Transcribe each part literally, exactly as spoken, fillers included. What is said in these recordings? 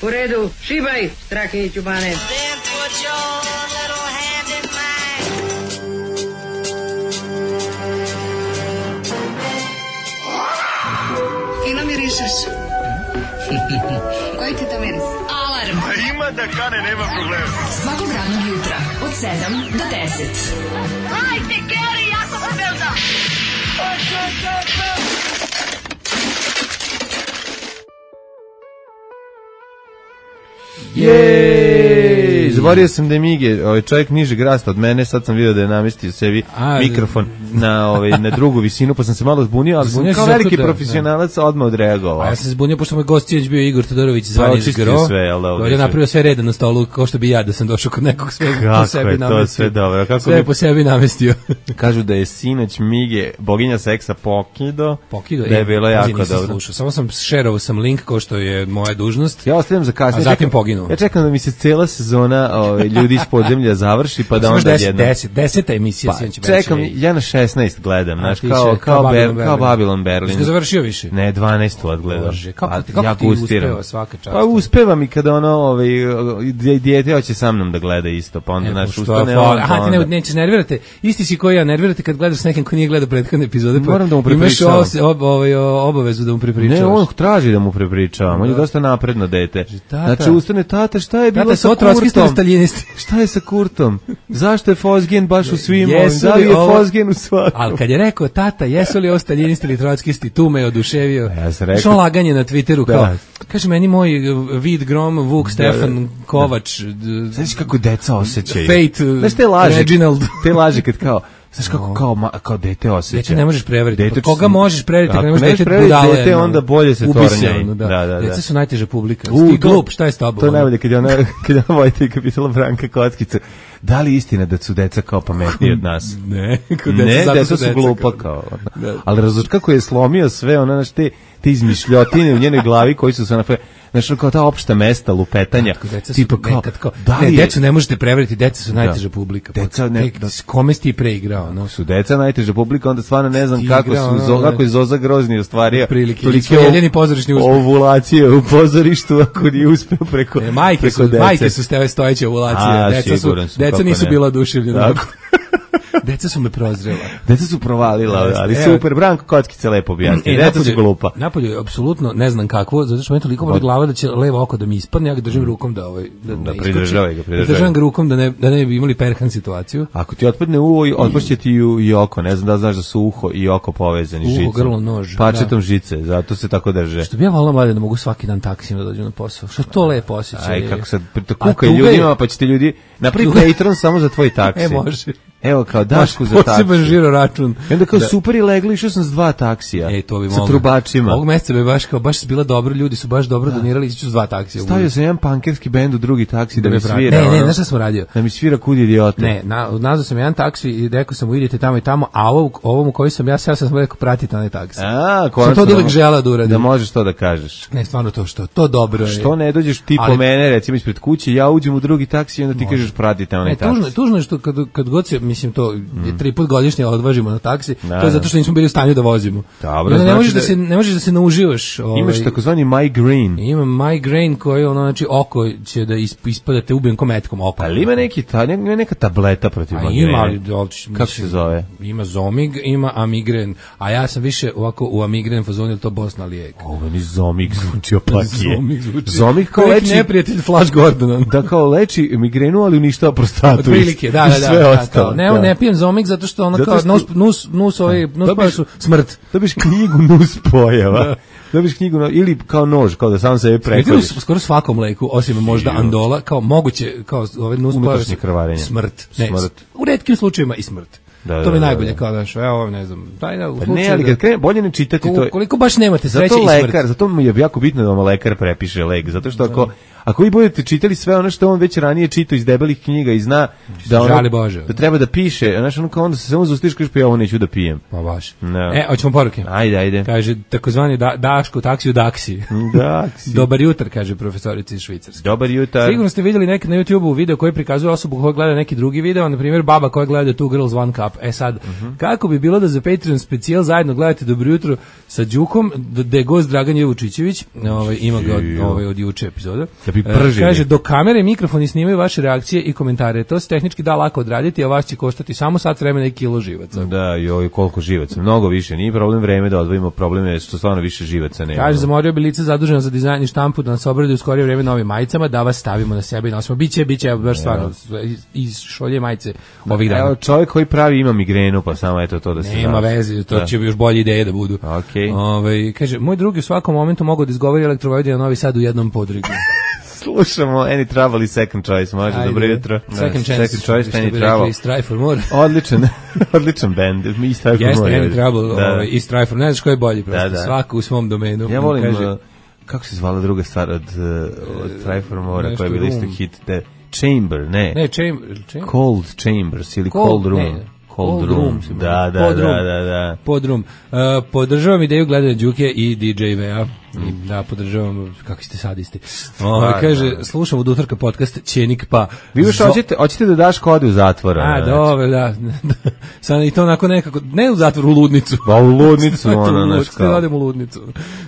U redu, šibaj, Strahinjiću Bane. Fino mirišeš. Koji ti to miris? Alarm. A ima da kane, nema problema. Svakog radnog jutra, od sedam do deset. Hajde, Geri, jako se velda. Jej, zaboravio sam da je Mige, ovaj čovjek nižeg rasta od mene, sad sam vidio da je namestio sebi A, mikrofon na ovaj na drugu visinu, pa sam se malo zbunio, ali zbunio kao veliki da, profesionalac da. Odmah odreagovao. A ja sam se zbunio pošto moj gost je bio Igor Todorović zvani Zgro. Sve, jel da? On je napravio sve reda na stolu, kao što bi ja da sam došao kod nekog sve kako po sebi je namestio. To sve dobro. Kako sve mi... po sebi namestio. Kažu da je sinoć Mige, boginja seksa Pokido. Pokido da je bilo e, jako dobro. Slušao. Samo sam šerovao sam link kao što je moja dužnost. Ja ostavljam za kasnije. A zatim poginuo. Ja čekam da mi se cela sezona ovaj, ljudi iz podzemlja završi, pa da onda jedno. deset, deseta emisija pa, čekam, ja na šesnaest gledam, znaš, kao, kao, kao, Babylon, Ber, kao Babylon Berlin. Jesi ga završio više? Ne, dvanaest odgledam. Kako, pa, kako ja ti uspeva svaka čast? Pa uspeva mi kada ono, ovaj, dijete hoće sa mnom da gleda isto, pa onda, znaš, ustane on. Aha, ti ne, nećeš nervirate, isti si koji ja, nervirate kad gledaš s nekim ko nije gledao prethodne epizode, pa moram da mu prepričavam. Imaš ob, ovaj, obavezu da mu prepričavaš. Ne, on traži da mu prepričavam, on je dosta napredno dete. Znači, ustane, tata, šta je bilo sa Kurtom? Šta je sa Kurtom? Zašto je Fozgen baš u svim ovim? Da li je Fozgen u svakom? Ali kad je rekao, tata, jesu li ovo staljinisti ili trotskisti, tu me oduševio. Ja sam rekao. Što laganje na Twitteru, kao, da. Kaže meni moj Vid Grom, Vuk, Stefan, Kovač. Znaš kako deca osjećaju? Fate, znaš te laže, Reginald. Te laže kad kao, znaš kako kao, ma, kao dete osjeća. Dete ne možeš prevariti. Dete, koga možeš prevariti? Ako ne možeš dete budale. Dete, onda bolje se tornjaj. Da. Da, da, da. Deca su najteža publika. U, ti glup, šta je s tobom? To je najbolje kad je ona, kad je ona Vojtejka pitala Branka Kockica. Da li istina da su deca kao pametniji od nas? Ne, deca, ne, deca su glupa kao. Da. Ali različ kako je slomio sve, ona znaš te, te izmišljotine u njenoj glavi koji su se na znači kao ta opšta mesta lupetanja, tipa kao, kao da ne, decu ne možete prevariti, deca su najteža publika. Deca ne, da, kome si ti preigrao, no? Su deca najteža publika, onda stvarno ne znam kako igrao, su, no, zo, kako je Zoza Grozni ostvario tolike jedini pozorišni uspeh. Ovulacije u pozorištu, ako nije uspeo preko, ne, majke preko su, dece. Majke su steve stojeće ovulacije, A, deca su, su, deca nisu ne. bila oduševljena. Tako. Deca su me prozrela. Deca su provalila, ali evo, super, Branko Kockica lepo objasni. Deca napolje, su glupa. Napolje je apsolutno ne znam kako, zato što me toliko boli glava da će levo oko da mi ispadne, ja ga držim rukom da ovaj da, da, da pridržavaj ga, pridržavaj. Držim ga rukom da ne da ne bi imali perhan situaciju. Ako ti otpadne uho, otpašće ti i oko, ne znam da znaš da su uho i oko povezani uho, žicom. Uho, grlo, nož. Pačetom da. Žice, zato se tako drže. Što bi ja volao mlade da mogu svaki dan taksijem da dođem na posao. Što to lepo osjećaj. Aj kako sad kukaj ljudima, pa će ti ljudi napravi Patreon samo za tvoj taksi. E može. Evo kao Dašku za taksi. Poseban žiro račun. I onda kao da. Super i legli, išao sam s dva taksija. E, to bi sa trubačima. Ovog meseca bi baš kao, baš bila dobro, ljudi su baš dobro da. donirali, išću s dva taksija. Stavio sam jedan pankerski bend u drugi taksi da, da mi svira. Ne, ne, znaš šta sam radio? Da mi svira kud idiote. Ne, na, nazvao sam jedan taksi i rekao sam, idete tamo i tamo, a ovo, ovom u koji sam ja, ja sam rekao, pratite onaj taksi. A, sam to uvijek želeo da uradim. Da možeš to da kažeš. Ne, stvarno to što, to dobro je. Što ne dođeš ti ali, po mene, recimo ispred kuće, ja uđem u drugi taksi i onda ti može. Kažeš pratite onaj ne, taksi. Tužno, tužno je što kad, kad god se, mislim to, mm. tri put godišnje odvažimo na taksi, da, to je zato što nismo bili u stanju da vozimo. Dobro, ne, znači možeš da, da se ne možeš da se nauživaš. Ovaj, imaš takozvani migraine. Ima migraine koji ono znači oko će da ispadate ubijem kometkom oko. Ali ima neki ta nema neka tableta protiv migrene. Ima, ali kako se zove? Ima Zomig, ima Amigren, a ja sam više ovako u Amigren fazonu to Bosna lijek. Ovo mi Zomig zvuči opakije. Zomig zvuči. Zomig kao leči neprijatelj Flash Gordona. Da kao leči migrenu, ali uništava prostatu. Otprilike, da, da, da. Ostalo, ne, da. Ne pijem Zomig zato što ono kao nus nus nus ovaj nus pojava su smrt. Dobiš knjigu nus pojava. Da. Dobiš knjigu ili kao nož, kao da sam sebe prekladiš. Skoro svakom leku, osim možda Andola, kao moguće, kao ove nus pojave smrt. Ne, smrt. U retkim slučajevima i smrt. Da, to mi da, najbolje da, da. Kao daš, evo ne znam, taj da u slučaju. Ne, ali kad krene, bolje ne čitati to. Koliko baš nemate sreće i smrt. Lekar, zato mu je jako bitno da vam lekar prepiše lek, zato što ako ako vi budete čitali sve ono što on već ranije čitao iz debelih knjiga i zna da ono, da treba da piše, znaš, ono kao onda se samo zustiš, kažeš pa ja ovo neću da pijem. Pa baš. No. E, hoćemo poruke. Ajde, ajde. Kaže, takozvani da, Daško, taksi u Daksi. Daksi. Dobar jutar, kaže profesorica iz Švicarske. Dobar jutar. Sigurno ste vidjeli nekad na YouTubeu video koji prikazuje osobu koja gleda neki drugi video, na primjer baba koja gleda Two Girls One Cup. E sad, uh-huh. kako bi bilo da za Patreon specijal zajedno gledate Dobro jutro sa Đukom, da je gost Dragan Jevučićević, ovaj, ima ga od, ovaj, od juče epizoda. Da bi pržili. Kaže, do kamere i mikrofoni snimaju vaše reakcije i komentare. To se tehnički da lako odraditi, a vas će koštati samo sat vremena i kilo živaca. Da, joj, koliko živaca. Mnogo više. Nije problem vreme da odvojimo, problem je što stvarno više živaca nema. Kaže, zamorio bi lice zaduženo za dizajn i štampu da nas obradi u skorije vreme novim majicama, da vas stavimo na sebe i nosimo. Biće, biće, baš stvarno, iz šolje majice ovih dana. Evo, čovjek koji pravi ima migrenu, pa samo eto to da se... Nema veze, to da. Će još bolje ideje da budu. Okay. Ove, kaže, moj drugi u svakom momentu mogu da izgovori Elektrovojvodina Novi Sad u jednom podrigu. Slušamo Any Trouble i Second Choice, može, Ajde. Dobro jutro. Second Chance, Second Choice, Any Trouble. Strive for More. Odličan, odličan band, i Strive for Jeste, More. Jeste, Any Trouble da. Ovaj, i Strive for More, ne znaš ko je bolji, prosto, da, da. Svako u svom domenu. Ja volim, kaže, uh, kako se zvala druga stvar od, uh, od Strive for More, koja je bila isto hit, te Chamber, ne. Ne, Chamber. chamber. Cold Chambers ili Cold, Cold Room. Ne. Cold, Cold Room, room da, da, Pod da, room. da, da. Pod room. Uh, podržavam ideju gledanja Đuke i D J V-a. Mm. Da, podržavam, kako ste sadisti. O, kaže, slušam od utorka podcast Ćenik pa... Vi još hoćete, hoćete da daš kode u zatvor. A, dobro, da. Sad i to onako nekako, ne u zatvor, u ludnicu. Pa u ludnicu, ono, naš kao. Radim u ludnicu.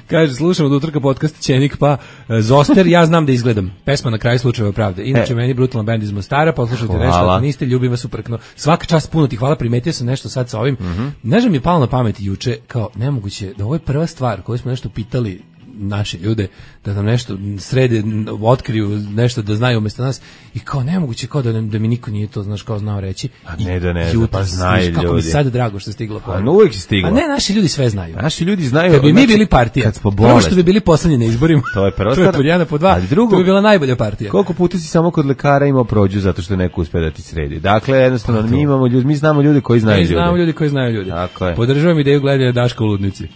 Kaže, slušam od utorka podcast Ćenik pa Zoster, ja znam da izgledam. Pesma na kraju slučajeva pravde. Inače, e. meni brutalan band iz Mostara, poslušajte nešto, ako niste, ljubim vas uprkno. Svaka čast, puno ti hvala, primetio sam nešto sad sa ovim. Mm-hmm. Ne znam mi je palo na pamet juče, kao nemoguće, da ovo je prva stvar koju smo nešto pitali naše ljude, da nam nešto srede, otkriju nešto da znaju umjesto nas i kao nemoguće, kao da, da mi niko nije to, znaš, kao znao reći. A ne da ne, pa znaju ljudi. Kako mi sad drago što je stiglo. A no, uvijek je stiglo. A ne, naši ljudi sve znaju. Naši ljudi znaju. Kad bi mi bili partija, prvo što bi bili poslednji na izborima, to je prva stvar. To je pod jedan, po dva, drugo, to bi bila najbolja partija. Koliko puta si samo kod lekara imao prođu zato što neko uspe da ti sredi. Dakle, jednostavno, mi imamo ljudi, mi znamo ljude koji znaju ljude. Mi znamo ljudi koji znaju ljude. Podržavam ideju gledanja Daška u ludnici.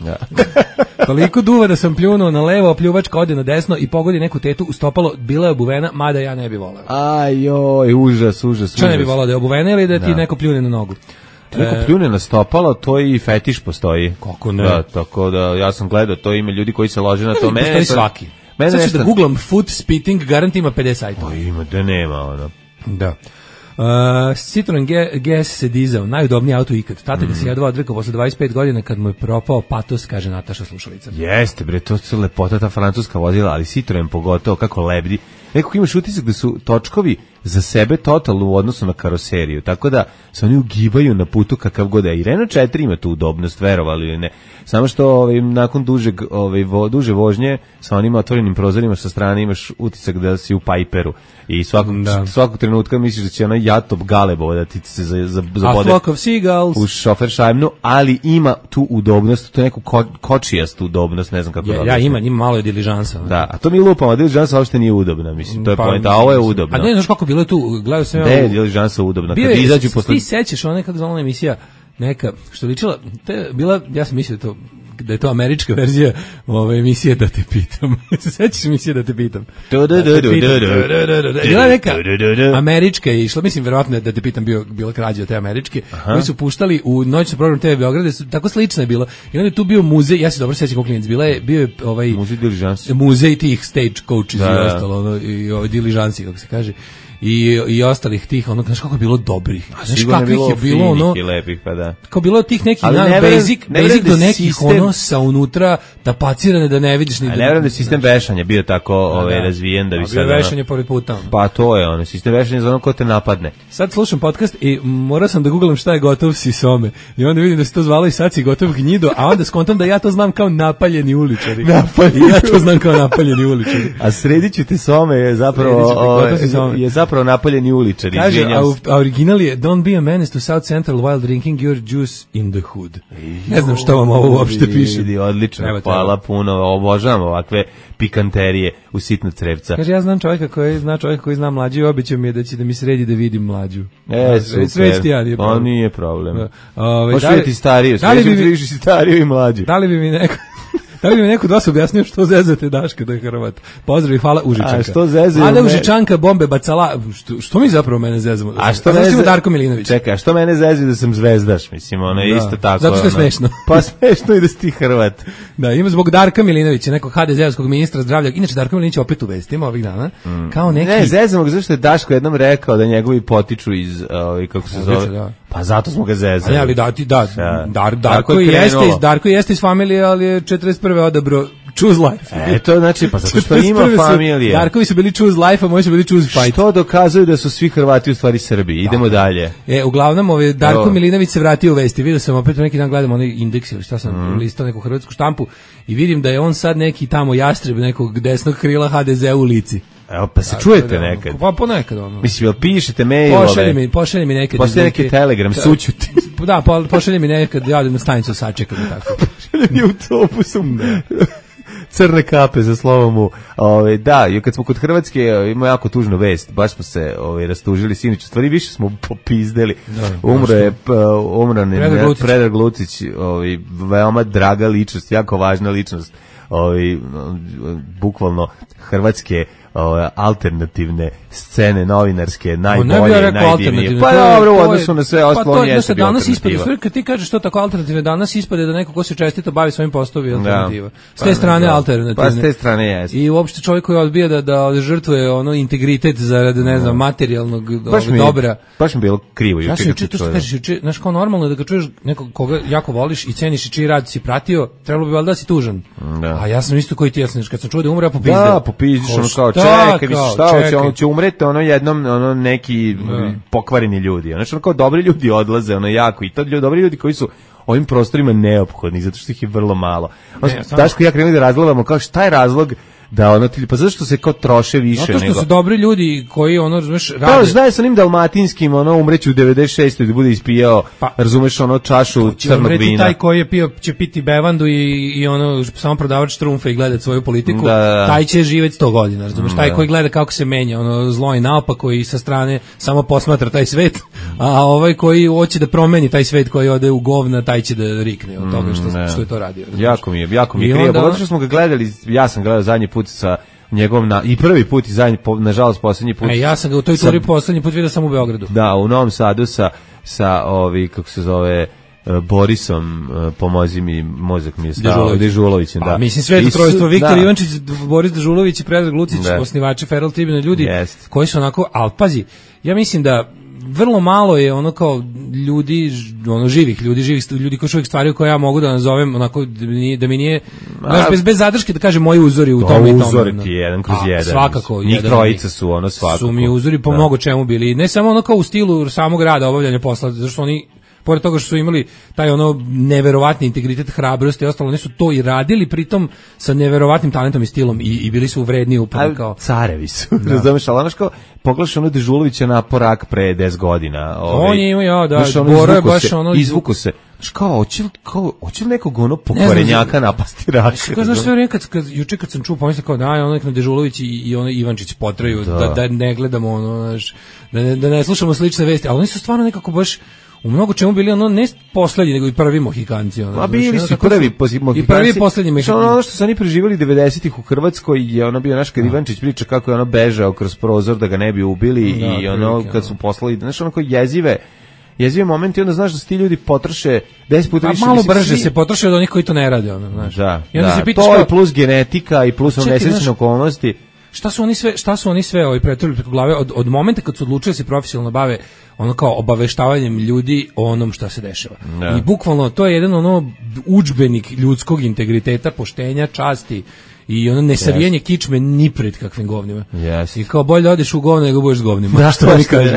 Toliko duva da sam pljunuo na levo, a pljuvačka ode na desno i pogodi neku tetu u stopalo, bila je obuvena, mada ja ne bi volao. Aj joj, užas, užas. Šta ne bi volao, da je obuvena ili da ti da. neko pljune na nogu? Ti neko e... pljune na stopalo, to i fetiš postoji. Kako ne? Da, tako da, ja sam gledao, to ima ljudi koji se lože na to. Mene postoji svaki. Mene sad ću nešto... da googlam foot spitting, garant ima pedeset sajtova. O, ima, da nema, ono. Da. Uh, Citroen G S se dizao, najudobniji auto ikad. Tata mm. ga se jedva odrekao posle dvadeset pet godina kad mu je propao patos, kaže Nataša slušalica. Jeste bre, to su lepota ta francuska vozila, ali Citroen pogotovo kako lebdi. Nekako imaš utisak da su točkovi za sebe totalno u odnosu na karoseriju, tako da se oni ugibaju na putu kakav god je. I Renault četiri ima tu udobnost, verovali ili ne. Samo što ovaj, nakon dužeg, ovaj, vo, duže vožnje sa onim otvorenim prozorima sa strane imaš utisak da si u Piperu i svakog, da. svakog trenutka misliš da će ona jatop galebo da ti se za, za, zabode u šofer šajbnu, ali ima tu udobnost, to je neku ko, kočijastu udobnost, ne znam kako ja, da ja ima, ima malo je diližansa. Da, a to mi lupamo, a diližansa uopšte nije udobna, mislim, to je pa, point, a ovo je udobno. A ne znaš kako bilo je tu, gledao sam... Ne, diližansa udobna, kad izađu posle... Ti sećaš ona kako zvala emisija, neka, što ličila, te bila, ja sam mislio to, da je to američka verzija ove emisije Da te pitam. Se sećaš emisije Da te pitam? Bila neka američka je išla, mislim verovatno Da te pitam bio bila krađa od te američke, koji su puštali u noćni program T V Beograda, tako slično je bilo. I onda je tu bio muzej, ja se dobro sećam kako klinac, bila je bio je ovaj muzej diližansi. Muzej tih stage coaches i ostalo, ono, i ovaj diližansi kako se kaže. I, i ostalih tih, ono, znaš kako je bilo dobrih. Znaš kakvih je bilo, ono, i lepih, pa da. Kao bilo tih nekih, na, ne basic, ne basic do nekih, sistem, ono, sa unutra, tapacirane da ne vidiš ni... A ne vjerujem da je sistem vešanja bio tako ovaj, razvijen, da bi sad... Bio vešanje pored puta. Pa to je, ono, sistem vešanja za ono ko te napadne. Sad slušam podcast i morao sam da googlam šta je gotov sisome. I onda vidim da se to zvalo i sad si gotov gnjido, a onda skontam da ja to znam kao napaljeni uličari. Napaljeni. I ja to znam kao napaljeni uličari. A srediću ti some je zapravo, je zapravo napaljeni uličari. Kaže, a original je Don't be a menace to South Central while drinking your juice in the hood. Ne znam što vam ovo uopšte piše. Odlično, hvala puno, obožavam ovakve pikanterije u sitno crevca. Kaže, ja znam čovjeka koji zna čovjeka koji zna mlađu i običao mi je da će da mi sredi da vidim mlađu. E, super. Sreći ti ja, nije problem. On nije problem. Ove, Možeš vidjeti stariju, sreći ti stariju i mlađu. Da li bi mi neko... Da li mi neko od vas objasnio što zezate Daška da je Hrvat? Pozdrav i hvala Užičanka. A što zezaju? Vlada Užičanka, bombe bacala. Što, što mi zapravo mene zezamo? A što ne zezaju? Darko Milinović. Čekaj, a što mene zezaju da sam zvezdaš? Mislim, ono je isto tako. Zato što je ono, smešno. Pa smešno i da si ti Hrvat. Da, ima zbog Darka Milinovića, nekog ha de zea-skog ministra zdravlja. Inače, Darko Milinović opet u vestima ovih dana. Mm. Kao neki... Ne, zezamo ga zašto je Daško jednom rekao da njegovi potiču iz, uh, kako se zove, da. Pa zato smo ga zezali. A ne, ali da, ti, da, ja. Dar, Darko, je jeste iz, Darko jeste iz familije, ali je četrdeset prve odabro choose life. E, to znači, pa zato što ima familije. Darkovi su bili choose life, a moji su bili choose fight. Što dokazuje da su svi Hrvati u stvari Srbi. Idemo da. dalje. E, uglavnom, ove, Darko Evo. Milinović se vratio u vesti. Vidio sam opet neki dan gledam onaj indeks ili šta sam mm. listao neku hrvatsku štampu i vidim da je on sad neki tamo jastreb nekog desnog krila ha de zea u lici. Evo, pa se da, čujete da, nekad. Pa ponekad ono. Mislim, jel pišete mailove? Pošalje mi, pošalje mi nekad. Pošalje neki telegram, sućuti. Da, po, pošalje mi nekad, ja na stanicu sačekam i tako. Pošalje mi autobusom. Crne kape za slovom u. Ove, da, i kad smo kod Hrvatske, ima jako tužnu vest. Baš smo se ove, rastužili sinoć. U stvari više smo popizdeli. Da, umro je umro ne Predrag Lucić, ovaj veoma draga ličnost, jako važna ličnost. Ovaj bukvalno hrvatske ove, alternativne scene novinarske najbolje, ne najdivnije. Pa dobro, u odnosu na sve ostalo pa to, da danas ispade, sve kad ti kažeš što tako alternativne, danas ispade da neko ko se čestito bavi svojim poslovima alternativa. S te pa, strane da, alternativne. Pa s te strane jeste. I uopšte čovjek koji odbija da da žrtvuje ono integritet zarad ne znam materijalnog mi, dobra. Baš mi bilo krivo juče. Ja sam juče to što kažeš juče, znaš kao normalno da ga čuješ nekog koga jako voliš i ceniš i čiji rad si pratio, trebalo bi valjda da si tužan. Da. A ja sam isto koji ti, ja sam kad sam čuo da umre, ja popizdeo. Da, popizdiš ono kao čekaj, vi šta hoće, on će umreti, ono jednom ono neki da. pokvareni ljudi. Znači ono kao dobri ljudi odlaze, ono jako i to ljudi, dobri ljudi koji su ovim prostorima neophodni, zato što ih je vrlo malo. Ne, Daško i ja krenuli da razgledamo kao šta je razlog da ono ti pa zašto se kao troše više nego. Zato što su dobri ljudi koji ono razumeš rade. Da, znaš sa onim dalmatinskim ono umreće u devedeset šestoj da bude ispijao, pa, razumeš ono čašu crnog vina. Taj koji je pio će piti bevandu i i ono samo prodavač trumfe i gledati svoju politiku, da, da. taj će živeti sto godina, razumeš? Taj da. koji gleda kako se menja ono zlo i naopako i sa strane samo posmatra taj svet, a ovaj koji hoće da promeni taj svet koji ode u govna, taj će da rikne od toga što mm, što je to radio. Razumeš? Jako mi je, jako mi je krivo, zato što smo ga gledali, ja sam gledao zadnji put sa njegovom na, i prvi put i zadnji, nažalost poslednji put. E, ja sam ga u toj turi poslednji put vidio sam u Beogradu. Da, u Novom Sadu sa, sa ovi, kako se zove, Borisom, pomozi mi, mozak mi je stao, Dežulovićem, da. A, mislim, sve to trojstvo, Viktor da. Ivančić, Boris Dežulović i Predrag Lucić, da. osnivači Feral Tribune, ljudi yes. koji su onako, ali pazi, ja mislim da vrlo malo je ono kao ljudi, ono živih ljudi, živih ljudi koji uvijek stvari koje ja mogu da nazovem onako da mi, da mi nije, znaš, bez, bez zadrške da kažem moji uzori u tome i tome. Uzori ti jedan kroz a, jedan. Svakako. Njih trojica su ono svakako. Su mi uzori po da. mnogo čemu bili. Ne samo ono kao u stilu samog rada, obavljanja posla, zato što oni pored toga što su imali taj ono neverovatni integritet, hrabrost i ostalo, oni su to i radili pritom sa neverovatnim talentom i stilom i, i bili su vredni upravo kao carevi su. Da. Razumeš, ali znaš kao pogledaš ono Dežulovića na porak pre deset godina. Ovaj, on je imao, ja, da, Boro je baš se, ono... Izvuko se. Znaš kao, hoće li, kao, hoće li nekog ono pokvarenjaka napasti Raška? Znaš, sve vrijeme, kad, kad, juče kad sam čuo, pomislio kao da, ono nek na Dežulović i, i ono Ivančić potraju, da. Da, da ne gledamo ono, znaš, da ne, da ne slušamo slične vesti, ali oni su stvarno nekako baš u mnogo čemu bili ono ne poslednji nego i prvi Mohikanci ono. Ma bili su prvi Mohikanci. I prvi i poslednji Mohikanci. Ono što su oni preživjeli devedesetih u Hrvatskoj je ono bio naš kad Ivančić priča kako je ono bežao kroz prozor da ga ne bi ubili da, i ono prilike, kad su poslali, znaš, onako jezive jezive momenti, onda znaš da su ti ljudi potroše deset puta više. A malo brže svi... se potroše od onih koji to ne rade, ono, znaš. Da, i onda da, se pitaš to je plus genetika i plus nesrećne okolnosti. Šta su oni sve, šta su oni sve ovaj pretrpili preko glave od od momenta kad su odlučili da se profesionalno bave ono kao obaveštavanjem ljudi o onom šta se dešava. No. I bukvalno to je jedan ono udžbenik ljudskog integriteta, poštenja, časti i ono nesavijanje yes. kičme ni pred kakvim govnima. Yes. I kao bolje da odeš u govno nego budeš s govnima. Da, što oni kažu.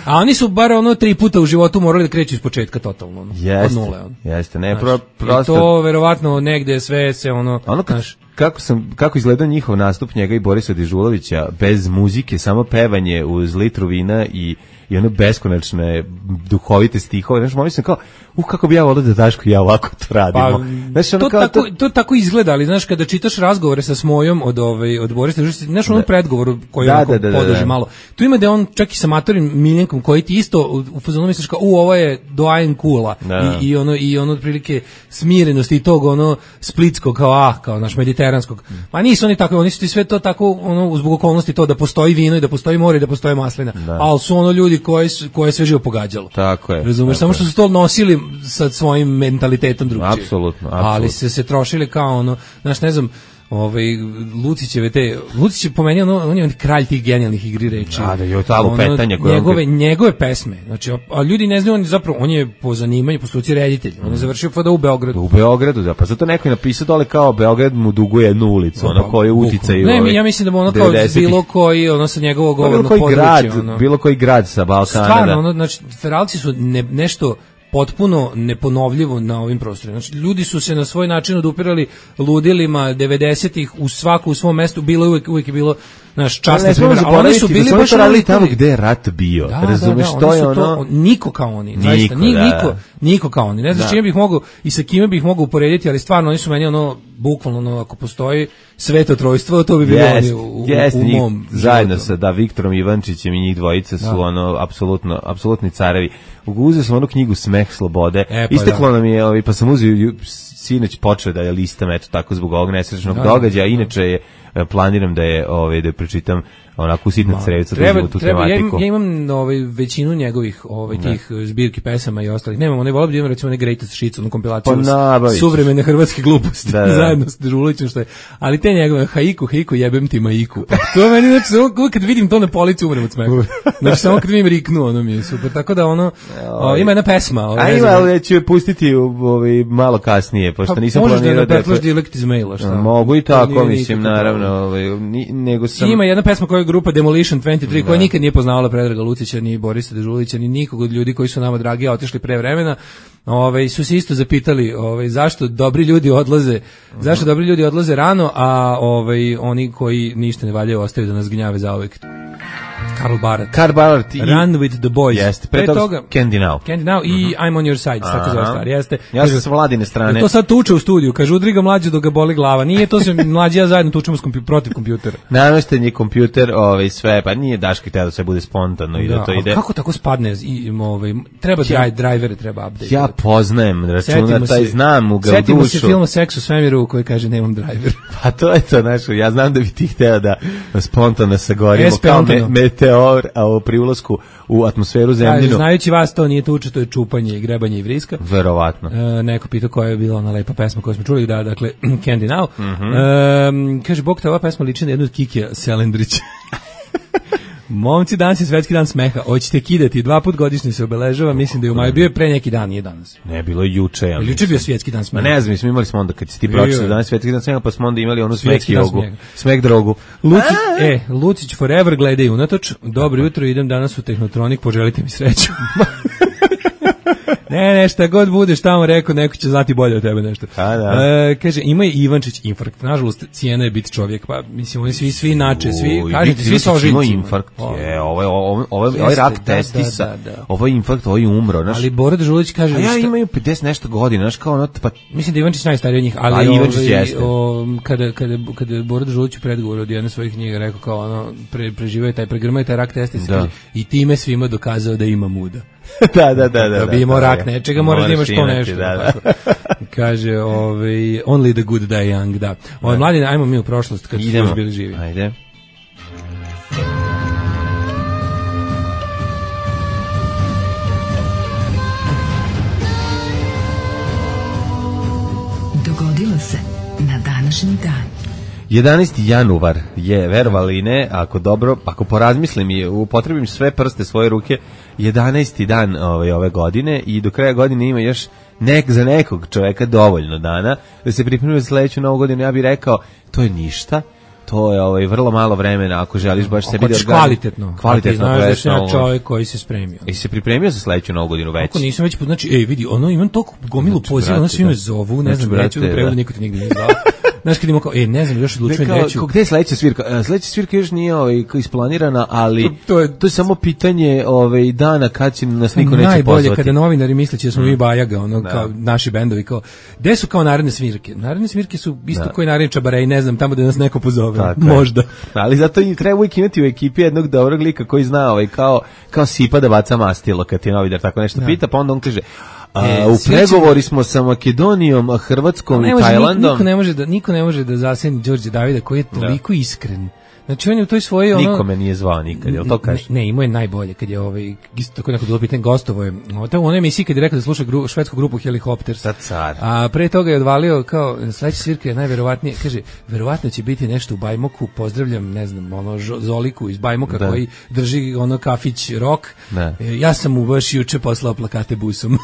A oni su bar ono tri puta u životu morali da kreću iz početka totalno. Ono, yes. od nule. Ono. Jeste, ne, pro, prosto... I to verovatno negde sve se ono... ono kad, znaš, kako sam kako izgledao njihov nastup njega i Borisa Dežulovića bez muzike, samo pevanje uz litru vina i i ono beskonačne duhovite stihove, znaš, mislim kao, uh, kako bi ja volio da Daško i ja ovako to radimo. Pa, znaš, ono to, kao, tako, to... to tako izgleda, ali znaš, kada čitaš razgovore sa Smojom od, ovaj, od Borisa, znaš, onom predgovoru koji da, onako da, da, podrži da, da. malo, tu ima da on čak i sa Matorim Miljenkom, koji ti isto u, u fazonu misliš kao, u, ovo je doajen kula, da. I, i ono, i ono, otprilike, smirenosti i tog, ono, splitskog, kao, ah, kao naš mediteranskog. Ma nisu oni tako, oni su ti sve to tako, ono, zbog okolnosti to da postoji vino i da postoji more i da postoji maslina, da. ali su ono ljudi koji su, koje sve živo pogađalo. Tako je. Razumeš, samo što su to nosili sa svojim mentalitetom drugčije. Apsolutno, apsolutno. Ali se se trošili kao ono, znaš, ne znam, ovaj Lucićeve te Lucić je pomenuo, ono, on je kralj tih genijalnih igri reči. Da, da, je to lupetanje koje njegove on... njegove pesme. Znači, a ljudi ne znaju, on zapravo on je po zanimanju, po struci reditelj. On je završio fada u Beogradu. U Beogradu, da, pa zato neko je napisao dole kao Beograd mu duguje jednu ulicu, ono pa, koju uticaju. Ne, mi ja mislim da mu ono kao bilo koji, ono sa njegovog govornog područja, grad, ono. Bilo koji grad sa Balkana. Stvarno, da. ono, znači Feralci su ne, nešto potpuno neponovljivo na ovim prostorima. Znači, ljudi su se na svoj način odupirali ludilima devedesetih u svaku u svom mestu, bilo je uvijek, uvijek je bilo naš časni primjer, ali oni su bili baš radili tamo gde je rat bio. Da, razumeš, da, da, to je to, ono... niko kao oni, niko, zaista, ni, da, niko, niko kao oni. Ne znam da. čime bih mogao i sa kime bih mogao uporediti, ali stvarno oni su meni ono, bukvalno ono, ako postoji sveto trojstvo, to bi bilo yes, oni u, yes, u, u mom zajedno životu. sa da Viktorom Ivančićem i njih dvojica su da. ono apsolutno apsolutni carevi. Uzeo sam onu knjigu Smeh slobode. E, pa Isteklo da. nam je, ovaj, pa sam uzeo sinoć počeo da je listam, eto tako zbog ovog nesrećnog da, događaja. da. Inače je planiram da je ovaj da pročitam onako sitna crevica treba, da tu treba, tematiku. Ja, ja imam ovaj većinu njegovih ovaj tih ne. zbirki pesama i ostalih. Nemam, one volio da imam recimo ne Greatest Hits, onu kompilaciju pa suvremene hrvatske gluposti da, da. zajedno s Dežulićem što je. Ali te njegove haiku, haiku jebem ti maiku. Pa to meni znači uvijek kad vidim to na polici umrem od smeha. Znači samo kad vidim riknu, ono mi je super. Tako da ono o, ima jedna pesma, ovaj, a ima, ali ću je pustiti ovaj malo kasnije, pošto pa, nisam planirao da Možeš da Dialect iz maila, šta? Mogu i tako, mislim, naravno, ovaj nego sam ima jedna pesma koja je grupa Demolition dvadeset tri, koja nikad nije poznavala Predraga Lucića, ni Borisa Dežulića, ni nikog od ljudi koji su nama dragi, a otišli pre vremena. Ove, su se isto zapitali ove, zašto dobri ljudi odlaze uh-huh. zašto dobri ljudi odlaze rano, a ove, oni koji ništa ne valjaju ostaju da nas gnjave zauvek. Karl Barat. Karl Barat i Run with the Boys. Jeste, pre toga Candy Now. Candy Now i uh-huh. I'm on your side, tako zove stvar. Jeste. Ja sam sa Vladine strane. To sad tuče u studiju, kaže udriga mlađe dok ga boli glava. Nije to se mlađi ja zajedno tučemo s kompi, protiv kompjutera. Namešten je kompjuter, ovaj sve, pa nije Daški hteo da sve bude spontano i da, da to ide. Kako tako spadne i ovaj treba ja, driver treba update. Ja poznajem računar taj znam u ga dušu. Setimo se filma Seks u svemiru koji kaže nemam driver. Pa to je to, znači ja znam da bi ti hteo da spontano sagorimo kao me, meteor, a pri ulasku u atmosferu zemljinu. Znajući vas, to nije tuča, to je čupanje i grebanje i vriska. Verovatno. E, neko pitao koja je bila ona lepa pesma koju smo čuli, da, dakle, Candy Now. Mm-hmm. E, kaže, Bog te ova pesma liči na jednu od Kikija Selendrića. Momci, danas je svetski dan smeha. Hoćete kidati, dva put godišnje se obeležava, mislim da je u maju, bio je pre neki dan, nije danas. Ne, bilo je juče. Ja juče bio svetski dan smeha. Ma ne znam, mi smo imali smo onda, kad si ti pročitao danas svetski dan smeha, pa smo onda imali onu smeh jogu, smeh drogu. Lucić, e, Lucić forever gledaj unatoč, dobro jutro, idem danas u Tehnotronik, poželite mi sreću. Ne, ne, šta god budeš tamo rekao, neko će znati bolje od tebe nešto. A, da. E, kaže, ima je Ivančić infarkt. Nažalost, cijena je biti čovjek, pa mislim, oni svi, svi inače, svi, kažete, svi sa ožiljcima. Ima infarkt, je, ovo je, ovo, ovo, ovo je rak testisa, da, da, da. Ovo je infarkt, ovo je umro. Naš, ali Bora Dežulić kaže... A ja šta, imaju pedeset nešto godina, znaš, kao ono, pa... Mislim da Ivančić najstariji od njih, ali a, ovaj, o, kada, kada, kada je Bora Dežulić u predgovoru od jedne svojih knjiga rekao kao ono, pre, preživaju taj, pregrmaju taj rak testisa, kaže, i time svima dokazao da ima muda. da, da, da, da. Da bi imao rak nečega, moraš da imaš to nešto. Da, da. Kaže, ovaj, only the good die young, da. Ovaj, mladine, ajmo mi u prošlost, kad su još bili živi. Ajde. Dogodilo se na današnji dan. jedanaesti januar je, verovali ne, ako dobro, ako porazmislim i upotrebim sve prste svoje ruke, jedanaesti dan ove, ove godine i do kraja godine ima još nek, za nekog čoveka dovoljno dana da se pripremi za sledeću novu godinu. Ja bih rekao, to je ništa, to je ovaj vrlo malo vremena ako želiš baš sebi da kvalitetno. Kvalitetno, znaš da sam ja čovjek koji se spremio. I se pripremio za sledeću novu godinu već. Ako nisam već, znači, ej, vidi, ono imam toliko gomilu znači, poziva, ono svi me zovu, ne znam, neću da prevodu, niko ti nigde nije zvao. Znaš kad imamo kao, e, ne znam, još odlučujem neću. Gde je sledeća svirka? Sledeća svirka još nije ovaj, isplanirana, ali to, to, je, to je samo pitanje ovaj, dana kad će nas niko neće pozvati. Najbolje kada novinari misleći da smo mi Bajaga, ono, da. Kao naši bendovi, kao, gde su kao naredne svirke? Naredne svirke su isto da. Koji naredni Čabarej, ne znam, tamo da nas neko pozove, tako možda. Ali zato i treba uvijek imati u ekipi jednog dobrog lika koji zna ovaj, kao, kao sipa da baca mastilo kad ti novinar tako nešto da. Pita, pa onda on kaže, A, e, u pregovori smo sa Makedonijom, Hrvatskom i Tajlandom. Niko ne može da niko ne može da zaseni Đorđe Davida koji je toliko da. Iskren. Znači on je u toj svojoj ono Nikome nije zvao nikad, jel to kažeš? Ne, ne, imao je najbolje kad je ovaj isto tako neko bilo pitanje gostovo je. U onoj emisiji kad je rekao da sluša gru, švedsku grupu Helicopters. Car. A pre toga je odvalio kao sledeća svirka je najverovatnije, kaže, verovatno će biti nešto u Bajmoku, pozdravljam, ne znam, ono Zoliku iz Bajmoka da. Koji drži ono kafić rock. Da. E, ja sam mu baš juče poslao plakate busom.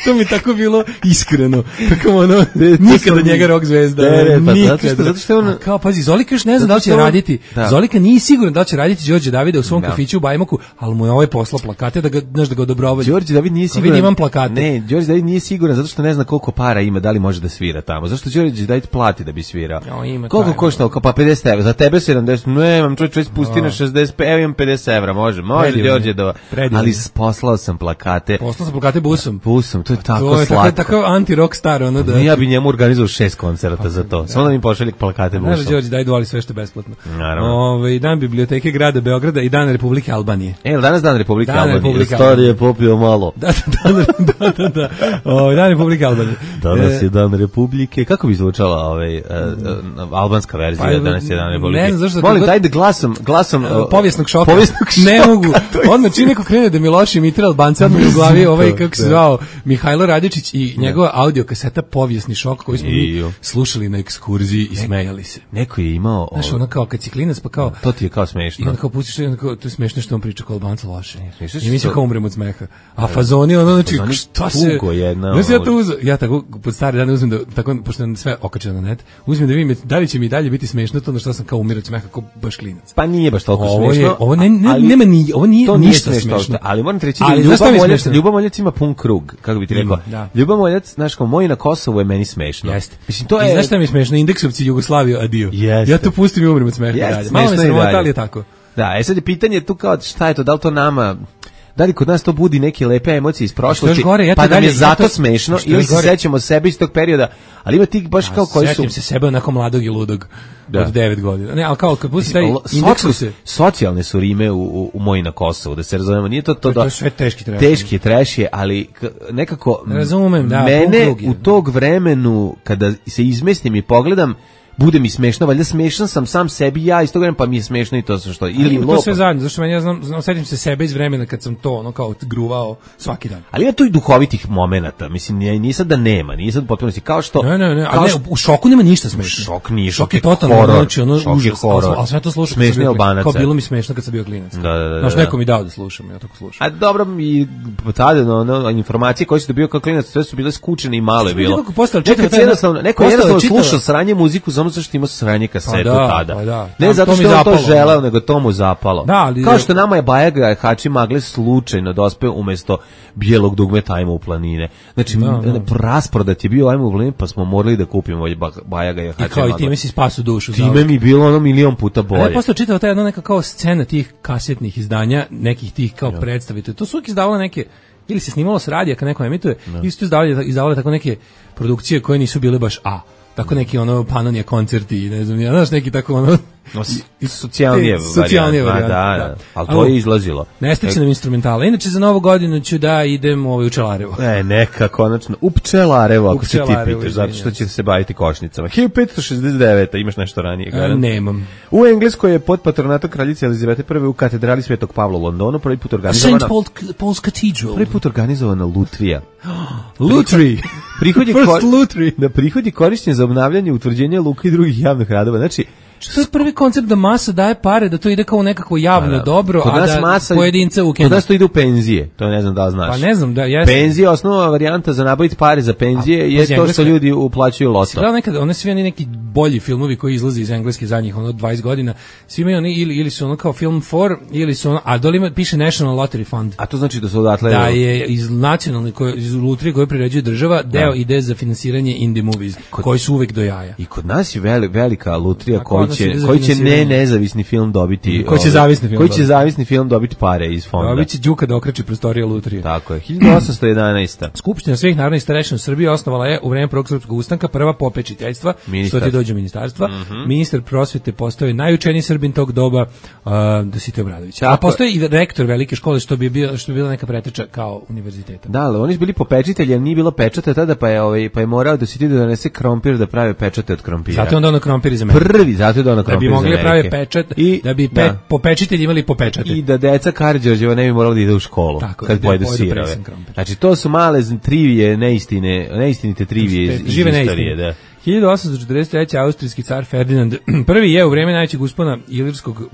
To mi tako bilo iskreno. Kako ono, nikada njega rock zvezda. Ne, ne, pa nikada. Zato što, zato što on... A kao, pazi, Zolika još ne zna da li će on... raditi. Da. Zolika nije siguran da li će raditi Đorđe Davida u svom da. Kafiću u Bajmoku, ali mu je ovaj poslao plakate da ga, znaš, da ga odobrovalju. Đorđe David nije siguran. Vidim, imam plakate. Ne, Đorđe David nije siguran zato što ne zna koliko para ima, da li može da svira tamo. Zašto Đorđe David plati da bi svirao? No, ima koliko košta? Pa pedeset evra. Za tebe sedamdeset. Ne, imam čovjek čovjek spusti na šezdeset, evo imam pedeset evra, može. Može Đorđe da. Ali poslao sam plakate. Poslao sam plakate busom. Busom, to je tako slatko. Tako anti-rock star, ono da... Ja bi njemu organizovao šest koncerata za to. Samo da mi pošalje plakate busom. Znaš, Đorđe, daj dovoli sve što je besplatno. Naravno. Ove, dan biblioteke grada Beograda i dan Republike Albanije. E, danas dan Republike dan Albanije. Republike Stari je popio malo. Da, da, da, da, da. O, dan Republike Albanije. Danas je dan Republike. Kako bi zvučala ovaj, uh, uh, albanska verzija? Pa, danas je dan Republike. Ne znam zašto... Molim, dajde glasom, glasom... Uh, povijesnog šoka. Povijesnog šoka. Ne mogu. Odmah čim neko krene da mi loši imitra Albanca, odmah mi u glavi ovaj, kako se zvao, Mihajlo Radičić i njegova audio kaseta Povijesni šok koji smo mi slušali na ekskurziji i smejali se. Neko je imao... Znaš, ono kao kad si klinac, pa kao... To ti je kao smešno. I onda kao pustiš, i onda kao, to je smešno što on priča kao Albanca loše. I mi se kao umremo od smeha. A fazoni, ono, znači, šta se... Tugo jedna. Znaš, ja to uzem, ja tako, pod stare dane uzmem da, tako, pošto je sve okačeno na net, uzmem da vidim da li će mi dalje biti smešno to na što sam kao umirao od smeha, kao baš klinac. Pa nije baš toliko ovo smešno. Je, ovo ne, ne, ali, nema ni, ovo nije ništa smešno. Ali moram ti reći da Ljuba Moljac ima pun krug, kako bi ti rekao. Ljuba Moljac, znaš, kao moji na Kosovu je meni smešno. Jeste. Mislim, to je... I znaš šta mi je smešno? Indeksovci Jugoslaviju, adio. Jeste. Ja to pustim i umrem od smeha dalje. Malo me sramota, ali je tako. Da, e sad je pitanje tu kao šta je to, da li to nama... Da li kod nas to budi neke lepe emocije iz prošlosti, gore, ja pa nam dalje, je zato ja to, smešno, ili se sećamo sebe iz tog perioda, ali ima tih baš kao koji su... Sjećam se sebe onako mladog i ludog da. Od devet godina. Ne, ali kao kad pusti taj indeksu se... Socijalne su rime u, u, u moji na Kosovu, da se razumemo, nije to to da... To je sve teški treš. Teški treš je, ali nekako... Razumem, da, mene u tog vremenu, kada se izmestim i pogledam, bude mi smešno, valjda smešan sam sam sebi ja iz tog vremena, pa mi je smešno i to sve što ili to sve zajedno, zašto meni ja znam, znam sećam se sebe iz vremena kad sam to ono kao gruvao svaki dan. Ali ima tu i duhovitih momenata, mislim nije sad da nema, nije sad potpuno si kao što ne, ne, ne, ali ne, u šoku nema ništa smešno. Šok nije, šok je totalno, znači ono užas, al sve to slušam smešni Albanaca. Kao bilo mi smešno kad sam bio klinac. Da, da, da. Znaš, neko mi dao da slušam, ja tako slušam. A dobro mi tada no, no, informacije koje su dobio kao klinac, sve su bile skučene i malo je bilo. Neko postao čitao, jednostavno, neko jednostavno slušao sranje muziku samo zato što ima sranje kasetu pa da, tada. Pa da. Ne zato što on to želeo, nego to mu zapalo. Da, ali, kao što nama je Bajaga Hači Magle slučajno dospe umjesto bijelog dugmeta Ajmo u planine. Znači, da, da. rasprodat je bio Ajmo u planine, pa smo morali da kupimo ovaj Bajaga Hači Magle. I kao i time si spasu dušu. Time mi bilo ono milion puta bolje. Ja postao čitao ta jedna neka kao scena tih kasetnih izdanja, nekih tih kao ja. predstavite. To su uvijek izdavale neke, ili se snimalo s radija kad neko emituje, ja. ili su izdavale, izdavale tako neke produkcije koje nisu bile baš A. Tako neki ono Panonija koncerti, ne znam, ja znaš neki tako ono no, socijalnije socijalnije varijante, da, da, ali to je izlazilo. Ne stiče nam instrumentala. Inače za novu godinu ću da idem ovaj u Pčelarevo. E, neka konačno u Pčelarevo, ako se ti pitaš, zato što će se baviti košnicama. hiljadu petsto šezdeset deveta imaš nešto ranije, garant? Nemam. U Engleskoj je pod patronatom kraljice Elizabete prve u katedrali Svetog Pavla u Londonu prvi put organizovana Saint Paul, Paul's Cathedral. Prvi put organizovana lutrija. Lutri. Prihod je, kor... da, prihod je korišćen za obnavljanje, utvrđenje luka i drugih javnih radova. Znači, To je prvi koncept da masa daje pare, da to ide kao nekako javno da, da. dobro, kod a da masa, pojedinca ukine. Kod nas to ide u penzije, to ne znam da li znaš. Pa ne znam, da, jeste. Penzije, osnovna varijanta za nabaviti pare za penzije a, je to što ljudi uplaćuju loto. Da, nekad, one svi oni neki bolji filmovi koji izlaze iz engleske zadnjih ono dvadeset godina, svi imaju oni ili, ili su ono kao film for, ili su ono, a dole ima, piše National Lottery Fund. A to znači da su odatle... Da je iz nacionalne, koje, iz lutrije koje priređuje država, deo da. ide za finansiranje indie movies, kod, koji su uvek do jaja. I kod nas je veli, velika lutrija koji će, koji će ne nezavisni film dobiti... Koji će zavisni film Koji će zavisni film dobiti pare iz fonda. Dobit će Đuka da okreće prostorije lutrije. Tako je. hiljadu osamsto jedanaesta. Skupština svih narodnih starešina u Srbiji osnovala je u vreme Prvog srpskog ustanka prva popečiteljstva, što ti dođe ministarstva. Mm -hmm. Ministar prosvete postao najučeniji Srbin tog doba, uh, Dositej Obradović. A postoji i rektor velike škole, što bi bio, što bi bila neka preteča kao univerziteta. Da, ali oni su bili popečitelji, ali nije bilo pečata tada, pa je ovaj pa je morao Dositej da donese krompir da prave pečate od krompira. Zato onda ono krompir za mene. Prvi, zato je ono krompir. Da bi mogli da prave pečat i da bi pe, da. popečitelji imali popečate. I da deca Karađorđeva ne bi morali da ide u školu. Tako, kad pojedu sirove. Znači to su male trivije, neistine, neistinite trivije iz, iz istorije, da. hiljadu osamsto četrdeset treće. austrijski car Ferdinand prvi je u vreme najvećeg uspona ilirskog uh,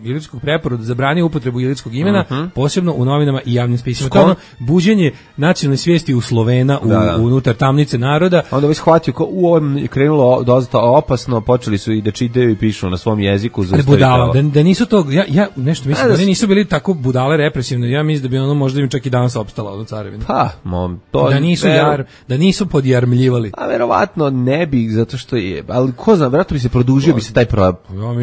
ilirskog preporoda zabranio upotrebu ilirskog imena, uh -huh. posebno u novinama i javnim spisima. To ono buđenje nacionalne svijesti u Slovena u, da, da. unutar tamnice naroda. Onda bi shvatio ko u ovom je krenulo dosta opasno, počeli su i da čitaju i pišu na svom jeziku za budala, da, da nisu to ja ja nešto mislim da oni nisu bili tako budale represivne. Ja mislim da bi ono možda im čak i danas opstala od carevine. Pa, mom, to da nisu ver... jar, da nisu podjarmljivali. A verovatno ne bi, zato što je, ali ko zna, vjerojatno bi se produžio bi se taj pro, ja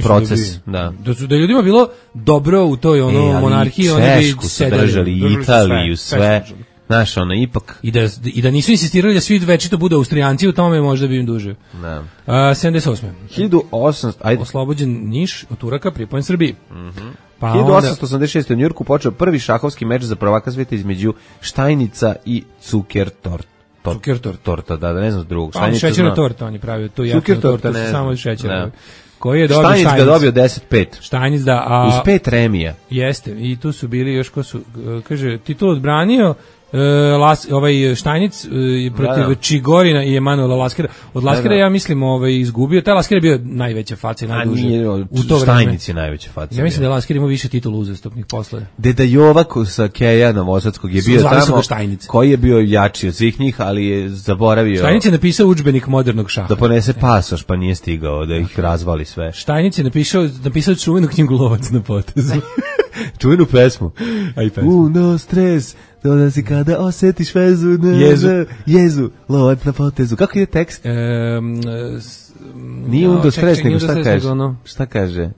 proces. Da, bi, da. Da, su, da ljudima bilo dobro u toj ono e, monarhiji, oni bi sedeli. Držali, Italiju, sve. sve. Znaš, ono, ipak. I da, I da nisu insistirali da svi večito bude Austrijanci, u tome možda bi im duže. Da. A, sedamdeset osme. hiljadu osamsto. Ajde. Oslobođen Niš od Turaka, pripojen Srbiji. Mhm. Pa hiljadu osamsto osamdeset šeste. u Njujorku počeo prvi šahovski meč za prvaka svijeta između Štajnica i Zukertort. Zukertort. Torta, da, da, ne znam drugog. Pa, šećerna torta, on je pravio tu jasnu tortu, ne, samo šećer. Koji je dobio Štajnic? Štajnic ga dobio deset pet. Štajnic, da. A, uz pet remija. Jeste, i tu su bili još ko su, kaže, titul odbranio, Uh, Las, ovaj Štajnic uh, protiv da, da. Čigorina i Emanuela Laskera. Od Laskera da, da. ja mislim ovaj izgubio. Taj Lasker je bio najveća faca i najduže. U to Štajnic je najveća faca. Ja mislim da je Lasker imao više titula uzastopnih posle. Deda Jovak sa Keja Novosadskog je bio tamo. Koji je bio jači od svih njih, ali je zaboravio. Štajnic je napisao udžbenik modernog šaha. Da ponese pasoš, pa nije stigao da ih razvali sve. Štajnic je napisao napisao čuvenu knjigu Lovac na potezu. Čuvenu pesmu. Aj pesmu. Uno stres. Dolazi kada osjetiš vezu, ne, jezu. Ne, jezu, lovac na potezu. Kako je tekst? Um, nije no, undo stres, nego šta kaže? Ono. Šta kaže?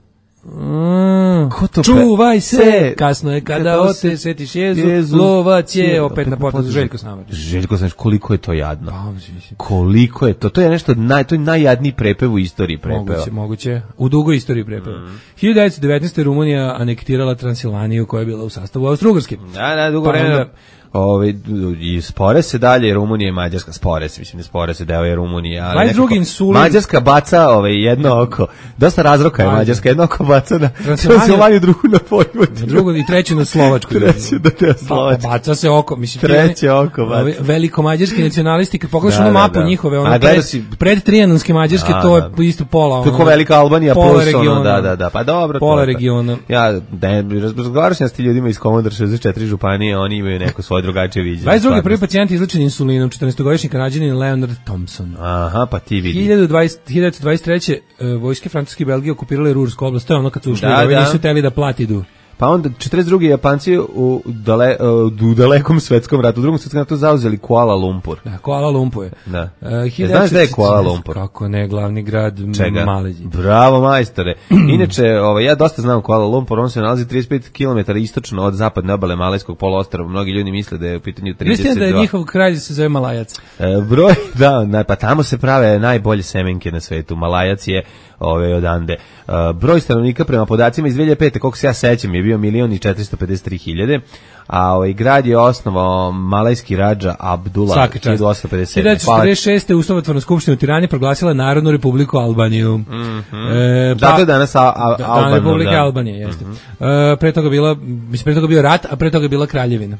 Mm, čuvaj se, se, kasno je kada ose setiš jezu, jezu, lovac je opet na potezu. Željko Samardžić. Željko Samardžić, koliko je to jadno. Koliko je to, to je nešto, naj, to je najjadniji prepev u istoriji prepeva. Moguće, moguće, u dugoj istoriji prepeva. Mm. hiljadu devetsto devetnaeste. Rumunija anektirala Transilvaniju koja je bila u sastavu Austro-Ugarske. Da, da, dugo vremena. Ove, i spore se dalje, Rumunija i Mađarska, spore se, mislim, ne spore se, deo je Rumunija, ali nekako, insulin... Mađarska baca ove, jedno oko, dosta razroka je Mađarska, jedno oko baca na Transilvaniju, drugu na Vojvodinu. Drugo i treće na Slovačku. Treće da te Slovačku. Baca se oko, mislim. Treće oko baca. Ove, velikomađarski nacionalisti, kad pogledaš da, onu mapu da, da. njihove, ono pred, si... pred trijanonske Mađarske, da, to je da. isto pola. Ono, to je ko velika Albanija, pola plus ono, da, da, da, pa dobro. Pola regiona. Ja, razgovarao sam s ti ljudima iz Komodor šezdeset četiri županije, oni imaju neko svoje drugačije viđenje. dvadeset drugi prvi pacijent izlečen insulinom, četrnaestogodišnji Kanadjanin Leonard Thompson. Aha, pa ti vidi. hiljadu devetsto dvadeset treće. Uh, vojske Francuske i Belgije okupirale Rursku oblast, to je ono kad su ušli, da, da. nisu teli da platidu. Pa onda četrdeset drugi Japanci u, dale, u dalekom svetskom ratu, u drugom svetskom ratu zauzeli Kuala Lumpur. Da, Kuala Lumpur je. Da. Uh, hiljadu... Znaš da je Kuala Lumpur? Kako ne, glavni grad Malezije. Bravo, majstore. Inače, ovaj, ja dosta znam Kuala Lumpur, on se nalazi trideset pet kilometara istočno od zapadne obale Malajskog poluostrva. Mnogi ljudi misle da je u pitanju trideset dva. Mislim da je njihov kralj se zove Malajac. E, broj, da, na, pa tamo se prave najbolje semenke na svetu. Malajac je ove odande. Uh, broj stanovnika prema podacima iz dve hiljade pete. koliko se ja sećam, je bio milion i četiristo pedeset tri hiljade, a ovaj grad je osnovao malajski radža Abdullah hiljadu osamsto pedeset sedme. hiljadu četrdeset šeste. Ustavotvorna skupština u Tirani proglasila Narodnu republiku Albaniju. Mm -hmm. e, pa, Zato je danas a, a, da, Albanija. Republika da. Albanije, jeste. Mm -hmm. e, pre toga bila, mislim, pre toga bio rat, a pre toga bila kraljevina.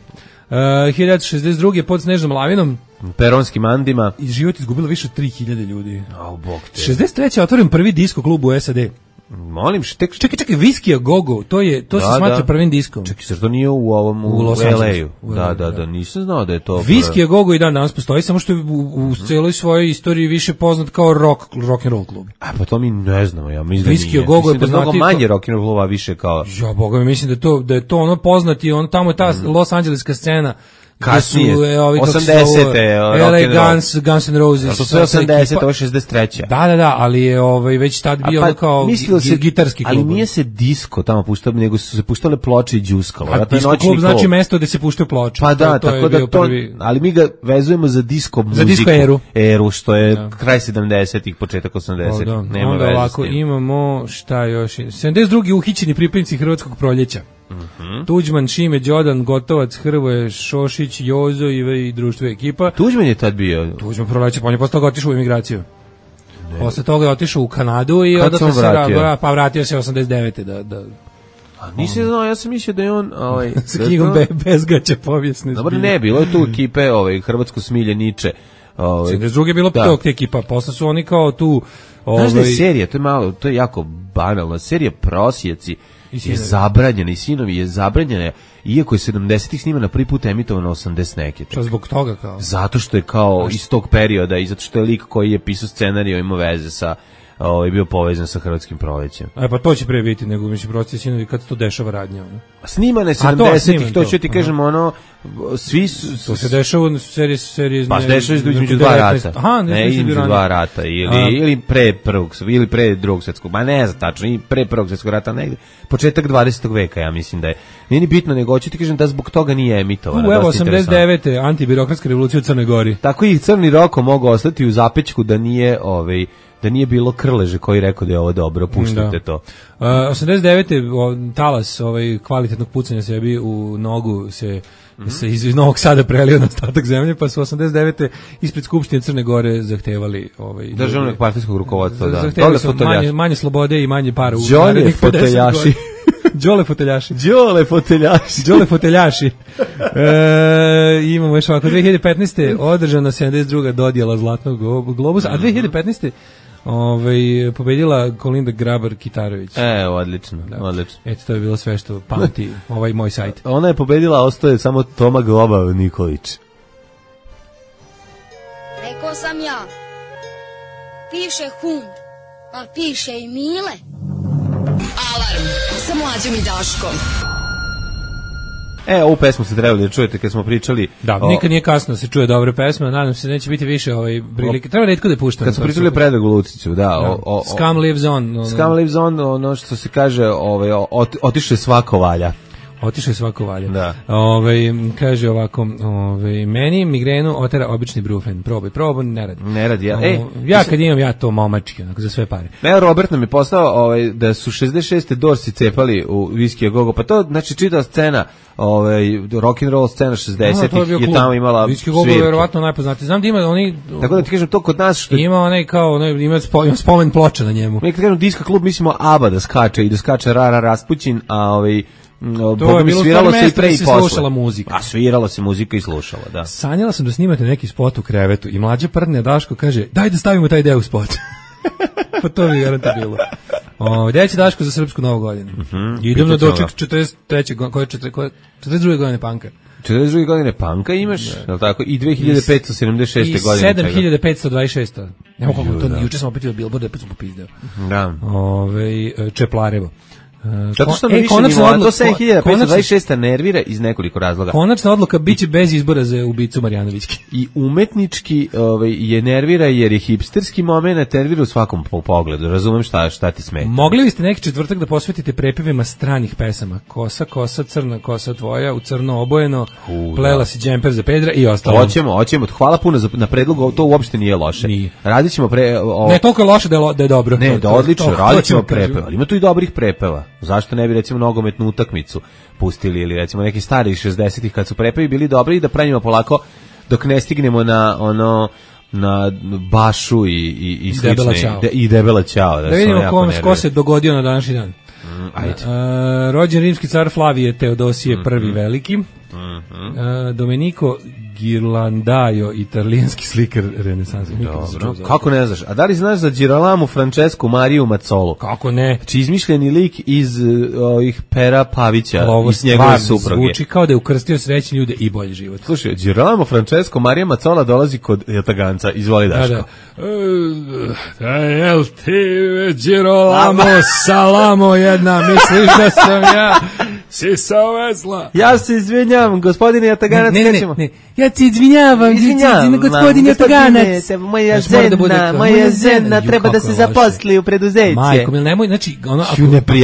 Uh, hiljadu šezdeset druge pod snežnom lavinom peronskim Andima i život izgubilo više od tri hiljade ljudi. Au, bog te. šezdeset treće otvoren prvi disko klub u S A D. Molim, tek... Čekaj, čekaj, Whiskey a Go-Go, to, je, to da, se smatra da. prvim diskom. Čekaj, zar to nije u ovom, u, u Los Angelesu? Da, da, da, nisam znao da je to... Whiskey a Go-Go i dan danas postoji, samo što je u, u celoj svojoj istoriji više poznat kao rock, rock and roll klub. A pa to mi ne znamo, ja mislim Whiskey a Go-Go je poznati... Mnogo manje rock and roll kluba, više kao... Ja, boga mi mislim da, to, da je to ono poznati, on, tamo je ta mm. Los Angeleska scena, kasnije, su, e, ovi, osamdesete L A Guns, Guns N' Roses. To su osamdesete, ovo je šezdeset treće. Da, da, da, ali je ovaj, već tad bio pa, kao se, gitarski klub. Ali nije se disko tamo puštao, nego su se puštale ploče i džuskalo. A disko klub, klub znači mesto gde se puštaju ploče. Pa da, to, to tako da to, prvi... ali mi ga vezujemo za disko muziku. Za disko eru. Eru, što je da. Kraj sedamdesetih, početak osamdesetih. Da. Nema onda veze ovako, imamo, šta još? sedamdeset drugi uhićeni pripadnici Hrvatskog proljeća. Mm-hmm. Tuđman, Šime, Đodan, Gotovac, Hrvoje, Šošić, Jozo i, i društvo ekipa. Tuđman je tad bio? Tuđman proleće, pa on je posle toga otišao u emigraciju. Ne. Posle toga je otišao u Kanadu i onda se vratio? Pa vratio se osamdeset devete da... da A nisi znao, ja sam mislio da je on... Ovaj, s knjigom to... Be, Bezgaća povijesne. Dobro, ne, bilo je tu ekipe, ovaj, Hrvatsko smilje, Niče. Ovaj, sedamdeset druge je bilo da. Tog ekipa, posle su oni kao tu... Ovaj... Znaš da je serija, to je malo, to je jako banalna, serija Prosjeci je zabranjena i Sinovi je zabranjena, iako je sedamdesetih snimana prvi put emitovano osamdeset neke. Što zbog toga kao? Zato što je kao iz tog perioda i zato što je lik koji je pisao scenarij ima veze sa ovaj bio povezan sa Hrvatskim prolećem. E pa to će pre biti nego mislim Prosjeci Sinovi kad se to dešava radnja ono. Snimane sedamdesetih, to ću ti kažem ono svi su to se dešava u seriji seriji pa dešava između dva rata. Aha, ne između dva rata ili A, ili pre prvog ili pre drugog svetskog, ma ne znam tačno, i pre prvog svetskog rata negde početak dvadesetog veka ja mislim da je. Nije ni bitno nego hoću ti kažem da zbog toga nije emitovano. U evo osamdeset devete antibirokratska revolucija u Crnoj Gori. Tako i Crni Roko mogu ostati u zapećku da nije ovaj da nije bilo Krleže koji rekao da je ovo dobro, puštate to. Uh, osamdeset devete O, talas ovaj, kvalitetnog pucanja sebi u nogu se, mm-hmm. se iz, iz Novog Sada prelio na ostatak zemlje, pa su osamdeset devete ispred Skupštine Crne Gore zahtevali... Ovaj, državnog partijskog rukovodstva, da. Zahtevali su manje, manje slobode i manje para. Đole foteljaši. Đole foteljaši. Đole foteljaši. Đole foteljaši. E, imamo još ovako, dve hiljade petnaeste održana sedamdeset druga dodjela Zlatnog globusa, a dve hiljade petnaeste ovaj pobedila Kolinda Grabar-Kitarović. E, odlično, da. Odlično. Eto, to je bilo sve što pamti ovaj moj sajt. Ona je pobedila, ostaje samo Toma Globa Nikolić. Rekao sam ja, piše Hund, a piše i Mile. Alarm sa Mlađom i Daškom. E, ovu pesmu ste trebali da čujete kad smo pričali... Da, o... nikad nije kasno se čuje dobre pesme, nadam se da neće biti više ovaj prilike. Treba retko da puštamo. Kad smo pričali o Predragu Luciću, da. da. O, o, Scum lives on. Ono... Scum lives on, ono što se kaže, ovaj, otiše svako valja. Otiše svako valja. Da. Ovaj kaže ovako, ovaj meni migrenu otera obični brufen. Probaj, probaj, ne radi. Ne radi. Ja, e, ja kad imam ja to momački, onako za sve pare. Ne, Robert nam je poslao ovaj da su šezdeset šeste Dorsi cepali u Whiskey a Go-Go. Pa to znači čitava scena, ovaj rock and roll scena šezdesetih no, je, je tamo imala Whiskey a Go-Go je verovatno najpoznatiji. Znam da ima oni tako da ti kažem to kod nas što ima onaj kao onaj ima spomen ploča na njemu. Mi kad kažemo disko klub mislimo ABBA da skače i da skače Rara Raspućin, a ovaj No, to je bilo sviralo se i pre i posle. Slušala muzika. A svirala se muzika i slušala, da. Sanjala sam da snimate neki spot u krevetu i mlađa prdne Daško kaže, daj da stavimo taj deo u spot. Pa to bi garantno bilo. O, gdje će Daško za srpsku novu godinu? Mm-hmm. Idem na doček četrdeset treće koje četrdeset druge godine panka. četrdeset druge godine panka imaš, je li tako? I dve hiljade petsto sedamdeset šeste godine. I sedam hiljada petsto dvadeset šest. Nemo kako to, juče sam opet od Billboarda, opet sam popizdeo. Da. Ove, Čeplarevo. Zato što mi više nivo, to sedam hiljada petsto dvadeset šest nervira iz nekoliko razloga. Konačna odluka biće bez izbora za ubicu Marjanovićke. I umetnički ovaj, je nervira jer je hipsterski moment, nervira u svakom pogledu. Razumem šta, šta ti smeta. Mogli biste neki četvrtak da posvetite prepevima stranih pesama? Kosa, kosa, crna kosa tvoja, u crno obojeno, U, plela da. Si džemper za Pedra i ostalo. Hoćemo, hoćemo. Hvala puno za, na predlogu, to uopšte nije loše. Nije. Radit ćemo pre... O... Ne, toliko je loše da je, lo, da je dobro. Ne, to, da to, odlično, to, radit ćemo prepeva. Ima tu i dobrih prepeva. Zašto ne bi recimo nogometnu utakmicu pustili ili recimo neki stari šezdesetih kad su prepevi bili dobri i da pravimo polako dok ne stignemo na ono na Bašu i i i slične de, i Debela Ćao da, da vidimo kom ko se dogodio na današnji dan. Mm, ajde. Uh, rođen rimski car Flavije Teodosije mm-hmm. prvi veliki. Uh, Domenico Ghirlandaio, italijanski slikar renesanse. Dobro. Kako ne znaš? A da li znaš za Girolamo Francesco Mariju Mazzolo? Kako ne? Či izmišljeni lik iz ovih Pera Pavića, ovo iz njegove supruge. Zvuči kao da je ukrstio srećni ljude i bolji život. Slušaj, Girolamo Francesco Marija Mazzola dolazi kod Jataganca. Izvoli, Daško. Da, da. Jel ti, Girolamo, salamo jedna, misliš da sam ja sisao vesla? Ja se izvinjam, gospodine Jataganac. Ne, ne, ne, ne, ja se izvinjavam, izvinjavam, gospodin Jataganac. Moja žena, moja žena treba da se zaposli u preduzeće. Majko, mil nemoj, znači, ono, ako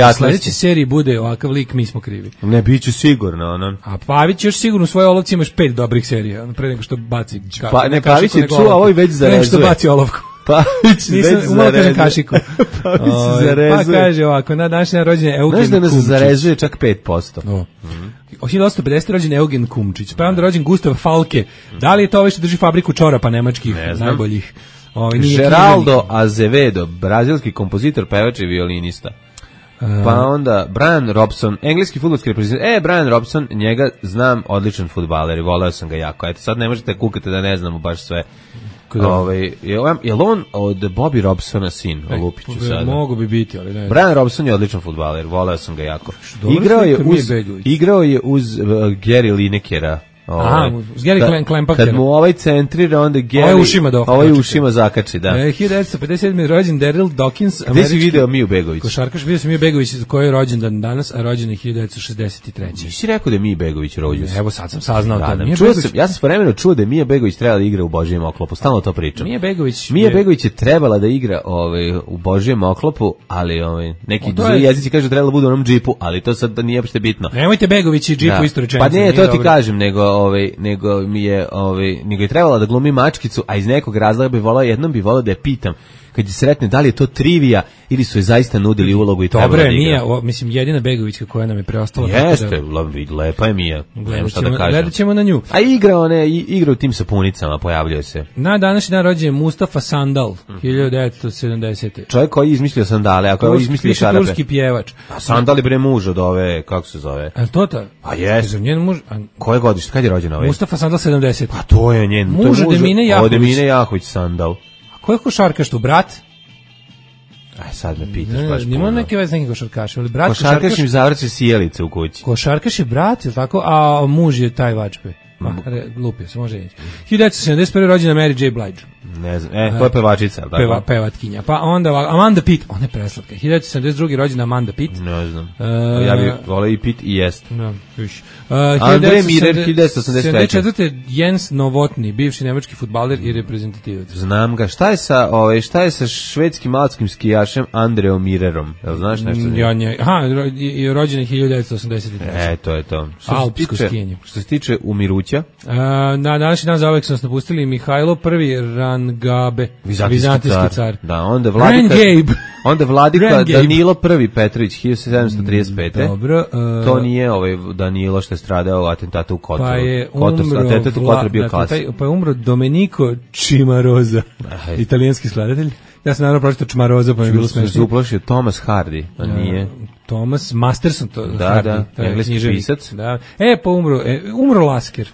u sledećoj seriji bude ovakav lik, mi smo krivi. Ne, bit ću sigurno, ono. A Pavić još sigurno u svojoj olovci imaš pet dobrih serija, ono, pre nego što baci. Pa, ne, Pavić je čuo, a ovo i već zarezuje. Pre nego što baci olovku. Pavić već zarezuje. Kašiku. Pavić zarezuje. Pa kaže ovako, na današnji rođenje Eugen Kumčić. Znaš da nas zarezuje čak pet posto. O. Od hiljadu osamsto pedesete rođen Eugen Kumčić, pa je onda rođen Gustav Falke. Da li je to ovaj što drži fabriku čorapa nemačkih, najboljih? Geraldo Azevedo, brazilski kompozitor, pevač i violinista. Pa onda Brian Robson, engleski fudbalski reprezentativ. E, Brian Robson, njega znam, odličan fudbaler i voleo sam ga jako. Eto, sad ne možete kukati da ne znamo baš sve. Ovaj je on od Bobby Robsona sin, Lupiću sada. Mogu bi biti, ali ne. Brian Robson je odličan fudbaler, voleo sam ga jako. Igrao je uz igrao je uz uh, Gary Linekera. Aha, s Gary Klempaktera. Kad mu ovaj centrira, onda Gary... Ovaj ušima do. Ovaj ušima zakači, da. E, hiljadu devetsto pedeset sedme rođen Daryl Dawkins. Gde si video Miju Begović? Košarkaš, vidio sam Miju Begović koji je rođendan danas, a rođen je hiljadu devetsto šezdeset treće. Nisi rekao da je Mija Begović rođen? Evo sad sam saznao da, to. Da, čuo Begović... sam, ja sam vremeno čuo da je Mija Begović trebala da igra u Božijem oklopu, stalno to pričam. Mija Begović Mija je... Begović je trebala da igra ovaj, u Božijem oklopu, ali ovaj, neki zli jezici kažu da trebala da bude u onom džipu, ali to sad nije uopšte bitno. Nemojte Begović i džipu isto rečenicu. Pa ne, to ti kažem, nego ovaj nego mi je ovaj nego je trebala da glumi mačkicu, a iz nekog razloga bi volao jednom bi volao da je pitam kad je sretne da li je to trivija ili su je zaista nudili ulogu i trebala da igra. Dobre, Mija, o, mislim jedina Begovićka koja nam je preostala. Jeste, da... lepa je Mija. Gledamo šta da kažem. Gledat ćemo na nju. A igra one, igra u tim sapunicama, pojavljuje se. Na današnji dan rođen je Mustafa Sandal, hiljadu devetsto sedamdesete. Čovjek koji je izmislio sandale, a koji je izmislio šarape. Turski pjevač. A Sandal je bre muž od ove, kako se zove? A to ta? A jeste. Njen muž. A... Koje godište? Kad je rođen ovaj? Mustafa Sandal sedamdesete. Pa to je njen. Muž od Emine Jahović. Od Emine Jahović Sandal. A ko je košarkaš tu, brat? Aj, sad me pitaš baš puno. Nima neke veze neki košarkaš, ali brat košarkaš... Košarkaš im zavrće sjelice u kući. Košarkaš je brat, je tako? A muž je taj vačpe. Ma, lupio se, može reći. hiljadu devetsto sedamdeset prve rođena Mary J. Blige. Ne znam, e, to je pevačica, tako? Peva, pevatkinja. Pa onda Amanda Pitt, ona je preslatka. hiljadu devetsto sedamdeset druge rođena Amanda Pitt. Ne znam. Uh, ja bih volao i Pitt i jest. No, viš. Uh, Andre Mirer, hiljadu devetsto osamdeset treće. sedamdeset četvrte Jens Novotny, bivši nemački fudbaler i reprezentativac. Znam ga. Šta je sa, ovaj, šta je sa švedskim alpskim skijašem Andreom Mirerom? Jel znaš nešto? Ja, nje, aha, rođen je hiljadu devetsto osamdeset treće. E, to je to. Što Alpsko skijanje. Što se tiče umiruća? Uh, na današnji dan zauvek su nas napustili Mihajlo prvi Rangabe, vizantijski car. car. Da, onda vladika, onda vladika Danilo prvi Petrović, hiljadu sedamsto trideset pete. Dobro. Uh, to nije ovaj Danilo što je stradao u atentatu u Kotru. Pa je umro, Kotor, Kotor bio dakle, taj, pa je umro Domenico Cimarosa, italijanski skladatelj. Ja sam naravno pročitao Cimarosa, pa mi je bilo smešno. Se uplašio Thomas Hardy, a nije. Thomas Masterson, to da, Hardy, da, engleski pisac. Da. E, pa umro, e, umro Lasker.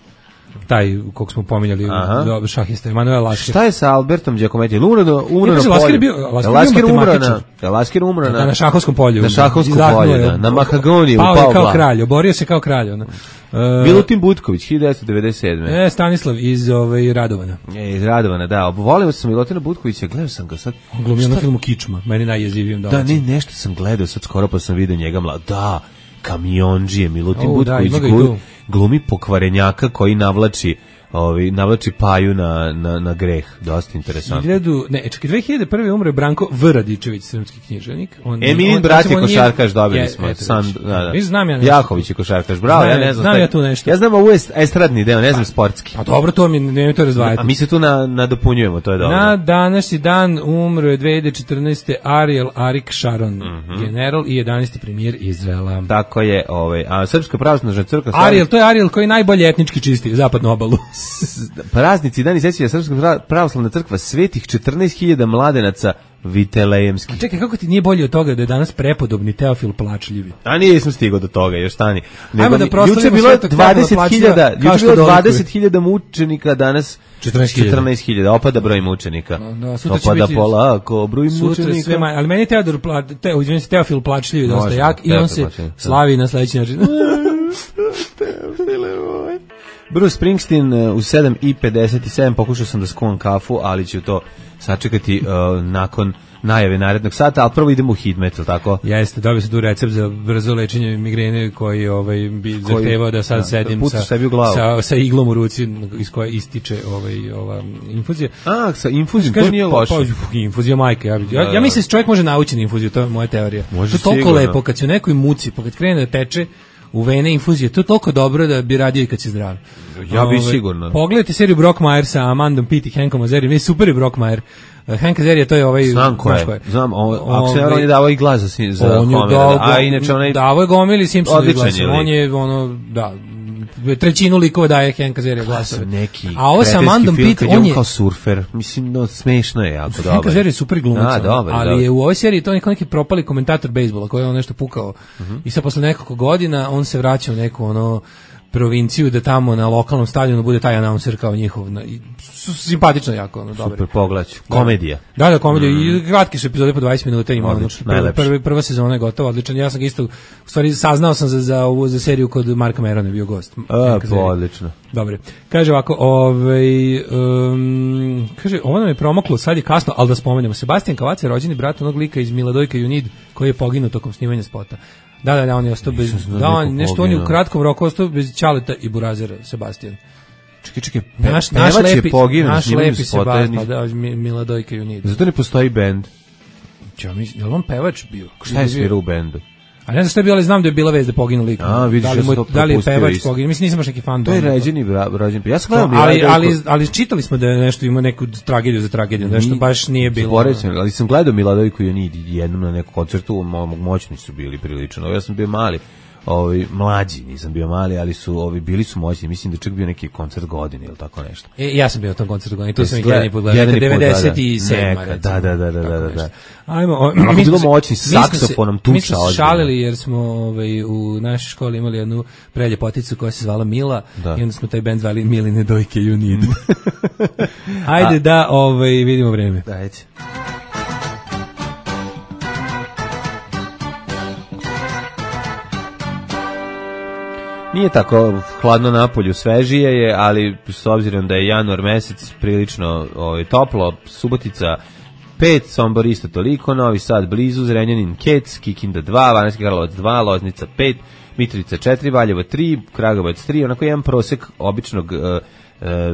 Taj kog smo pominjali do šahista Emanuel Lasker. Šta je sa Albertom Giacometti? Umro do umro na polju. Lasker bio, Lasker umro na, Lasker umro na na šahovskom polju. Na šahovskom polju, da, na Mahagoniju, pao je kao kralj, oborio se kao kralj, ona. Milutin Butković, hiljadu devetsto devedeset sedme. E, Stanislav iz ovaj Radovana. E, iz Radovana, da. Volio sam Milutina Butkovića, gledao sam ga sad. On glumio na filmu Kičma, meni najjezivijem da. Da, ne, nešto sam gledao sad skoro pa sam video njega mlad. Da, kamionđije Milutin oh, Butković da, glumi, glumi pokvarenjaka koji navlači Ovi navlači Paju na, na, na greh, dosta interesantno. hiljadu, ne, čekaj, dve hiljade prve umre Branko V. Radičević, srpski književnik. On, Eminin brat je košarkaš, dobili je, smo. San, da, da. Znam ja nešto. Jahović je košarkaš, bravo, znam, ja ne znam. Znam ja tu nešto. Ja znam ovo je estradni deo, ne znam sportski. A dobro, to mi ne to razdvajati. A mi se tu na, nadopunjujemo, to je dobro. Na današnji dan umro je dve hiljade četrnaeste Ariel Arik Sharon, mm -hmm. general i jedanaesti premijer Izraela. Tako je, ovaj, a Srpska pravoslavna crkva... Ariel, to je Ariel koji najbolje etnički čisti zapadnu obalu. Praznici dani sećanja Srpska pravoslavna crkva svetih četrnaest hiljada mladenaca Vitelejemski. A čekaj, kako ti nije bolje od toga da je danas prepodobni Teofil plačljivi? A nisam stigao do toga, još stani. Ajmo da proslavimo Svetog Teofila Plačljiva. Juče je bilo dvadeset hiljada mučenika, danas četrnaest hiljada. Opada broj mučenika. Da, sutra Opada polako broj mučenika. Sve manje, ali meni je Teodor, te, izvinim se, Teofil Plačljivi dosta jak i on se slavi na sledeći način. Bruce Springsteen u sedam i pedeset sedam, pokušao sam da skuvam kafu, ali ću to sačekati uh, nakon najave narednog sata, ali prvo idemo u Hidmet, ili tako? Jeste, dobio sam tu recept za brzo lečenje migrene koji ovaj, bi zahtevao da sad da, sedim da sa, sa, sa iglom u ruci iz koje ističe ovaj, ova infuzija. A, sa infuzijom, to nije loše. Pa, infuzija majke, ja, ja, ja mislim da čovjek može naučiti infuziju, to je moja teorija. Može to je toliko sigurno lepo, kad si u nekoj muci, pa kad krene da teče u vene infuzije, to je toliko dobro da bi radio i kad si zdrav. Ja bi sigurno. Pogledajte seriju Brockmire sa Amandom Pitt i Hankom Azarijom, je super je Brockmire. Hank Azaria, to je ovaj... Znam ko je, znam, on je davao i glas za, za Homera, a inače onaj... Davao je gomili Simpsonu glas, on je, ono, da, trećinu likova daje Hank Azaria glasove. Neki a ovo sa Amandom Pitt, on je... on je kao surfer, mislim, no, smešno je jako dobro. Hank Azaria je super glumac, ali je u ovoj seriji to neko neki propali komentator bejsbola koji je on nešto pukao. I sad posle nekoliko godina on se vraća u neku, ono, provinciju da tamo na lokalnom stadionu bude taj announcer kao njihov, simpatično jako, ono, dobro. Super, pogledać. Komedija. Da, da, komedija. Mm. I kratke su epizode po dvadeset minuta, ima ono, prva, prva, prva sezona je gotova, odličan. Ja sam ga isto, u stvari, saznao sam za, za ovu za seriju kod Marka Merona, bio gost. A, po, odlično. Dobre. Kaže ovako, ovaj, um, kaže, ovo nam je promoklo, sad je kasno, ali da spomenemo. Sebastian Kavac je rođeni brat onog lika iz Miladojka You Need, koji je poginuo tokom snimanja spota. Da, da, da, on je ostao bez, da, on, nešto on je u kratkom roku ostao bez Ćaleta i Burazera, Sebastian. Čekaj, čekaj, pe, naš, naš lepi, je poginuo, naš lepi Sebastian, pa da, Miladojka You Need. Zato ne postoji bend. Ja mislim, je li on pevač bio? Šta je svirao u bendu? A ne znam šta je bilo, ali znam da je bila vest da poginu lik. A, vidiš, da li, ja sam to da li je pevač poginuo? Mislim, nisam baš neki fan. To je ređeni, rođen. Ja sam gledao ali, ali, ali čitali smo da je nešto ima neku tragediju za tragediju, nešto baš nije bilo. Zaboravim, ali sam gledao Miladojku You Need jednom na nekom koncertu, moćni su bili prilično. Ja sam bio mali. Ovi mlađi, nisam bio mali, ali su ovi bili su moćni, mislim da čak bio neki koncert godine ili tako nešto. E, ja sam bio na tom koncertu godine, tu sam ih jedan put gledao, devedeset sedam. Da, da, da, da, da, da. Ajmo, mi smo bilo moćni s saksofonom tuča. Mi smo se šalili jer smo ovaj u našoj školi imali jednu preljepoticu koja se zvala Mila da. I onda smo taj bend zvali Miline Dojke You Need. Ajde da ovaj vidimo vreme. Dajte. Nije tako hladno napolju, svežije je, ali s obzirom da je januar mesec prilično ovaj, toplo, Subotica pet, Sombor isto toliko, Novi Sad blizu, Zrenjanin Kec, Kikinda dva, Banatski Karlovac dva, Loznica pet, Mitrovica četiri, Valjevo tri, Kragujevac tri, onako jedan prosek običnog uh,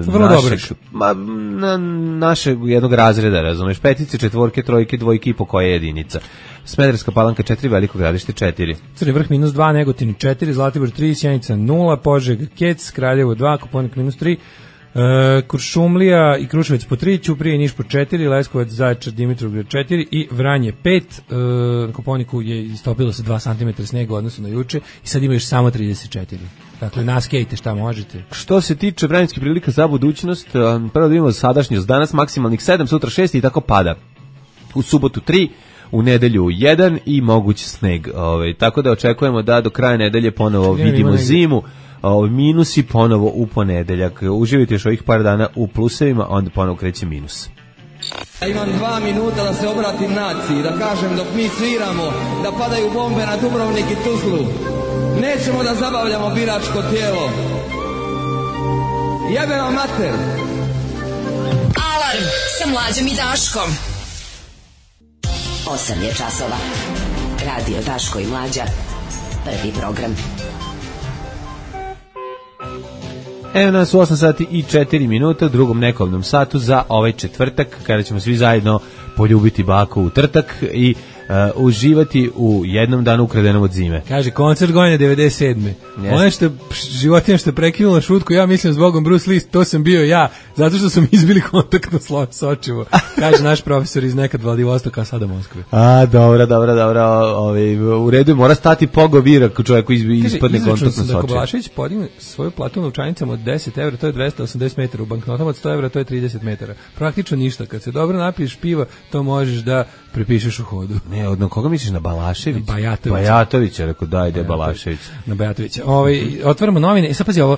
Vrlo našeg, ma, na, našeg jednog razreda, razumeš, petice, četvorke, trojke, dvojke i po koja je jedinica. Smederevska Palanka četiri, Veliko Gradište četiri. Crni Vrh minus dva, Negotin četiri, Zlatibor tri, Sjenica nula, Požega, Kec, Kraljevo dva, Koponik minus tri, e, Kuršumlija i Kruševac po tri, Ćuprije i Niš po četiri, Leskovac, Zaječar, Dimitrovgrad četiri i Vranje pet. E, na Koponiku je istopilo se dva centimetra snega u odnosu na juče i sad ima još samo trideset četiri. Dakle, naskejte šta možete. Što se tiče vremenskih prilika za budućnost, prvo da imamo sadašnjost, danas maksimalnih sedam, sutra šest i tako pada. U subotu tri, u nedelju jedan i moguć sneg. Ove, tako da očekujemo da do kraja nedelje ponovo ja, vidimo zimu, ove, minusi ponovo u ponedeljak. Uživite još ovih par dana u plusevima, onda ponovo kreće minus. Ja imam dva minuta da se obratim naciji, da kažem dok mi sviramo, da padaju bombe na Dubrovnik i Tuzlu. Nećemo da zabavljamo biračko tijelo. Jebe vam mater. Alarm sa Mlađom i Daškom. osam je časova. Radio Daško i Mlađa. Prvi program. Evo nas u osam sati i četiri minuta u drugom nekovnom satu za ovaj četvrtak, kada ćemo svi zajedno poljubiti baku u trtak i uživati u jednom danu ukradenom od zime. Kaže, koncert godine devedeset sedme Yes. Ono što životinja što je prekinula šutku, ja mislim zbogom Bruce Lee, to sam bio ja, zato što sam izbili kontaktno sočivo. Kaže naš profesor iz nekad Vladivostoka, a sada Moskve. A, dobro, dobro, dobro. Ovaj u redu, mora stati pogovira ako čovjeku ispadne kontaktno sočivo. Kaže, Balašević podigne svoju platu u novčanicama od deset evra, to je dvesta osamdeset metara, u banknotama od sto evra, to je trideset metara. Praktično ništa. Kad se dobro napiješ piva, to možeš da prepišeš u hodu. Ne, od koga misliš, na Balašević? Na Bajatovića. Bajatovića, rekao, da, ide Balašević. Na Bajatovića. Ovaj, otvaramo novine i sad pazi ovo,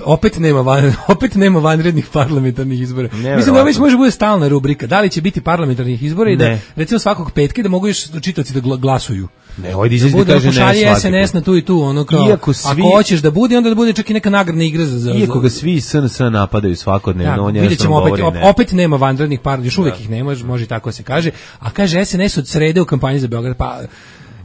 opet nema, van, opet nema vanrednih parlamentarnih izbora. Ne, mislim da ovo već može bude stalna rubrika. Da li će biti parlamentarnih izbora i da, ne. recimo svakog petka da mogu još čitaoci da glasuju. Ne, ovdje izlazi da kaže ne svaki. S N S na tu i tu, ono kao, svi, ako hoćeš da bude, onda da bude čak i neka nagradna igra za... za iako ga svi S N S napadaju svakodnevno, da, on jednostavno opet, govori ne. Opet nema vanrednih par, još uvijek da. ih nema, može tako se kaže, a kaže S N S od srede u kampanji za Beograd, pa...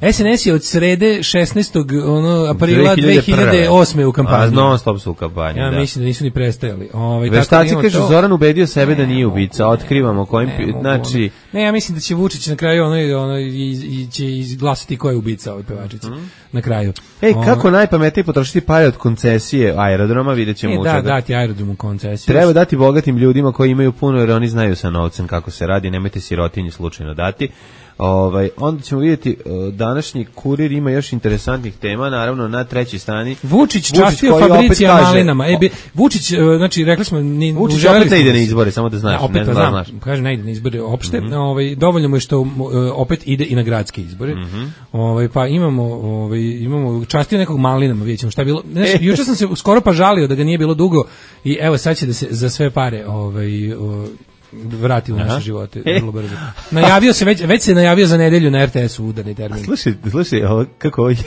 S N S je od srede šesnaestog ono aprila dve hiljade osme u kampanji. A non stop su u kampanji, ja da. mislim da nisu ni prestajali. Ovaj Veštaci da kaže to... Zoran ubedio sebe ne, da nije ubica, otkrivamo kojim ne, znači ne, ja mislim da će Vučić na kraju ono ono i, i će izglasati ko je ubica ove pevačice. Mm. Na kraju. Ej, o... kako najpametnije potrošiti pare od koncesije aerodroma, videćemo e, da, dati aerodromu koncesiju. Treba dati bogatim ljudima koji imaju puno, jer oni znaju sa novcem kako se radi, nemojte sirotinji slučajno dati. Ovaj, onda ćemo vidjeti uh, današnji Kurir ima još interesantnih tema, naravno na trećoj strani. Vučić častio Fabricija malinama. E, be, Vučić, uh, znači rekli smo ni Vučić opet ne ide na izbore, samo da znaš. Ja, opet ne znam, znaš. Kaže ne ide na izbore uopšte. Mm-hmm. Ovaj, dovoljno mu je što uh, opet ide i na gradske izbore. Mm-hmm. Ovaj, pa imamo, ovaj, imamo častio nekog malinama, vidjećemo šta je bilo. Znaš, e. juče sam se skoro pa žalio da ga nije bilo dugo i evo sad će da se za sve pare ovaj, uh, vrati u naše Aha. živote vrlo brzo. Najavio se već već se najavio za nedelju na R T S-u udarni termin. Slušaj, slušaj, ovo kako ovo je.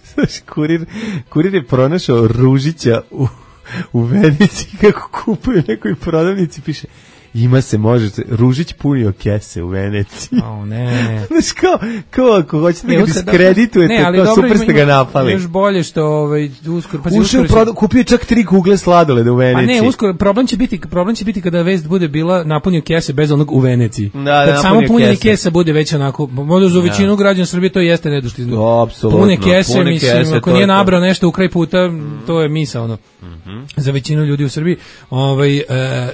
Slušaj, kurir, kurir je pronašao Ružića u u Venici kako kupuje u nekoj prodavnici, piše ima se, može se, Ružić punio kese u Veneciji. O, ne. Znaš, kao, kao ako hoćete da ga diskreditujete, ne, kao super ste ga napali. Još bolje što ovaj, uskoro... Ušao, uskoro će... proda, kupio čak tri kugle sladoleda u Veneciji. A ne, uskoro, problem će biti, problem će biti kada vest bude bila napunio kese bez onog u Veneciji. Da, da, kad samo punjenje kesa bude već onako, možda za većinu građana Srbije to jeste nedošli. Apsolutno. Pune kese, pune mislim, kese, ako nije nabrao nešto u kraj puta, mm. to je misa, ono. Mm-hmm. Za većinu ljudi u Srbiji. Ovaj, uh,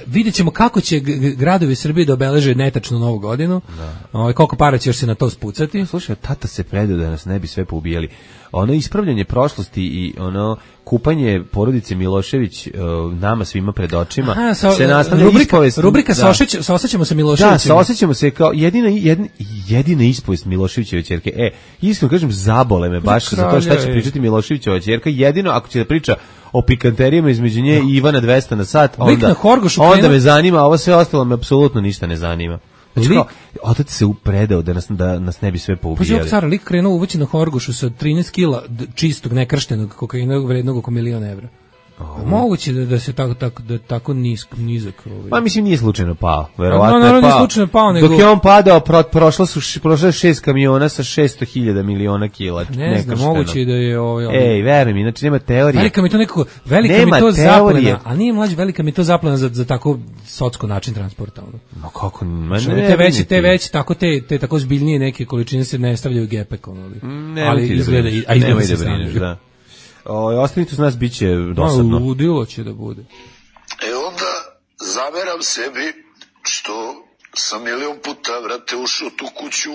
vidjet ćemo kako će gradovi Srbije da obeleže netačno novu godinu. Da. Ovaj, koliko para će još se na to spucati. Slušaj, tata se predao da nas ne bi sve poubijali. Ono ispravljanje prošlosti i ono kupanje porodice Milošević uh, nama svima pred očima. Aha, sa, se nastavlja rubrika, ispovest. Rubrika da. sa osjećamo se Miloševićem. Da, sa osjećamo se kao jedina, jedina, jedina ispovest Miloševićeve ćerke. E, iskreno kažem, zabole me baš za to šta će pričati Miloševićeva ćerka. Jedino ako će da priča o pikanterijama između nje i Ivana dvesta na sat, onda, onda me zanima, a ovo sve ostalo me apsolutno ništa ne zanima. Znači kao, otac se upredao da nas, da nas ne bi sve poubijali. Pa je car lik krenuo uvući na Horgošu sa trinaest kila čistog, nekrštenog kokaina vrednog oko milion evra. Oh. Moguće da, da se tako, tako, da tako nisk, nizak... Ovaj. Pa mislim nije slučajno pao, verovatno no, je pao. Slučajno pao nego... Dok je on padao, pro, prošlo su prošlo šest kamiona sa šesto hiljada miliona kila. Ne znam, moguće da je... Ovaj, ovaj. Ej, veruj mi, znači nema teorije. Velika mi to nekako, velika nema mi to zaplena, a nije mlađe, velika mi to zaplena za, za tako socko način transporta. Ono. No kako, man, ne, te veće, te veće, tako te, te tako zbiljnije neke količine se ne stavljaju gepek, ono, ali, ne, ali izgleda, a izgleda se stavljaju. Da. O, ostanite uz nas, bit će dosadno. No, ludilo će da bude. E onda zameram sebi što sam milion puta, vrate, ušao tu kuću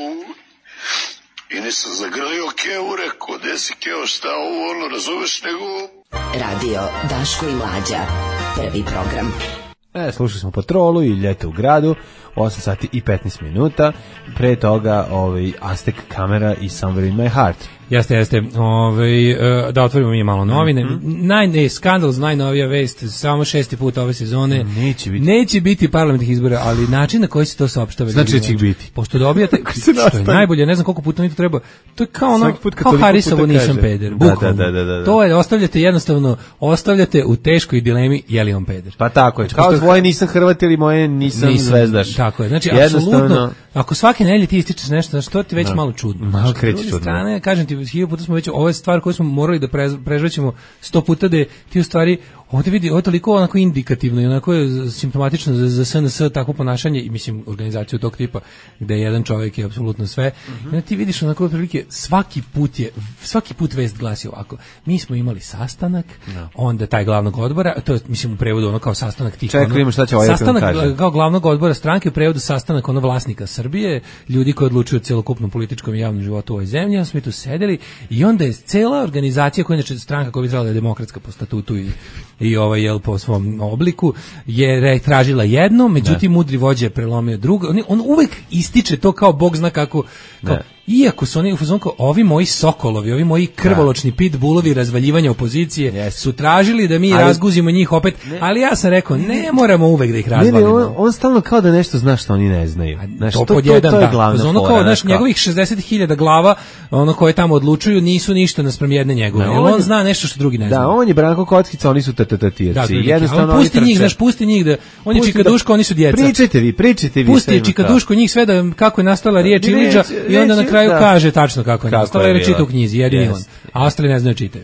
i nisam zagrlio Keo, rekao, gde si Keo, šta ovo, ono, razumeš, nego... Radio Daško i Mlađa, prvi program. E, slušali smo Patrolu i Ljeto u gradu, osam sati i petnaest minuta, pre toga ovaj, Aztek Kamera i Somewhere in my heart. Jeste, jeste. Ove, da otvorimo mi malo novine. Mm-hmm. Naj, ne, skandal, najnovija vest, samo šesti put ove sezone. Neće biti. Neće biti parlamentarnih izbora, ali način na koji se to saopštava. Znači da će ih biti. Pošto dobijate, što je najbolje, ne znam koliko puta mi to treba, to je kao ono, kao Harisovo nisam peder. Da, da, da, da, da. To je, ostavljate jednostavno, ostavljate u teškoj dilemi je li on peder. Pa tako je, kao tvoje nisam Hrvat ili moje nisam, nisam zvezdaš. Tako je, znači, apsolutno, ako svake nedelje ti ističeš nešto, znači to ti već no. malo čudno. Malo kreće čudno. Strane, kažem ti, hiljadu puta smo već, ovo je stvar koju smo morali da prežvećemo sto puta, da ti u stvari Ovdje vidi, ovo je toliko onako indikativno i onako je simptomatično za, za S N S takvo ponašanje i mislim organizaciju tog tipa gde jedan čovjek je apsolutno sve. Mm-hmm. I onda ti vidiš onako otprilike svaki put je svaki put vest glasi ovako. Mi smo imali sastanak, no. onda taj glavnog odbora, to je mislim u prevodu ono kao sastanak tih. Čekaj, ono, šta će ovaj sastanak kao glavnog odbora stranke u prevodu sastanak ono vlasnika Srbije, ljudi koji odlučuju o celokupnom političkom i javnom životu u ovoj zemlji. Onda smo tu sedeli i onda je cela organizacija koja je inače stranka koja bi trebala da je demokratska po statutu i i ovaj jel po svom obliku je tražila jedno, međutim ne. Mudri vođa je prelomio drugo. On, on uvek ističe to kao bog zna kako, kao, iako su oni u fazonu kao ovi moji sokolovi, ovi moji krvoločni pitbullovi razvaljivanja opozicije yes. su tražili da mi ali, razguzimo njih opet, ne. ali ja sam rekao ne moramo uvek da ih razvalimo. Ne, ne, on, on stalno kao da nešto zna što oni ne znaju. Znaš, to, to, pod jedan, to, to je glavna fora. Ono kao, znaš, njegovih šezdeset hiljada glava, ono koje tamo odlučuju, nisu ništa naspram jedne njegove. On, on zna nešto što drugi ne zna. Da, on je Branko Kockica, oni su tatatirci. Jednostavno on pusti njih, znaš, pusti njih da on je Čikaduško, oni su djeca. Pričajte vi, pričajte vi. Pusti Čikaduško njih sve da kako je nastala riječ Ilidža i onda na kraju kaže tačno kako je nastala, jer čita u knjizi, jedini on. A ostali ne znaju čitaju.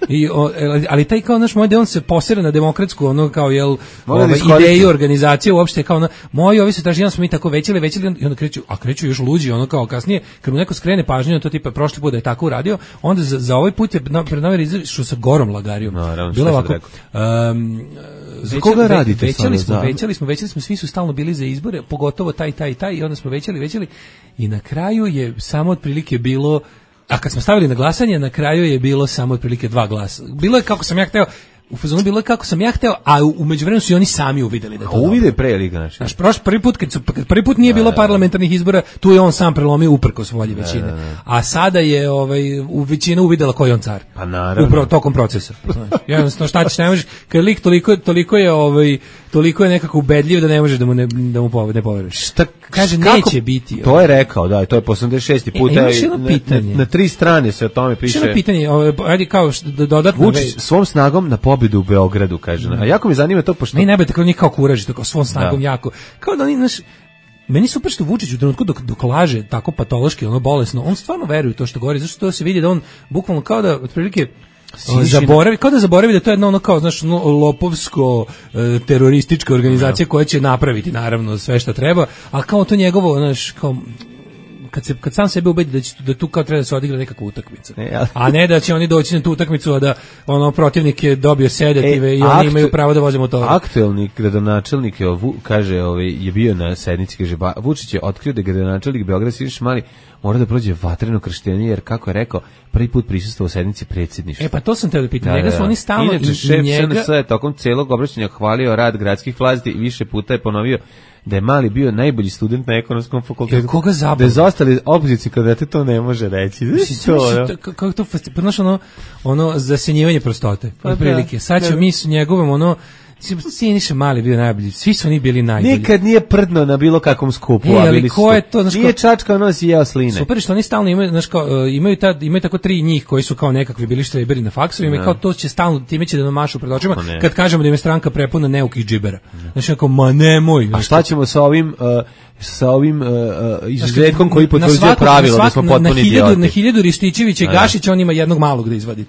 I o, ali taj kao naš moj da on se posere na demokratsku ono kao jel ovaj ideju organizacije uopšte kao na moji ovi se traži jedan smo mi tako većili većili i onda kreću a kreću još luđi ono kao kasnije kad mu neko skrene pažnju na to tipa prošli put da je tako uradio onda za, za ovaj put je pred nama izašao sa Gorom Lagarijom no, bilo ovako um, za koga radite većali smo većali smo većali smo svi su stalno bili za izbore pogotovo taj taj taj i onda smo većali većali i na kraju je samo otprilike bilo. A kad smo stavili na glasanje, na kraju je bilo samo otprilike dva glasa. Bilo je kako sam ja hteo, u fazonu bilo je kako sam ja hteo, a u, u međuvremenu su i oni sami uvideli da to. Uvide pre ili znači. Znaš, prošli prvi put kad su kad prvi put nije bilo parlamentarnih izbora, tu je on sam prelomio uprkos volji većine. Ne, ne, ne. A sada je ovaj u većina uvidela ko je on car. Pa naravno. Upravo tokom procesa. Znači, jednostavno šta ćeš ne možeš, kad lik toliko toliko je ovaj toliko je nekako ubedljiv da ne možeš da mu ne da mu ne poveruješ. Šta kaže kako, neće biti. To je rekao, da, to je po osamdeset šesti put. E, na, na, na tri strane se o tome piše. Jedno pitanje, ajde kao dodatno Vučić svom snagom na pobedu u Beogradu, kaže. A jako me zanima to pošto ne ne tako njih kao kuraži, tako svom snagom da. jako. Kao da oni naš meni super što Vučić u trenutku dok, dok laže tako patološki, ono bolesno, on stvarno veruje u to što govori, zašto to se vidi da on bukvalno kao da otprilike zaboravi, kao da zaboravi da to je jedno ono kao, znaš, ono lopovsko e, teroristička organizacija koja će napraviti naravno sve što treba, a kao to njegovo, znaš, kao kad se kad sam sebe ubedi da će da tu kao treba da se odigra nekakva utakmica. E, ja. A ne da će oni doći na tu utakmicu a da ono protivnik je dobio sedative e, i oni aktu, imaju pravo da voze motor. Aktuelni gradonačelnik je kaže, ovaj je bio na sednici, kaže Vučić je otkrio da gradonačelnik Beograda Siniša Mali mora da prođe vatreno krštenje, jer kako je rekao, prvi put prisustvovao u sednici predsjedništva. E pa to sam te da pitam, njega su oni stalno inače šef njega... S N S je tokom celog obraćanja hvalio rad gradskih vlasti i više puta je ponovio da je Mali bio najbolji student na ekonomskom fakultetu. Koga zabavno? Da je zostali opoziciji kandidati to ne može reći. Kako to, znaš, ono, ono zasenjivanje prostote, otprilike. Sad ćemo mi s njegovom, ono, Siniša Mali bio najbolji, svi su oni bili najbolji. Nikad nije prdno na bilo kakvom skupu, e, a bili ko je to, znaš, nije čačka, nosi i jeo sline. Super što oni stalno imaju, znaš, kao, imaju, ta, imaju tako tri njih koji su kao nekakvi bili štreberi na faksovima i kao to će stalno, time će da nam mašu pred očima, kad kažemo da im je stranka prepuna neukih džibera. Znaš, kao, ma nemoj. A šta ćemo sa ovim... Uh, sa ovim uh, izuzetkom koji potvrđuje pravilo da smo potpuni idioti. Na hiljadu Rističevića i Gašića on ima jednog malog da izvadi.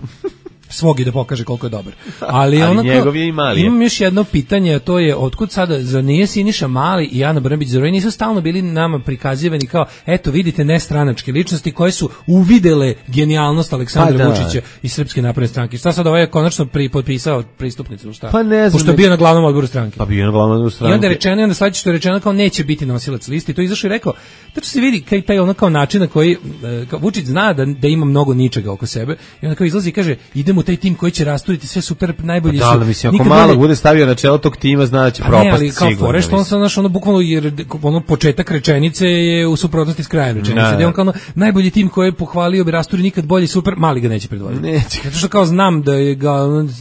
Svog i da pokaže koliko je dobar. Ali, ali onako, njegov je i Mali. Imam još jedno pitanje, a to je otkud sada, za nije Siniša Mali i Ana Brnabić, zar nisu stalno bili nama prikazivani kao, eto vidite nestranačke ličnosti koje su uvidele genijalnost Aleksandra pa Vučića i Srpske napredne stranke. Šta sad ovaj je konačno pri, potpisao pristupnicu, šta? Pa ne znam. Pošto je bio na glavnom odboru stranke. Pa bio na glavnom odboru stranke. I onda je rečeno, i onda sledeće što je rečeno kao neće biti nosilac liste i to izašao i rekao, tačno se vidi kaj taj ono kao način na koji kao Vučić zna da, da ima mnogo ničega oko sebe i onda kao izlazi i kaže idemo u taj tim koji će rasturiti sve super najbolji pa su. Da, mislim, ako malo bude stavio na čelo tog tima, znači propast sigurno. Ali kao fore što on sad znaš, ono bukvalno jer ono početak rečenice je u suprotnosti s krajem rečenice. Da on kao ono, najbolji tim koji je pohvalio bi rasturi nikad bolje super, Mali ga neće predvoditi. Neće. Zato što kao znam da je ga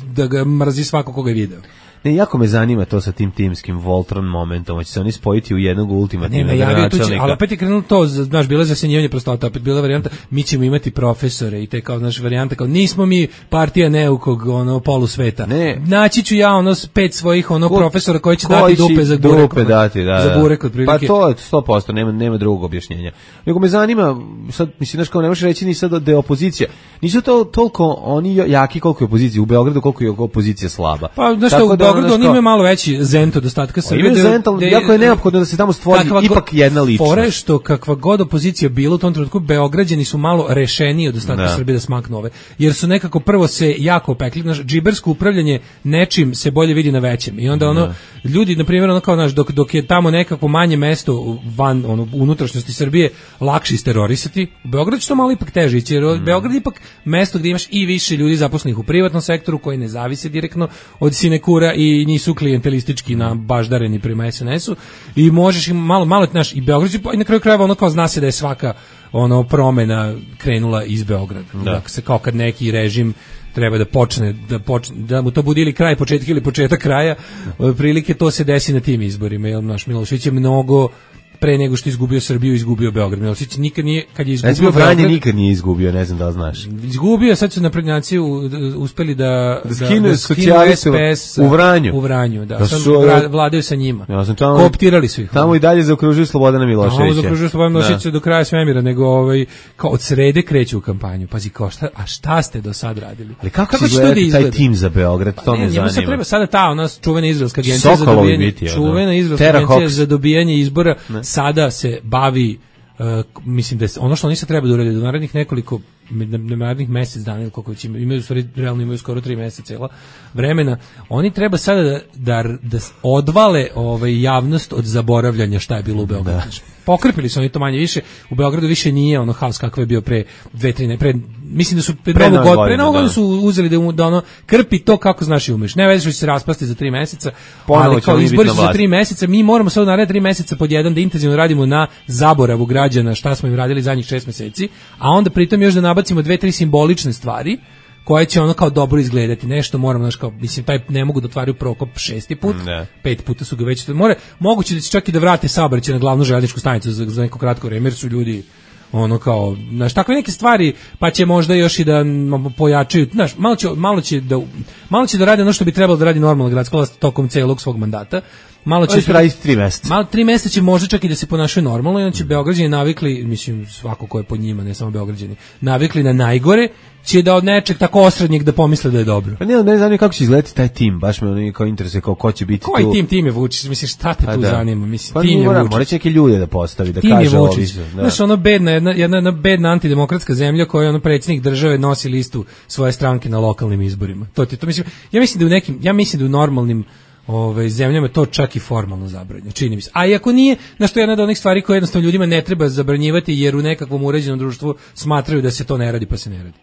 da ga mrazi svako koga je video. Ne, jako me zanima to sa tim timskim Voltron momentom, će se oni spojiti u jednog ultimativnog načelnika. Ali opet je krenulo to, znaš, bilo je zasenjivanje prostota, opet bila varijanta, mi ćemo imati profesore i te kao, znaš, varijanta kao, nismo mi partija neukog, ono, polusveta. Ne. Naći ću ja, ono, pet svojih, ono, Ko, profesora koji će dati dupe za burek. Dupe dati, da, za burek, otprilike. Pa to je sto posto, nema, nema drugog objašnjenja. Nego me zanima, sad, mislim, znaš, kao ne možeš reći ni sad da je opozicija. Nisu to toliko oni jaki koliko je opozicija, u Beogradu koliko je opozicija slaba. Pa, znaš što, u Beogradu oni imaju malo veći zent od ostatka Srbije. Imaju zent, ali jako je neophodno da se tamo stvori ipak jedna ličnost. Fore što kakva god opozicija bila u tom trenutku, Beograđani su malo rešeniji od ostatka da. Srbije da smaknu ove. Jer su nekako prvo se jako opekli, znaš, džibersko upravljanje nečim se bolje vidi na većem. I onda ono, da. ljudi, na primjer, ono kao, znaš, dok, dok je tamo nekako manje mesto van, ono, unutrašnjosti Srbije, lakše isterorisati, u Beogradu će to malo ipak teže ići, jer mm. Beograd je ipak mesto gdje imaš i više ljudi zaposlenih u privatnom sektoru koji ne zavise direktno od sinekura i nisu klijentelistički na baždareni prema es en esu i možeš im malo, malo naš, i Beograd i na kraju krajeva ono kao zna se da je svaka ono promena krenula iz Beograda. Da. Dakle, se kao kad neki režim treba da počne, da počne, da mu to bude ili kraj početka ili početak kraja, prilike to se desi na tim izborima, jer naš Milošević je mnogo pre nego što izgubio Srbiju, izgubio Beograd. Milošević nikad nije, kad je izgubio Beograd, nikad nije izgubio, ne znam da li znaš. Izgubio, sad su naprednjaci uspeli da da skinu da socijalistu u Vranju. U Vranju, da. Sad vladaju sa njima. Ja sam tamo, kooptirali su ih. Tamo i dalje zaokružuju Slobodana Miloševića. Tamo zaokružuju Slobodana Miloševića do kraja svemira, nego ovaj kao od srede kreću u kampanju. Pazi, kao šta, a šta ste do sad radili? Ali kako, kako će izgleda taj tim za Beograd, to me zanima. Treba sada ta ona čuvena izraelska agencija za dobijanje, čuvena izraelska agencija za dobijanje izbora sada se bavi, uh, mislim da je, ono što oni se treba da urade do narednih nekoliko narednih mjesec dana ili koliko već imaju, imaju stvari, realno imaju skoro tri mjeseca cela vremena, oni treba sada da, da, da odvale ovaj, javnost od zaboravljanja šta je bilo u Beogradu. Da. Pokrpili su oni to manje više, u Beogradu više nije ono haos kakav je bio pre dve, tri, ne, pre, mislim da su pre, pre novu god, pre novu godinu su uzeli da, da ono, krpi to kako znaš i umeš. Ne već će se raspasti za tri mjeseca, ali kao izbori su za tri mjeseca, mi moramo sad u naredne tri mjeseca pod jedan da intenzivno radimo na zaboravu građana šta smo im radili zadnjih šest mjeseci, a onda pritom još da nabacimo dve, tri simbolične stvari koje će ono kao dobro izgledati. Nešto moramo, znaš, kao, mislim, taj ne mogu da otvaraju Prokop šesti put, ne. pet puta su ga već, more, moguće da će čak i da vrate saobraćaj na glavnu željezničku stanicu za, za neko kratko vreme, jer su ljudi ono kao, znaš, takve neke stvari, pa će možda još i da pojačaju, znaš, malo će, malo će da malo će da radi ono što bi trebalo da radi normalna gradska vlast tokom celog svog mandata. Malo će raditi tri mjeseca. Malo tri mjeseca će možda čak i da se ponašaju normalno, i onda će Beograđani navikli, mislim svako ko je pod njima, ne samo Beograđani, navikli na najgore, će da od nečeg tako osrednjeg da pomisle da je dobro. Pa ne, ne znam kako će izgledati taj tim, baš me ono kao interesuje kao ko će biti Koji tu. Koji tim, tim je Vučić, mislim šta te pa tu da. zanima, mislim pa tim je Vučić. Mora će neke ljude da postavi, da tim kaže ovi. Znaš, ono bedna, jedna, jedna, jedna bedna antidemokratska zemlja koja ono predsjednik države nosi listu svoje stranke na lokalnim izborima. To ti to mislim, ja mislim da u nekim, ja mislim da u normalnim Ove zemljama to čak i formalno zabranjeno, čini mi se. A i ako nije, na što je jedna od onih stvari koje jednostavno ljudima ne treba zabranjivati jer u nekakvom uređenom društvu smatraju da se to ne radi, pa se ne radi.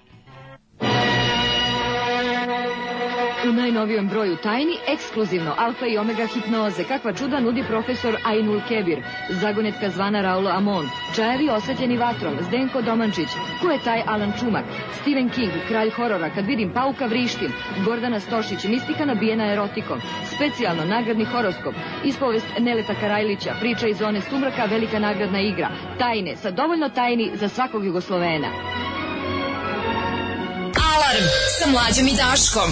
U najnovijem broju Tajni, ekskluzivno alfa i omega hipnoze, kakva čuda nudi profesor Ainul Kebir, zagonetka zvana Raulo Amon, čajevi osvetljeni vatrom, Zdenko Domančić, ko je taj Alan Čumak, Stephen King, kralj horora, kad vidim pauka vrištim, Gordana Stošić, mistika nabijena erotikom, specijalno nagradni horoskop, ispovest Neleta Karajlića, priča iz zone sumraka, velika nagradna igra, Tajne, sa dovoljno tajni za svakog Jugoslovena. Alarm sa Mlađom i Daškom.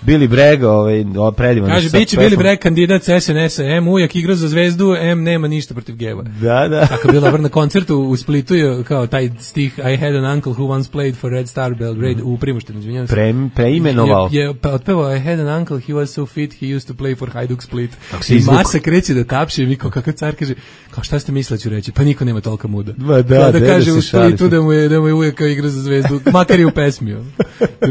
Billy Bragg, ovaj, predivan. Kaže, bit će Billy Bragg kandidat S N S-a, M ujak igra za Zvezdu, M nema ništa protiv geva. Da, da. Tako je bila na koncertu u Splitu, je, kao taj stih I had an uncle who once played for Red Star Belgrade, mm. u Primoštenu, izvinjavam se. Pre, preimenovao. Je, je otpevao I had an uncle, he was so fit, he used to play for Hajduk Split. I masa kreće da tapše, mi kao kakav car kaže, kao šta ste mislili ću reći, pa niko nema tolika muda. Ma da, da, da kaže u Splitu da mu je, da mu je ujak kao igra za Zvezdu, makar i u pesmi.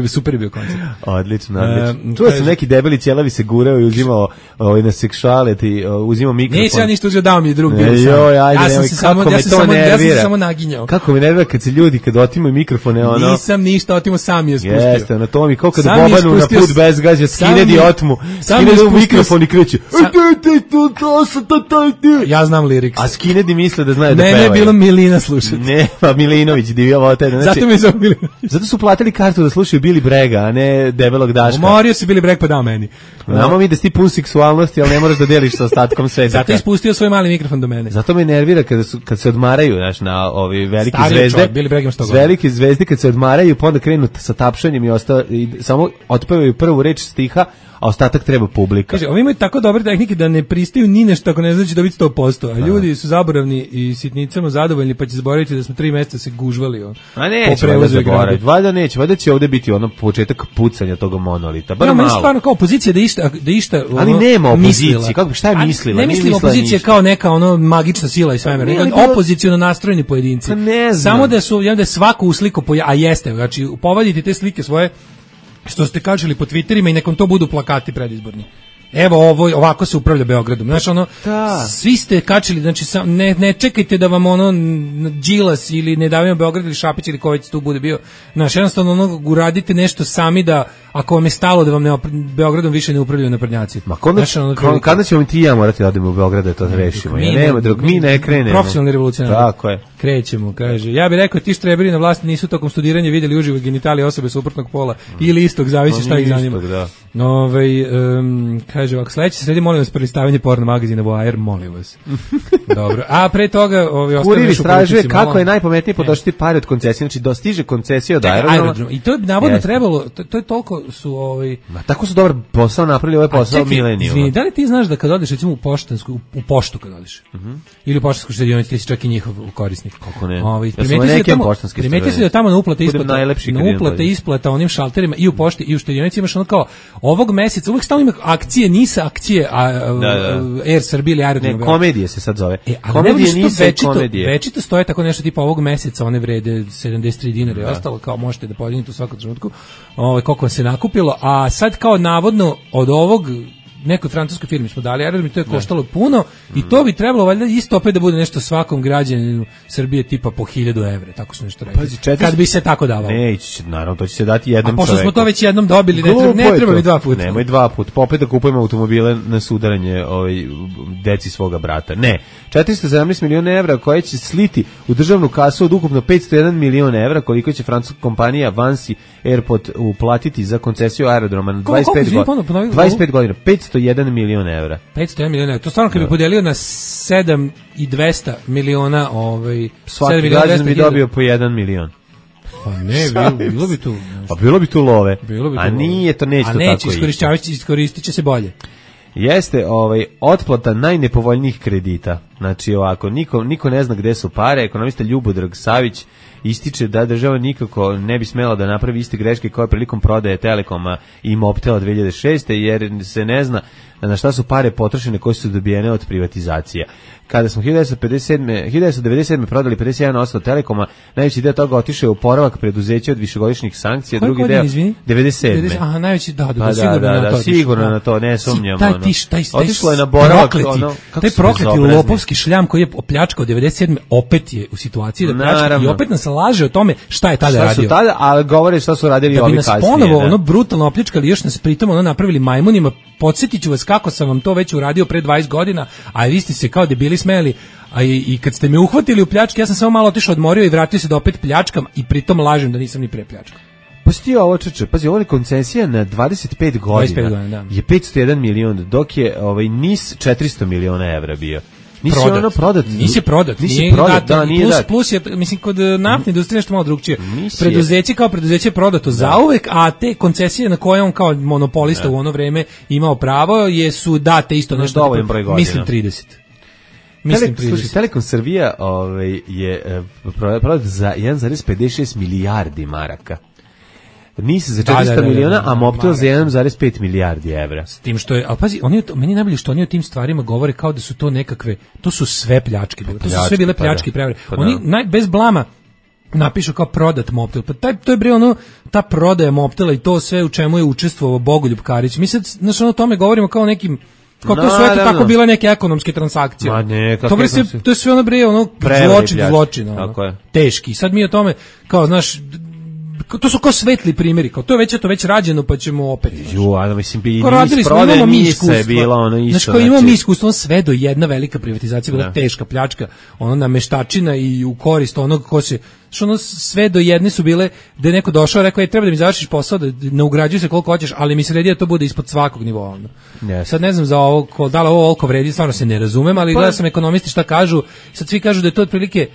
Super je bio koncert. Odlično, odlično. Čuo sam neki debeli ćelavi se gurao i uzimao ovaj, na seksuality, uzimao mikrofon. Nisam ja ništa uzeo, dao mi je drug. E, joj, ajde, ja sam se samo, ja sam samo, ja sam samo naginjao. Kako me nervira kad se ljudi, kad otimaju mikrofone, ono... Nisam ništa, otimo sam je spustio. Jeste, ono, to mi kao kada Bobanu na put bez gađa, skine otmu, skine u mikrofon i kreće. Ja znam liriks. A Skinedi misle da znaju da pevaju. Mene je bilo Milina slušati. Ne, pa Milinović, divio vote. Zato mi je zove Milinović. Zato su platili kartu da slušaju Billy Bragga, a ne debelog Daška. Javio se Billy Bragg pa dao meni. Znamo mi da si ti pun seksualnosti, ali ne moraš da deliš sa ostatkom sveta. Zato je ispustio svoj mali mikrofon do mene. Zato me nervira kada su kad se odmaraju, znaš, na ovi veliki Stari zvezde. Čovjek, Billy Bragg ima sto godina. Veliki zvezde kad se odmaraju, pa onda krenu sa tapšanjem i ostao i samo otpevaju prvu reč stiha, a ostatak treba publika. Kaže, ovi imaju tako dobre tehnike da ne pristaju ni nešto ako ne znači dobiti sto posto, a ljudi su zaboravni i sitnicama zadovoljni, pa će zaboraviti da smo tri mjeseca se gužvali. On, a neće valjda zaboraviti, valjda neće, valjda će ovdje biti ono početak pucanja toga monolita, bar ja, malo. Ja, stvarno kao opozicija da išta, da išta ono, ali nema opozicije, kako, šta je mislila? Ne mislim opozicija kao neka ono magična sila i svemira, nego opoziciono nastrojeni pojedinci. Ne znam. Samo da su, ja da je svako usliko, a jeste, znači povadite te slike svoje što ste kačili po Twitterima i nekom to budu plakati predizborni. Evo ovo, ovako se upravlja Beogradom. Znači ono, da. Svi ste kačili, znači ne, ne čekajte da vam ono Đilas ili Ne davimo Beograd ili Šapić ili ko već tu bude bio. Znači jednostavno ono, uradite nešto sami da, ako vam je stalo da vam ne, Beogradom više ne upravljaju naprednjaci. Ma kada, znači, ono, kada, kada ćemo ti ja morati da odemo u Beograd da to ne, rešimo? Ja nema, dok mi ne krenemo. Profesionalni revolucionari. Tako je. Krećemo, kaže. Ja bih rekao, ti štreberi na vlasti nisu tokom studiranja vidjeli uživo genitalije osobe suprotnog pola mm. ili istog, zavisi no, šta ih zanima. Ovaj um, kaže ovako, sledeće sredi, molim vas, prelistavanje porno magazina Voajer, molim vas. Dobro. A pre toga, ovi ostali Kurir istražuje kako je najpametnije potrošiti pare od koncesije, znači dostiže koncesija od aerodroma. I to je navodno trebalo, to, to je toliko su ovaj Ma tako su dobar posao napravili, ovaj posao Milenijuma. Izvini, da li ti znaš da kad odeš recimo u poštansku, u, u poštu kad odeš, uh -huh. ili u poštansku štedionicu, ti si čak i njihov korisnik. Kako ne? Ovaj primeti se da tamo na uplate isplata, na uplate isplata onim šalterima i u pošti i u štedionici imaš ono kao ovog meseca uvek stalno ima akcije, nisa akcije, a da, da. Air Srbija ili Aerodrom. Ne, komedije se sad zove. E, komedije nisu komedije. Večito stoje tako nešto tipa ovog meseca, one vrede sedamdeset tri dinara i ostalo, kao možete da podignete u svakom trenutku. Ovaj koliko vam se nakupilo, a sad kao navodno od ovog nekoj francuskoj firmi smo dali aerodrom i to je koštalo puno mm. i to bi trebalo valjda isto opet da bude nešto svakom građaninu Srbije tipa po hiljadu evra, tako su nešto rekli. Pazi, četiri... Kad bi se tako davalo. Ne, će, naravno, to će se dati jednom čoveku. A pošto čoveku. Smo to već jednom dobili, ne treba, ne treba mi dva puta. Nemoj dva puta, pa opet da kupujemo automobile na sudaranje ovaj, deci svoga brata. Ne, četiristo sedamnaest miliona evra koje će sliti u državnu kasu od ukupno petsto jedan milion evra, koliko će francuska kompanija Vansi Airport uplatiti za koncesiju aerodroma na dvadeset pet godina. dvadeset pet godina, petsto jedan milion evra. petsto jedan milion evra. To stvarno kad bi podelio na sedam i dvesta miliona, ovaj svaki građanin bi dobio po jedan milion. Pa ne, bilo, bilo bi tu. Pa bilo bi tu love. Bilo bi tu a nije to neće to tako. A neće, iskorišćavajući, iskoristit će se bolje. Jeste ovaj otplata najnepovoljnijih kredita. Znači ovako, niko, niko ne zna gde su pare. Ekonomista Ljubodrag Savić ističe da država nikako ne bi smela da napravi iste greške koje prilikom prodaje Telekoma i Mobtela dve hiljade šeste jer se ne zna na šta su pare potrošene koje su dobijene od privatizacija. Kada smo hiljadu devetsto pedeset sedme, hiljadu devetsto devedeset sedme prodali pedeset jedan posto Telekoma, najveći deo toga otišao je u oporavak preduzeća od višegodišnjih sankcija, koji drugi deo izvini? devedeset sedme. Aha, najveći da, da, pa da, sigurno da, na da, to. Da, sigurno na to, ne sumnjam. Taj, tiš, taj, taj, otišlo je na boravak, prokleti, ono, taj prokleti lopovski šljam koji je opljačkao devedeset sedme opet je u situaciji da pljačka i opet nas laže o tome šta je tada šta radio. Su tada, ali govore šta su radili da ovi kasnije. Da bi nas ponovo ono brutalno opljačkali, još nas pritom ono napravili majmunima. Podsjetit ću vas kako sam vam to već uradio pre dvadeset godina, a vi ste se kao debili smeli, a i, i kad ste me uhvatili u pljački, ja sam samo malo otišao, odmorio i vratio se da opet pljačkam i pritom lažem da nisam ni pre pljačkao. Pa sti ovo čeče, pazi, ovo je koncesija na dvadeset pet godina, dvadeset pet godina da. Je petsto jedan milion, dok je ovaj NIS četiristo miliona evra bio. Nisi prodat. ono prodat. Nisi prodat. Nisi nije prodat, dato, da, nije plus, dat. plus je, mislim, kod naftne industrije nešto malo drugčije. Nisi preduzeće kao preduzeće je prodato da. Zauvek, a te koncesije na koje on kao monopolista da. U ono vreme imao pravo, jesu date isto nešto. Dovoljan broj godina. Mislim trideset. Mislim Tele, slušaj, Telekom Srbija ovaj, je prodat za jedan zarez pedeset šest milijardi maraka. NIS za četiristo da, da, da, miliona, da, da, a Mobtel za jedan zarez pet milijardi evra. S tim što je, ali pazi, oni, meni najbolje što oni o tim stvarima govore kao da su to nekakve, to su sve pljačke, to su sve bile pljačke i prevare. Pa oni naj, bez blama napišu kao prodat Mobtel, pa taj, to je bre ono, ta prodaja Mobtela i to sve u čemu je učestvovao Bogoljub Karić. Mi sad, znaš, ono o tome govorimo kao nekim, kao to sve eto tako bile neke ekonomske transakcije. Ma ne, to, bre se, to je sve ono bre, ono zločin, zločin, ono, teški. Sad mi o tome, kao, znaš, to su kao svetli primjeri, kao to je već to već rađeno, pa ćemo opet. Ju, a mislim bi radili smo, imamo mi iskustvo. Bilo ono isto. Znači, kao imamo mi iskustvo, sve do jedna velika privatizacija, bila teška pljačka, ono nameštačina i u korist onog ko se, što ono sve do jedne su bile da je neko došao, rekao je treba da mi završiš posao, da ne ugrađuj se koliko hoćeš, ali mi se redi da to bude ispod svakog nivoa. Ono. Yes. Sad ne znam za ovo, da li ovo ovoliko vredi, stvarno se ne razumem, ali pa, gledao sam ekonomisti šta kažu, sad svi kažu da je to otprilike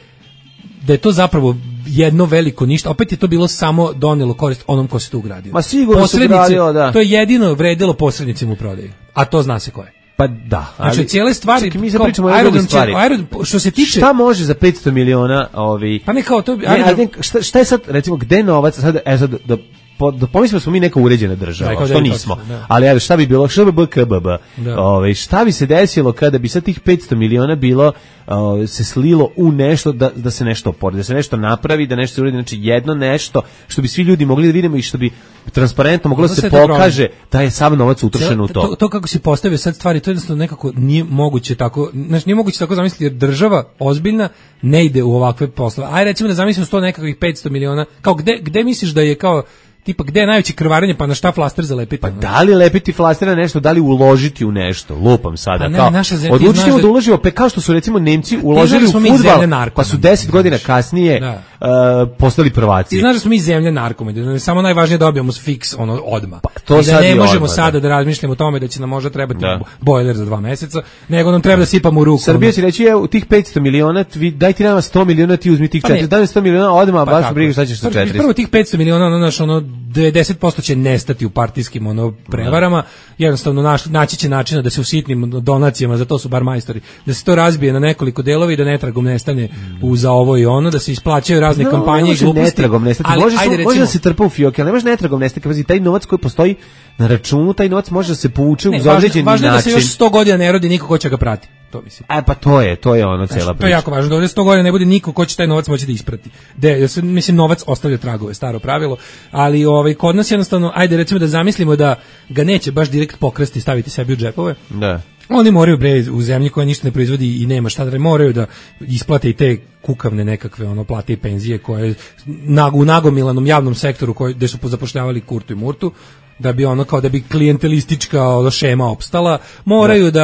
da je to zapravo jedno veliko ništa, opet je to bilo samo donelo korist onom ko se to ugradio. Ma sigurno se ugradio, da. To je jedino vredilo posrednicima u prodaji, a to zna se ko je. Pa da. Znači, ali, cijele stvari, čekaj, mi se pričamo o aerodrom, stvari. Aerodrom, što se tiče... Šta može za petsto miliona ovi... Pa ne kao to... Aerodrom... Ne, šta, šta je sad, recimo, gde novac, sad, e, sad, da, po, da pomislimo smo mi neka uređena država, da, što nismo. Da. Ali evo, šta bi bilo, šta bi B K B B? Ove, šta bi se desilo kada bi sad tih petsto miliona bilo uh, se slilo u nešto da, da se nešto oporedi, da se nešto napravi, da nešto se uredi, znači jedno nešto što bi svi ljudi mogli da vidimo i što bi transparentno moglo da se pokaže da je sav novac utrošen u to. to. To kako se postavio sad stvari, to jednostavno nekako nije moguće tako, znači nije moguće tako zamisliti jer država ozbiljna ne ide u ovakve poslove. Aj recimo da zamislimo sto nekakvih petsto miliona, kao gde, gde misliš da je kao tipa gde je najveće krvarenje, pa na šta flaster zalepiti? Pa da li lepiti flaster na nešto, da li uložiti u nešto? Lupam sada. Pa ne, kao, odlučimo da uložimo, pa kao što su recimo Nemci uložili u fudbal, pa su deset godina kasnije da. uh, postali prvaci. Ti znaš da smo mi zemlja narkoma, da je samo najvažnije da dobijemo fiks ono odma. Pa, to I da ne možemo odmah, sada da. da razmišljamo o tome da će nam možda trebati da. bojler za dva meseca, nego nam treba da sipamo u ruku. Srbija će reći, evo, tih petsto miliona, daj ti nama sto miliona, ti uzmi tih pa četiristo, daj sto miliona odma, pa baš briga šta ćeš sa četiristo. Prvo tih petsto miliona, ono naš ono devedeset posto će nestati u partijskim ono prevarama, jednostavno naš, naći će načina da se u sitnim donacijama, za to su bar majstori, da se to razbije na nekoliko delova i da netragom nestane mm. u za ovo i ono, da se isplaćaju razne no, kampanje i gluposti. Netragom nestati, ali, može, ajde, recimo, može da se trpa u fioke, ali ne može netragom nestati, pazi, taj novac koji postoji na računu, taj novac može da se povuče ne, uz određeni način. Važno je da se još sto godina ne rodi niko ko će ga prati. To mislim. E pa to je, to je ono cela priča. To je jako važno, da ovdje sto godina ne bude niko ko će taj novac moći da isprati. De, mislim novac ostavlja tragove, staro pravilo, ali ovaj kod nas jednostavno, ajde recimo da zamislimo da ga neće baš direkt pokrasti, staviti sebi u džepove. Da. Oni moraju bre u zemlji koja ništa ne proizvodi i nema šta da moraju da isplate i te kukavne nekakve ono plate i penzije koje na, u nagomilanom javnom sektoru koji gde su zapošljavali Kurtu i Murtu, da bi ono kao da bi klijentelistička šema opstala, moraju da,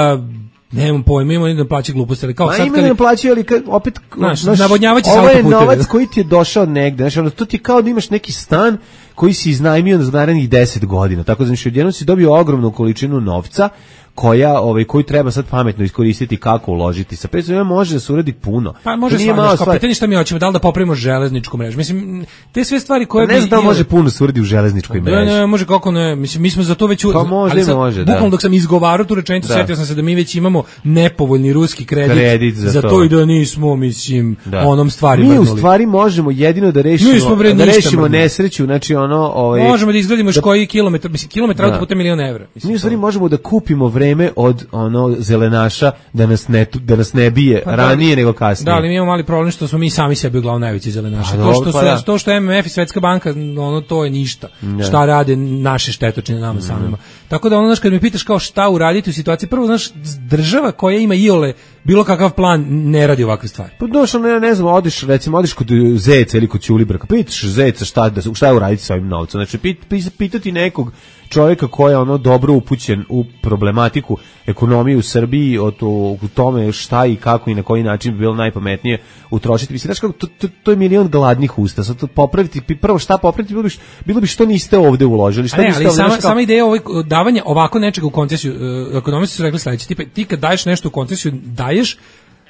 da nemam pojma, ima da plaća gluposti, ali kao Ma, sad kad ne plaća, ali kad opet znaš, navodnjavaće ovo je novac koji ti je došao negde, znači ono, to ti je kao da imaš neki stan koji si iznajmio za narednih deset godina, tako da znači odjednom si dobio ogromnu količinu novca koja ovaj koji treba sad pametno iskoristiti kako uložiti. Sa petsto miliona može da se uradi puno. Pa može stvarno, kao pitanje šta mi hoćemo, da li da popravimo železničku mrežu. Mislim te sve stvari koje pa ne znam da može puno se uradi u železničkoj mreži. Ne, ne, može kako ne. Mislim mi smo za to već pa može, sad, može, bukvalno dok sam izgovarao tu rečenicu, da. Setio sam se da mi već imamo nepovoljni ruski kredit, kredit za, za to. to i da nismo mislim da. onom stvari mi u stvari možemo jedino da rešimo da rešimo nesreću, znači ono ovaj možemo da izgradimo još koji kilometar, mislim kilometar autoputa milion evra. Mi u stvari možemo da kupimo vreme od ono zelenaša da nas ne da nas ne bije pa ranije da, nego kasnije. Da, ali mi imamo mali problem što smo mi sami sebi uglavnom najveći zelenaši. To što su, pa to što M M F i Svetska banka, ono to je ništa. Ne. Šta rade naše štetočine nama mm. samima. Tako da ono znaš kad me pitaš kao šta uraditi u situaciji, prvo znaš država koja ima iole bilo kakav plan ne radi ovakve stvari. Pa došao ne, ne znam, odiš recimo odiš kod Zeca ili kod Ćulibrka, pitaš Zeca šta da šta je uraditi sa ovim novcem. Znači pit, pit, pitati nekog čovjeka koji je ono dobro upućen u problematiku ekonomije u Srbiji, o to, u tome šta i kako i na koji način bi bilo najpametnije utrošiti. Mislim, znaš kako, to, to, to je milion gladnih usta. Sad to popraviti, prvo šta popraviti, bilo bi, bilo bi što niste ovde uložili. Šta ne, niste ali ovde, sama, kao... sama ideja ovog davanja ovako nečega u koncesiju, uh, ekonomisti su rekli sledeće, tipa, ti kad daješ nešto u koncesiju, daješ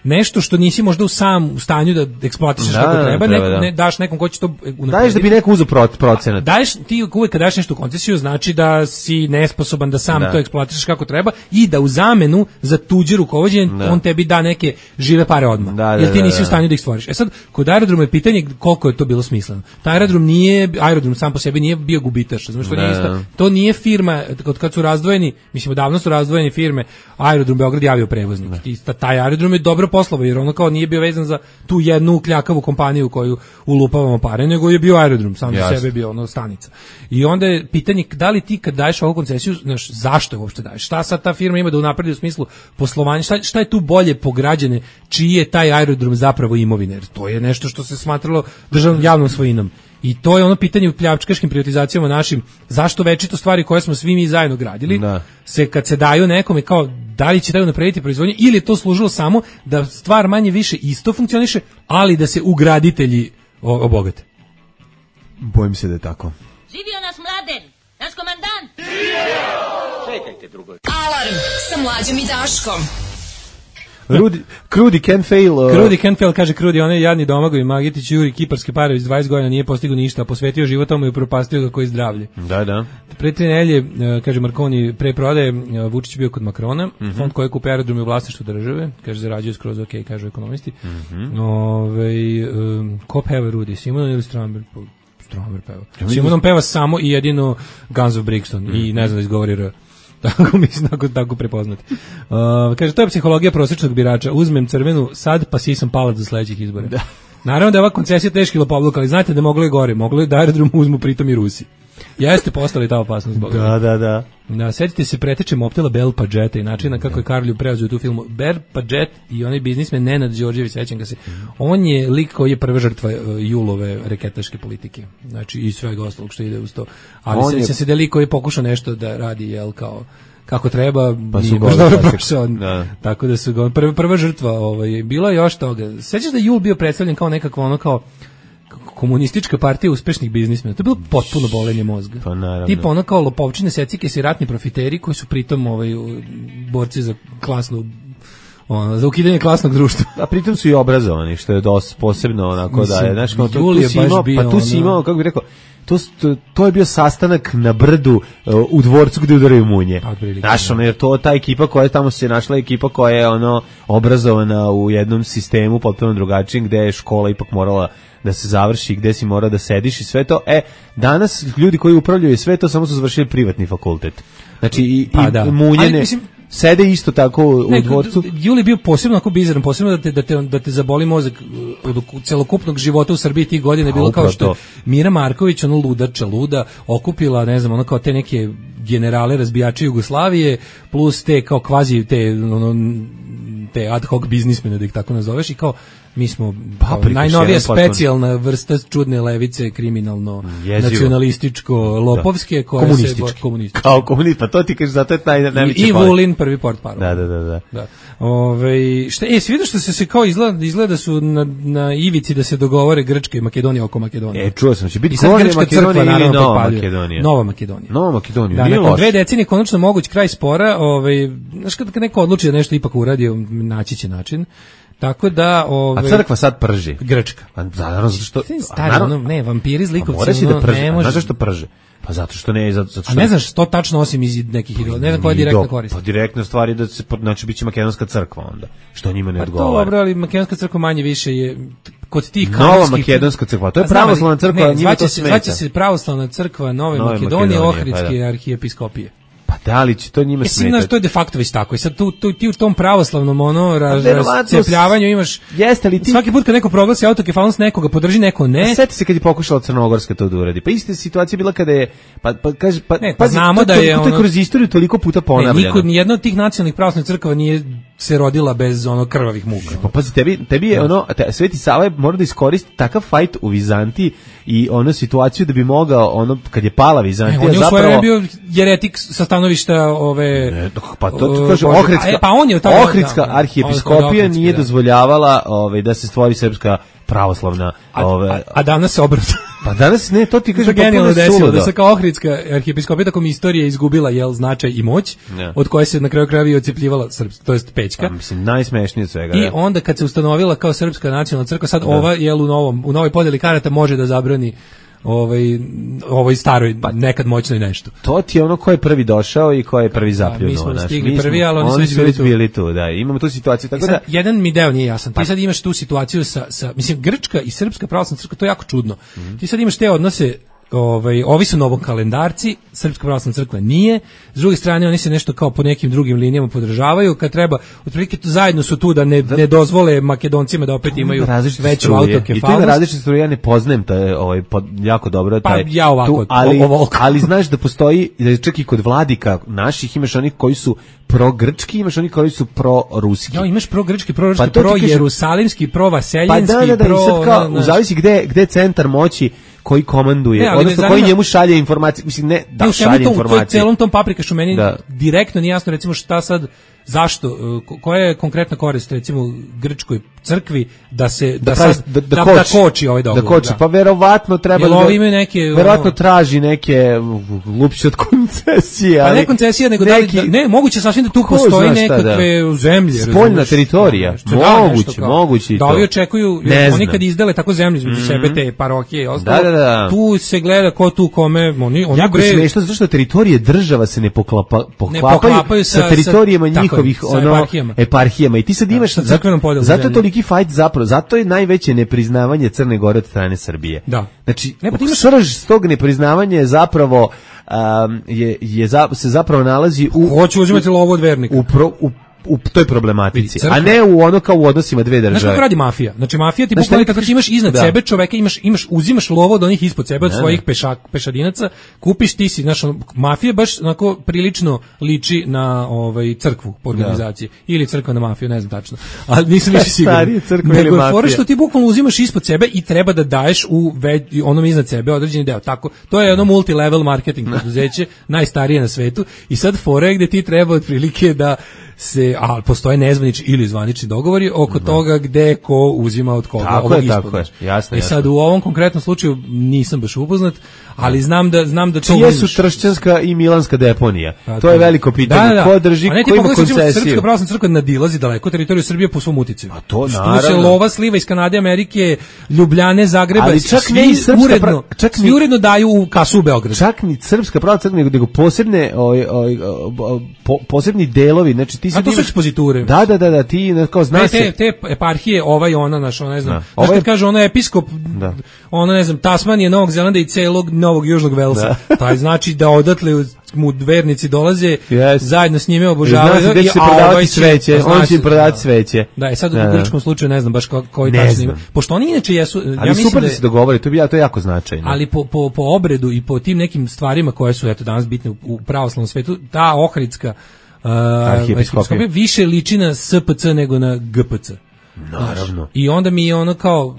nešto što nisi možda u sam u stanju da eksploatišeš kako treba, treba neko, da. ne daš nekom ko će to unaprediti. Daješ da bi neko uzeo procenat. Daješ, ti uvek kad daš nešto u koncesiju, znači da si nesposoban da sam da. to eksploatišeš kako treba i da u zamenu za tuđe rukovođenje on tebi da neke žive pare odmah. Da, da, jer ti nisi u stanju da ih stvoriš. E sad, kod aerodroma je pitanje koliko je to bilo smisleno. Taj aerodrom nije, aerodrom sam po sebi nije bio gubitaš. Znači, to, nije isto, to nije firma, od kad su razdvojeni, mislim, davno su razdvojene firme, Aerodrom Beograd je avioprevoznik. I taj aerodrom je dobro poslovao, jer ono kao nije bio vezan za tu jednu kljakavu kompaniju koju ulupavamo pare, nego je bio aerodrom, sam za sebe bio ono stanica. I onda je pitanje da li ti kad daješ ovu koncesiju, znaš, zašto je uopšte daješ? Šta sad ta firma ima da unapredi u smislu poslovanja? Šta, šta je tu bolje po građane? Čiji je taj aerodrom zapravo imovina? Jer to je nešto što se smatralo državnom javnom svojinom. I to je ono pitanje u pljačkaškim privatizacijama našim, zašto večito stvari koje smo svi mi zajedno gradili, da. se kad se daju nekome kao da li će taj naprediti proizvodnju ili je to služilo samo da stvar manje više isto funkcioniše, ali da se ugraditelji obogate. Bojim se da je tako. Živio naš Mladen, naš komandant. Živio! Čekajte drugo. Alarm sa Mlađom i Daškom. Rudi, Krudi can fail. Uh... Krudi can fail, kaže Krudi, onaj jadni Domagovi Magetić Juri kiparske pare iz dvadeset godina nije postigao ništa, a posvetio životom i upropastio ga koji zdravlje. Da, da. Pre tri nedelje, kaže Marconi, pre prodaje Vučić bio kod Makrona, mm-hmm. fond koji kupe aerodrom u vlasništvu države, kaže zarađuje skroz ok, kažu ekonomisti. Mm-hmm. Ove, um, ko peva Rudi, Simon ili Stramber? Stromer peva. Simonom peva samo i jedino Guns of Brixton mm-hmm. i ne znam da izgovori R. Tako mislim, tako, tako prepoznati. Uh, kaže, to je psihologija prosječnog birača. Uzmem crvenu sad, pa sisam palac za sledećih izbora. Da. Naravno da je ova koncesija teški lopovluk, ali znate da moglo je gore. Moglo je da aerodrom uzmu pritom i Rusi. Jeste postali ta opasnost. Boga. Da, da, da. Da, setite se preteče Moptela Bel Padžeta i načina kako je Karolju preuzeo tu filmu. Bel Padžet i onaj biznismen Nenad Đorđević, sećam ga se. On je lik koji je prva žrtva uh, Julove reketaške politike. Znači i svega ostalog što ide uz to. Ali sećam je... se da je lik koji je pokušao nešto da radi, jel, kao kako treba, pa nije baš dobro prošao. Da. Tako da su ga prva, prva žrtva ovaj, bila još toga. Sećaš da Jul bio predstavljen kao nekakvo ono kao komunistička partija uspešnih biznismena. To je bilo potpuno bolenje mozga. Pa naravno. Tipa ono kao lopovčine, secike i ratni profiteri koji su pritom ovaj, borci za klasnu ono, za ukidanje klasnog društva. A pritom su i obrazovani, što je dosta posebno onako. Mislim, da je, znaš, kao, tu, tu si imao, pa tu si imao, kako bih rekao, To, to, to je bio sastanak na brdu uh, u dvorcu gde udaraju munje. Znaš, ono, jer to ta ekipa koja je tamo se našla, ekipa koja je ono obrazovana u jednom sistemu potpuno drugačijem, gde je škola ipak morala da se završi, gde si mora da sediš i sve to. E, danas ljudi koji upravljaju sve to samo su završili privatni fakultet. Znači, i, pa, i da. munjene... Ali, mislim, sede isto tako u ne, dvorcu. Juli bio posebno ako bizaran, posebno da te, da te, da te zaboli mozak od celokupnog života u Srbiji tih godina je bilo kao što je Mira Marković, ono ludača, luda, okupila, ne znam, ono kao te neke generale razbijače Jugoslavije, plus te kao kvazi te, ono, te ad hoc biznismene, da ih tako nazoveš, i kao mi smo kao najnovija specijalna vrsta čudne levice, kriminalno, jezivo, nacionalističko, lopovske, koja komunistički. se komunistički. Kao komunist, pa to ti kažeš, zato je taj najveći. I Vulin prvi portparol. Da, da, da, da. da. Ove, šta, e, svi vidiš što se, se kao izgleda, izgleda su na, na ivici da se dogovore Grčka i Makedonija oko Makedonije. E, čuo sam, će biti Grčka Makedonija crkva, ili Nova Makedonija? Nova Makedonija. Nova Makedonija, da, nije nakon loš. dve decenije konačno moguć kraj spora, ovaj, znaš kad neko odluči da nešto ipak uradi, naći će način. Tako da, ovaj, a crkva sad prži. Grčka. Pa naravno zato što stari, naravno, ne, vampiri zlikovci. Mora se da prži. Ne može. Znaš zašto prže? Pa zato što ne, zato što. A ne znaš što tačno osim iz nekih idola, ne znam koja je direktna korist. Pa direktna stvar je da se, znači biće makedonska crkva onda, što njima ne odgovara. Pa dobro, ali makedonska crkva manje više je kod tih Nova makedonska crkva, to je pravoslavna crkva, njima to smeta. Zvaće se pravoslavna crkva Nove, Nove Makedonije, Ohridske pa da. arhijepiskopije. Pa da li će to njima smetati? Mislim, to je de facto već tako. I sad tu, tu, ti u tom pravoslavnom ono, raz, razcepljavanju imaš... Jeste li ti... Svaki put kad neko proglasi autokefalnost nekoga, podrži neko ne... A sjeti se kad je pokušala Crnogorska to da uradi. Pa ista situacija bila kada je... Pa, pa, kaže, pa, ne, pa znamo to, da je... To je kroz istoriju toliko puta ponavljeno. Ne, niko, nijedna od tih nacionalnih pravoslavnih crkava nije se rodila bez ono krvavih muka. Pa pazi, tebi, tebi je ono... Te, Sveti Sava je mora da iskoristi takav fajt u Vizantiji i ono situaciju da bi mogao, ono, kad je pala Vizantija, ne, on je zapravo... On je bio jeretik sa stanovišta ove... Ne, pa to ti kaže, Ohridska, pa on je tamo, Ohridska da, arhijepiskopija nije da. dozvoljavala ove, da se stvori srpska pravoslavna... Ove, a, a danas se obrata. Pa danas ne, to ti kaže genijalno desilo, da se kao Ohridska arhijepiskopija takom istorija izgubila jel značaj i moć, ne. od koje se na kraju krajeva i odcepljivala srpska, to jest Pećka. A, mislim, najsmešnije od svega. I ja. onda kad se ustanovila kao srpska nacionalna crkva, sad da. ova jel u novom, u novoj podeli karata može da zabrani ovaj ovoj staroj pa, nekad moćnoj nešto. To ti je ono ko je prvi došao i ko je prvi zapljunuo. Mi smo naš. stigli mi prvi, ali oni su već bili tu. Da, imamo tu situaciju. Tako sad, da, jedan mi deo nije jasan. Ti pa, sad imaš tu situaciju sa, sa mislim, Grčka i Srpska pravoslavna crkva, to je jako čudno. Mm-hmm. Ti sad imaš te odnose, ovaj, ovi su novokalendarci, Srpska pravoslavna crkva nije, s druge strane oni se nešto kao po nekim drugim linijama podržavaju, kad treba, otprilike zajedno su tu da ne, ne dozvole Makedoncima da opet imaju veću autokefalnost. I to ima različite struje, ja ne poznajem taj, ovaj, pod, jako dobro taj, pa ja ovako, tu, ali, ali znaš da postoji, čak i kod vladika naših imaš onih koji su pro-grčki, imaš onih koji su pro-ruski. Ja, imaš pro-grčki, pro-ruski, pa pro-jerusalimski, pro-vaseljenski, pa da, da, da, pro... I sad kao, u zavisi gde, gde centar moći koji komanduje, ne, odnosno zanima, koji njemu šalje informacije, mislim ne da ne, šalje to, informacije. U celom tom paprikašu meni da. direktno nije jasno recimo šta sad, zašto, koja je konkretna korist recimo Grčkoj crkvi da se da, da, sad, da, da, da, koči, da koči ovaj dogovor. Da koči, da. Pa verovatno treba da da, neke, verovatno ono, traži neke lupće od koncesije, ali pa ne koncesija nego neki, da, ne, moguće sasvim da tu postoji nekakve da. zemlje, spoljna teritorija, moguće, moguće i to. Da ovi očekuju, oni kad izdele tako zemlju između mm-hmm. sebe te parohije i ostalo, da, da, da. tu se gleda ko tu kome, oni oni jako je smešno zato što teritorije država se ne poklapa, poklapaju, ne poklapaju sa, sa teritorijama sa, njihovih tako, ono eparhijama. eparhijama i ti sad imaš da, zato, zato je toliki fajt zapravo, zato je najveće nepriznavanje Crne Gore od strane Srbije. Da. Znači, ne, imaš... srž tog nepriznavanja je zapravo um, je, je za, se zapravo nalazi u hoću uzimati lovu od vernika. U, pro, u u toj problematici, a ne u ono kao u odnosima dve države. Znaš kako radi mafija? Znači mafija ti bukvalno tako ti imaš iznad da. sebe čoveka, imaš imaš uzimaš lovo od onih ispod sebe, od ne, svojih pešak, pešadinaca, kupiš ti si, znaš, mafija baš onako prilično liči na ovaj crkvu po organizaciji da. ili crkva na mafiju, ne znam tačno. Ali nisam više siguran. Stari crkva ili mafija. Nego što ti bukvalno uzimaš ispod sebe i treba da daješ u ve, onom iznad sebe određeni deo. Tako, to je ono multilevel marketing preduzeće, najstarije na svetu i sad fore gde ti treba otprilike da se, a postoje nezvanični ili zvanični dogovori oko mm. toga gde ko uzima od koga. Tako je, tako je, jasno. I sad u ovom konkretnom slučaju nisam baš upoznat, ali znam da znam da to čije su Tršćanska i Milanska deponija. Pa, to je veliko pitanje. Da, da. Ko drži, ko ima koncesiju? Srpska pravoslavna crkva nadilazi daleko teritoriju Srbije po svom uticaju. A to naravno. Tu se lova sliva iz Kanade, Amerike, Ljubljane, Zagreba, ali čak svi ne i srpska uredno, prav... čak svi uredno daju u kasu u Beogradu. Čak ni Srpska pravoslavna crkva nego, nego posebne oj, oj, po, posebni delovi, znači ti sad imaš poziture. Da, da, da, da, ti kao zna se te, te eparhije, ovaj ona naš, ona ne znam. Da. Ovaj kad kaže ona episkop, da. ona ne znam, Tasmanije, Novog Zelanda i celog Novog Južnog Velsa. Da. Taj znači da odatle mu vernici dolaze, yes. zajedno s njime obožavaju i znači, a ovaj sveće, će, on će prodavati sveće. Da, i sad u grčkom slučaju ne znam baš ko, koji tačno ima. Pošto oni inače jesu, ali ja mislim super da, da se dogovore, to bi ja to je jako značajno. Ali po, po, po obredu i po tim nekim stvarima koje su eto danas bitne u, u pravoslavnom svetu, ta Ohridska Uh, arhijepiskopija više liči na S P C nego na G P C. Naravno. I onda mi je ono kao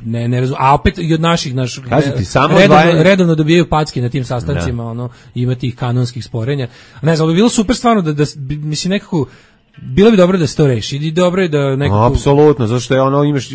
ne ne razum, a opet i od naših naš ti, samo redovno, odvajanje... redovno dobijaju packe na tim sastancima, ono ima tih kanonskih sporenja. Ne znam, bi bilo super stvarno da, da mislim nekako bilo bi dobro da se to reši i dobro je da nekako... Apsolutno, zato što je ono, imaš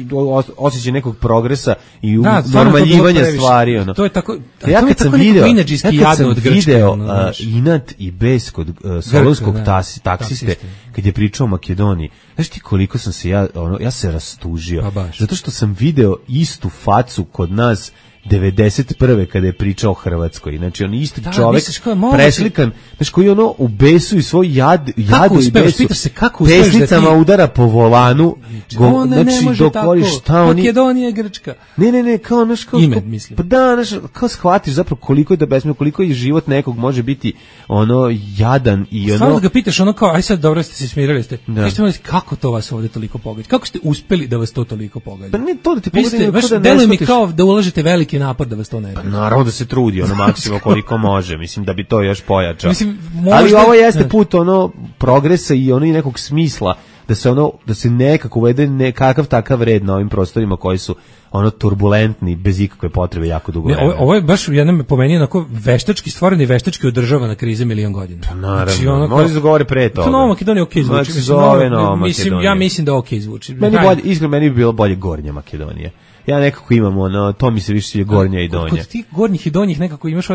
osjećaj nekog progresa i da, normaljivanja stvari. Ono. To je tako, ja to je tako video, inadžijski ja jadno od Grčke. video ono, uh, inat i bes kod uh, solonskog taksiste, taksiste, kad je pričao o Makedoniji, znaš ti koliko sam se ja, ono, ja se rastužio, pa zato što sam video istu facu kod nas devedeset prve kada je pričao o Hrvatskoj. Znači on isti da, čovjek preslikan, znači koji ono u besu i svoj jad, jadu i besu se, kako pesnicama da ti... udara po volanu. Go, znači dok koriš šta oni... Makedonija je Grčka. Ne, ne, ne, kao naš... Kao, ime, mislim. Pa da, naš, kao shvatiš zapravo koliko je da besmio, koliko je život nekog može biti ono jadan i ono... Stvarno da ga pitaš ono kao, aj sad dobro ste se smirali ste. Da. Ste imali, kako to vas ovdje toliko pogađa? Kako ste uspeli da vas to toliko pogađa? Pa ne to da ti pogađa, baš da deluje mi kao da ulažete veliki napor da vas to ne pa naravno da se trudi ono maksimo koliko može, mislim da bi to još pojačao. Mislim, možda... Ali ovo jeste put ono progresa i ono i nekog smisla da se ono da se nekako uvede nekakav takav red na ovim prostorima koji su ono turbulentni bez ikakve potrebe jako dugo vremena. Ovo, ovo je baš jednom po meni onako veštački stvoren i veštački održava na krize milion godina. Pa naravno, znači, onako, može se govori pre toga. Nova Makedonija okej okay zvuči. Znači, zove Nova mislim, ja mislim da okej okay zvuči. Meni bolje, iskreno meni bi bilo bolje Gornja Makedonija. Ja nekako imam ono, to mi se više sviđa Gornja i Donja. Kod tih gornjih i donjih nekako imaš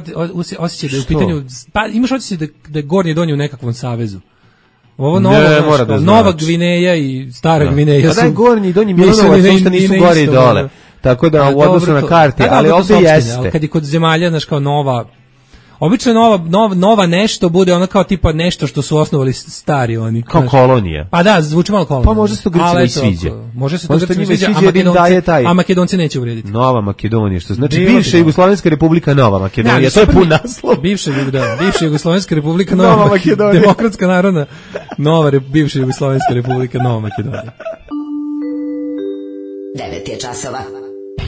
osjećaj da je u pitanju, pa imaš osjećaj da, da je Gornje i Donje u nekakvom savezu. Ovo novo, ne, znaš, da Nova znači. Gvineja i Stara no. Gvineja su... Pa da je Gornji i Donji Milanovac, nisu, nisu gori i dole. Tako da u odnosu na karti, ali ovdje jeste. Kad je kod zemalja, znaš, kao nova... Obično nova, nova, nova nešto bude ono kao tipa nešto što su osnovali stari oni. Kao kolonija. Pa da, zvuči malo kolonija. Pa može se to Grcima i sviđa. Može se to Grcima i sviđa, a Makedonci, taj... a Makedonci neće uvrijediti. Nova Makedonija, što znači Biva bivša Jugoslovenska republika Nova Makedonija, ja, to je pun naslov. Bivša, da, bivša Jugoslovenska republika Nova, Nova Makedonija. Demokratska narodna, nova re, bivša Jugoslovenska republika Nova Makedonija. devet je časova.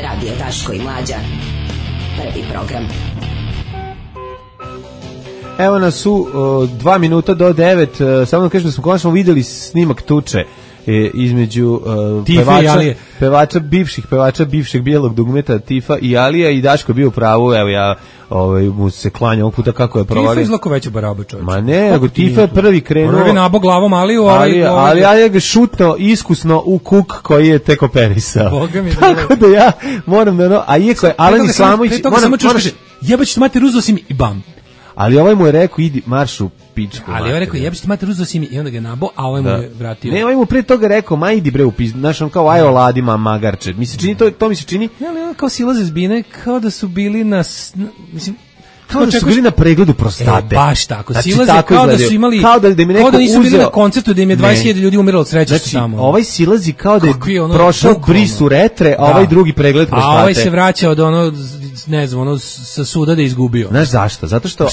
Radio Daško i Mlađa. Prvi program. Evo nas su uh, dva minuta do devet, uh, samo da kažem da smo konačno vidjeli snimak tuče e, između uh, Tifa pevača, i Alije. pevača bivših pevača bivšeg bijelog dugmeta Tifa i Alija i Daško je bio u pravu, evo ja ovaj mu se klanja ovog puta kako je provalio. Tifa je izlako veća baraba, čovječe. Ma ne, nego Tifa je prvi krenuo. Prvi nabo glavom Aliju, ovaj, ali, ovaj, ali ja ga šutno iskusno u kuk koji je tek operisao. Tako da ja moram da no, a iako je Alen Islamović, moram moraš jebaćete mater uzeo si mi i bam. Ali ovaj mu je rekao idi maršu pičku. Ali ovaj rekao jebaćete mater uzeo si mi i onda ga nabo, a ovaj da. mu je vratio. Ne, ovaj mu pre toga rekao ma idi bre u pizdu, znaš on kao aj oladima magarče. Mi se čini to to mi se čini. Ne, ali on kao silaze zbine kao da su bili na mislim kao da su bili na pregledu prostate. E, baš tako. Znači, silaze tako kao da su imali kao da, da, kao da nisu bili na koncertu da im je dvadeset hiljada ljudi umiralo od sreće znači, tamo. Ovaj silazi kao da je, je ono, prošao brisu retre, a ovaj drugi pregled prostate. A ovaj se vraća od ono ne znam, ono sa suda da je izgubio. Znaš zašto? Zato što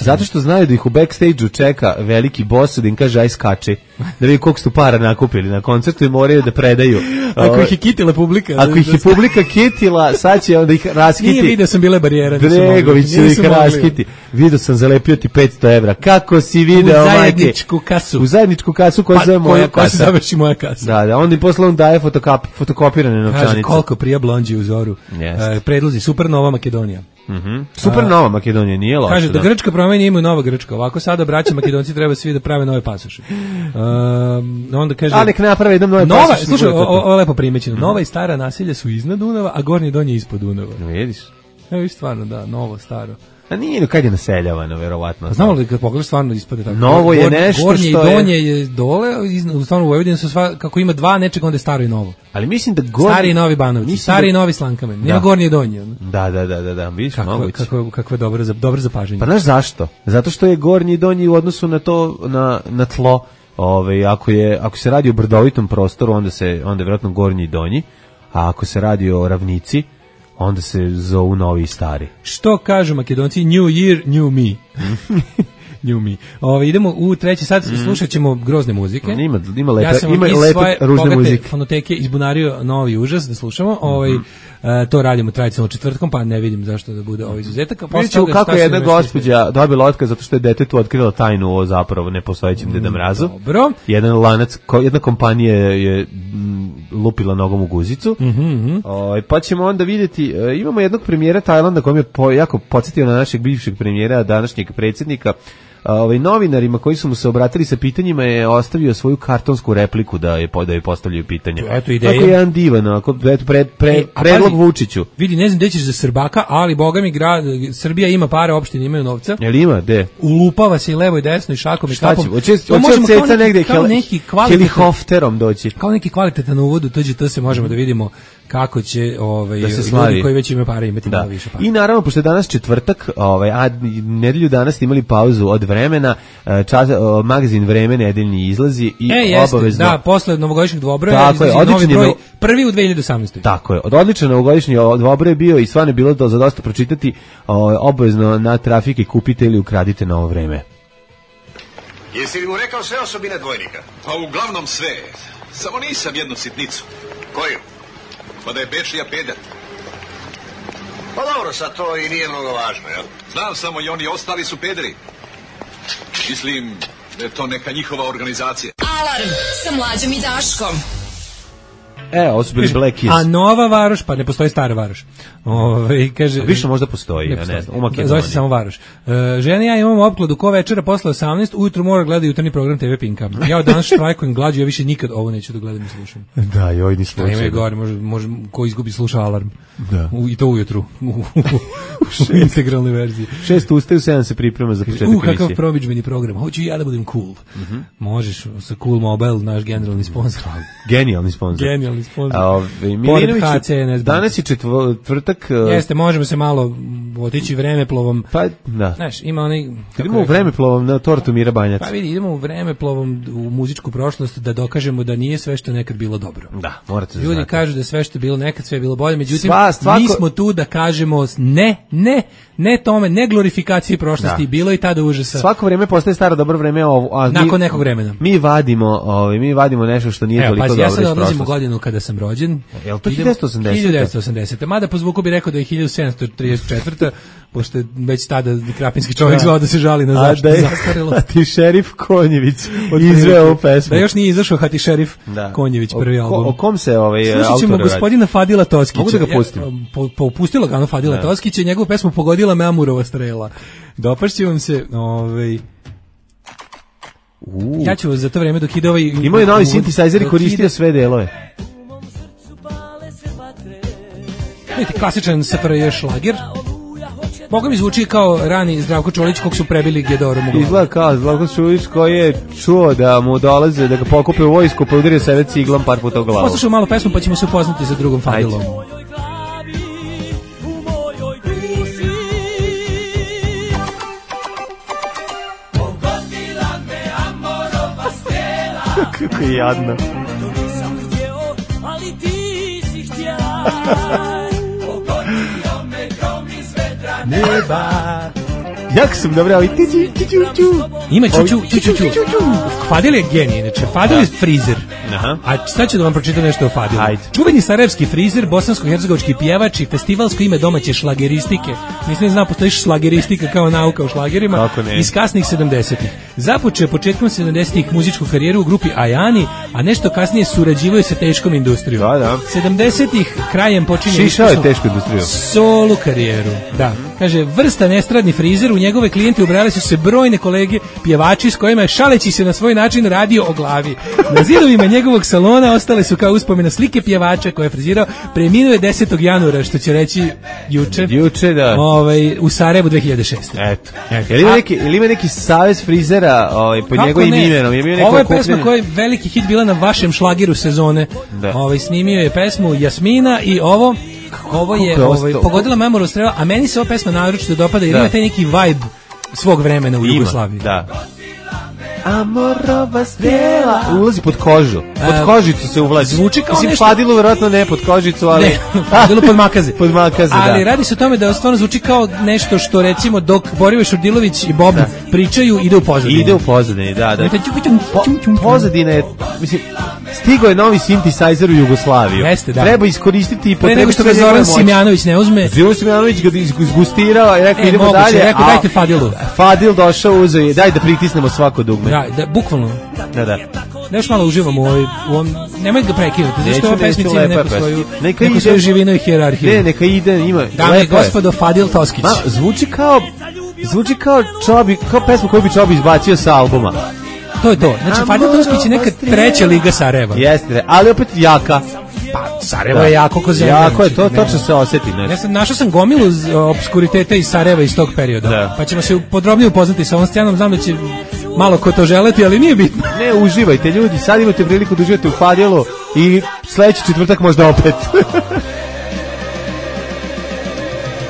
zato što znaju da ih u backstage-u čeka veliki boss da im kaže aj skače. Da vidi koliko su para nakupili na koncertu i moraju da predaju. Ako ih je kitila publika. Ako ih je publika kitila, sad će onda ih raskiti. Nije vidio sam bile barijere. Bregović će ih raskiti. Vidio sam zalepio ti petsto evra. Kako si video, majke? U zajedničku kasu. U zajedničku kasu koja pa, zove moja kasa. Koja se završi moja kasa. Da, da. Onda im posle on daje fotokop, fotokopirane novčanice. Kaže koliko prija blondži u zoru. Yes. Uh, predlozi Supernova Makedonija. Mhm. Supernova Makedonija nije loša. Kaže da Grčka promeni imaju nova Grčka. Ovako sada braća Makedonci treba svi da prave nove pasoše. Um, onda kaže a nek naprave jedan nove nova, pasoše. Slušaj, ovo je lepo primećeno. Nova i stara naselja su iznad Dunava, a gornje i donje ispod Dunava. Vidiš? Evo i stvarno da, novo, staro. A nije, no kad je naseljavano, verovatno. Znamo li kad pogledaš stvarno ispade tako? Novo je nešto gornje što je... Gornje i donje je dole, stvarno u Vojvodini su sva, kako ima dva nečeg, onda je staro i novo. Ali mislim da gornje... Stari i novi Banovci, stari i novi Slankamen, nema gornje i donje. Da, da, da, da, da, vidiš, moguće. Kako, kako je dobro, dobro zapažanje. Pa znaš zašto? Zato što je gornji i donji u odnosu na to, na, na tlo, ove, ako, je, ako se radi o brdovitom prostoru, onda, se, onda je vjerojatno gornji i donji, a ako se radi o ravnici, onda se zovu novi i stari. Što kažu Makedonci? New year, new me. New me. Ove, idemo u treći sat, mm. slušat ćemo grozne muzike. Ima, ima lepe, ja sam ima iz lepe svoje ružne muzike. Fonoteke izbunario novi užas da slušamo. Mm-hmm. Ovaj, uh, to radimo tradicionalno četvrtkom, pa ne vidim zašto da bude ovaj izuzetak. Vidjet ćemo kako je jedna gospođa dobila otkaz zato što je detetu otkrila tajnu o zapravo nepostojećem mm, Deda Mrazu. Dobro. Jedan lanac, ko, jedna kompanija je m, lupila nogom u guzicu. Mm-hmm. O, pa ćemo onda vidjeti, e, imamo jednog premijera Tajlanda koji je po, jako podsjetio na našeg bivšeg premijera, današnjeg predsjednika. Ovaj novinarima koji su mu se obratili sa pitanjima je ostavio svoju kartonsku repliku da je da je postavljaju pitanje. Eto ideja. Kako je jedan divan, ako eto pred pre, e, predlog pazi, Vučiću. Vidi, ne znam gde ćeš za Srbaka, ali boga mi grad Srbija ima pare, opštine imaju novca. Jel ima, gde? Ulupava se i levo i desno i šakom i štapom. Hoće hoće ceca negde helikopterom doći. Kao neki kvalitetan uvod u tuđe, to se možemo da vidimo kako će ovaj da se ljudi koji već imaju pare imati da. Malo više para. I naravno pošto je danas četvrtak, ovaj a nedelju danas ste imali pauzu od vremena, čas, o, magazin Vreme nedeljni izlazi i e, obavezno da posle novogodišnjeg dvobroja izlazi novi broj, prvi u dve hiljade osamnaestoj. Tako je. Od odličan novogodišnji dvobroj je bio i stvarno je bilo do, za dosta pročitati, o, obavezno na Trafiki kupite ili ukradite Novo vreme. Jesi li mu rekao sve osobine dvojnika? Pa uglavnom sve. Samo nisam jednu sitnicu. Koju? Pa da je Bečija peder. Pa dobro, sad to i nije mnogo važno, jel? Znam samo i oni ostali su pederi. Mislim da je to neka njihova organizacija. Alarm sa Mlađom i Daškom. E, ovo su bili Black Keys. A Nova Varoš, pa ne postoji Stara Varoš. Ove, kaže, a više možda postoji, ne ja ne znam. Da, zove se samo Varoš. Uh, žena ja imamo opkladu ko večera posle osamnaest, ujutru mora gledati jutarnji program te ve Pinka. Ja od danas štrajkujem glađu, ja više nikad ovo neću da gledam i slušam. Da, joj, ni slušam. Ima je gore, može, može, ko izgubi sluša Alarm. Da. U, I to ujutru. U, u integralnoj verziji. Šest ustaju, sedam se priprema za početak emisije. U, kakav promidžbeni program. Hoću ja da budem cool. Mm-hmm. Možeš sa Cool Mobile, naš generalni sponsor. Genijalni sponsor. Genijalni sponsor. Ove, Milinović, danas je četvrtak. Jeste, možemo se malo otići vremeplovom. Pa, da. Znaš, ima onaj... Idemo u vremeplovom na tortu Mira Banjac. Pa vidi, idemo u vremeplovom u muzičku prošlost da dokažemo da nije sve što je nekad bilo dobro. Da, morate Ljudi znati. kažu da sve što je bilo nekad, sve je bilo bolje, međutim, Sva, svako... mi smo tu da kažemo ne, ne, ne tome, ne glorifikaciji prošlosti, da. Bilo i tada užasa. Svako vreme postaje staro dobro vreme, a nakon mi, nekog vremena. Mi vadimo, ovaj, mi vadimo nešto što nije Evo, toliko pazi, dobro iz prošlosti. Ja sad odlazim u godinu kada sam rođen. Je li to hiljadu devetsto osamdesete? hiljadu devetsto osamdesete. Mada po zvuku bi rekao da je hiljadu sedamsto trideset četvrta pošto je već tada krapinski čovjek zvao da se žali na zaštitu zastarelo. A ti šerif Konjević izveo ovu pesmu. Da još nije izašao Hati šerif da. Konjević prvi album. O, o kom se ovaj autor radi? Slušat ćemo gospodina Fadila Toskića. Mogu da ga pustim? Ja, po, po, pustilo ga ono Fadila da. Toskića i njegovu pesmu Pogodila me Amurova strela. Dopašće vam se ovaj Uh. Ja ću za to vreme dok ide ovaj... Imao je novi synthesizer i koristio ide... sve delove. Vidite, klasičan S F R J šlager. Boga mi zvuči kao rani Zdravko Čolić kog su prebili Gedorom u glavu. Izgleda kao Zdravko Čolić koji je čuo da mu dolaze, da ga pokupe u vojsku, pa udario sebe ciglom par puta u glavu. Poslušao malo pesmu pa ćemo se upoznati sa drugom Fadilom. Kako je jadno. Neba. Jak sam dobro, ali ti ti ti ti. Ima čuču, čuču, čuču. Fadil je genij, znači Fadil je frizer. Aha. A sad ću da vam pročitam nešto o Fadilu. Čuveni sarajevski frizer, bosansko-hercegovački pjevač i festivalsko ime domaće šlageristike. Mislim, zna, postoji šlageristika kao nauka o šlagerima. Iz kasnih sedamdesetih. Započeo početkom sedamdesetih muzičku karijeru u grupi Ajani, a nešto kasnije surađivaju sa teškom industrijom. Da, da. sedamdesetih krajem počinje Šišao je tešku industriju. Solu karijeru. Da. Kaže, vrsta nestradni frizer, u njegove klijente ubrali su se brojne kolege pjevači s kojima je šaleći se na svoj način radio o glavi. Na zidovima njegovog salona ostale su kao uspomena slike pjevača koje je frizirao. Preminuo je desetog januara, što će reći juče. Juče, da. Ovaj, u Sarajevu dve hiljade šeste. Eto. Eto. Jel ima neki, jel ima neki savez frizera ovaj, pod njegovim imenom? Ovo je pesma koja je veliki hit bila na vašem šlagiru sezone. Ovaj, snimio je pesmu Jasmina i ovo Ovo je ovaj, Pogodila me Amurova strela, a meni se ova pesma naročito dopada jer da. Ima taj neki vibe svog vremena u ima, Jugoslaviji. Da. Amorova strela ulazi pod kožu. Pod kožicu se uvlazi. Zvuči kao Mislim, nešto... Fadilu vjerojatno ne pod kožicu, ali... Ne, Fadilu pod makaze. pod makaze, da. Ali radi se o tome da stvarno zvuči kao nešto što, recimo, dok Borivoje Šurdilović i Bob da. pričaju, ide u pozadini. Ide u pozadini, da, da. Po, pozadina je, mislim, stigo je novi synthesizer u Jugoslaviju. Jeste, da. Treba iskoristiti i potrebiti... Pre nego što ga Zoran Simjanović ne uzme. Zoran Simjanović ga izgustirao i rekao, e, idemo moguće, dalje. Rekao, dajte Fadilu. Fadil došao, uzeo i daj da pritisnemo svako dugme. Da, da, bukvalno. Da, da. Da još malo uživamo u ovoj, u ovom, nemoj ga prekinuti, zašto ova pesmica ima neku svoju, neka neku ide, svoju živinu i hijerarhiju. Ne, neka ide, ima, dame i gospodo, Fadil Toskić. Ma, zvuči kao, zvuči kao Čobi, kao pesma koju bi Čobi izbacio sa albuma. To je to, znači Fadil Toskić je neka treća liga Sarajeva. Jeste, ali opet jaka. Pa, Sarajevo je jako ko zemlja. Jako je, to točno se osjeti. Ja sam našao sam gomilu obskuriteta iz Sarajeva iz tog perioda. Da. Pa ćemo se podrobnije upoznati sa ovom scenom, znam da će malo ko to želeti, ali nije bitno. Ne, uživajte ljudi, sad imate priliku da uživate u Fadilu i sledeći četvrtak možda opet.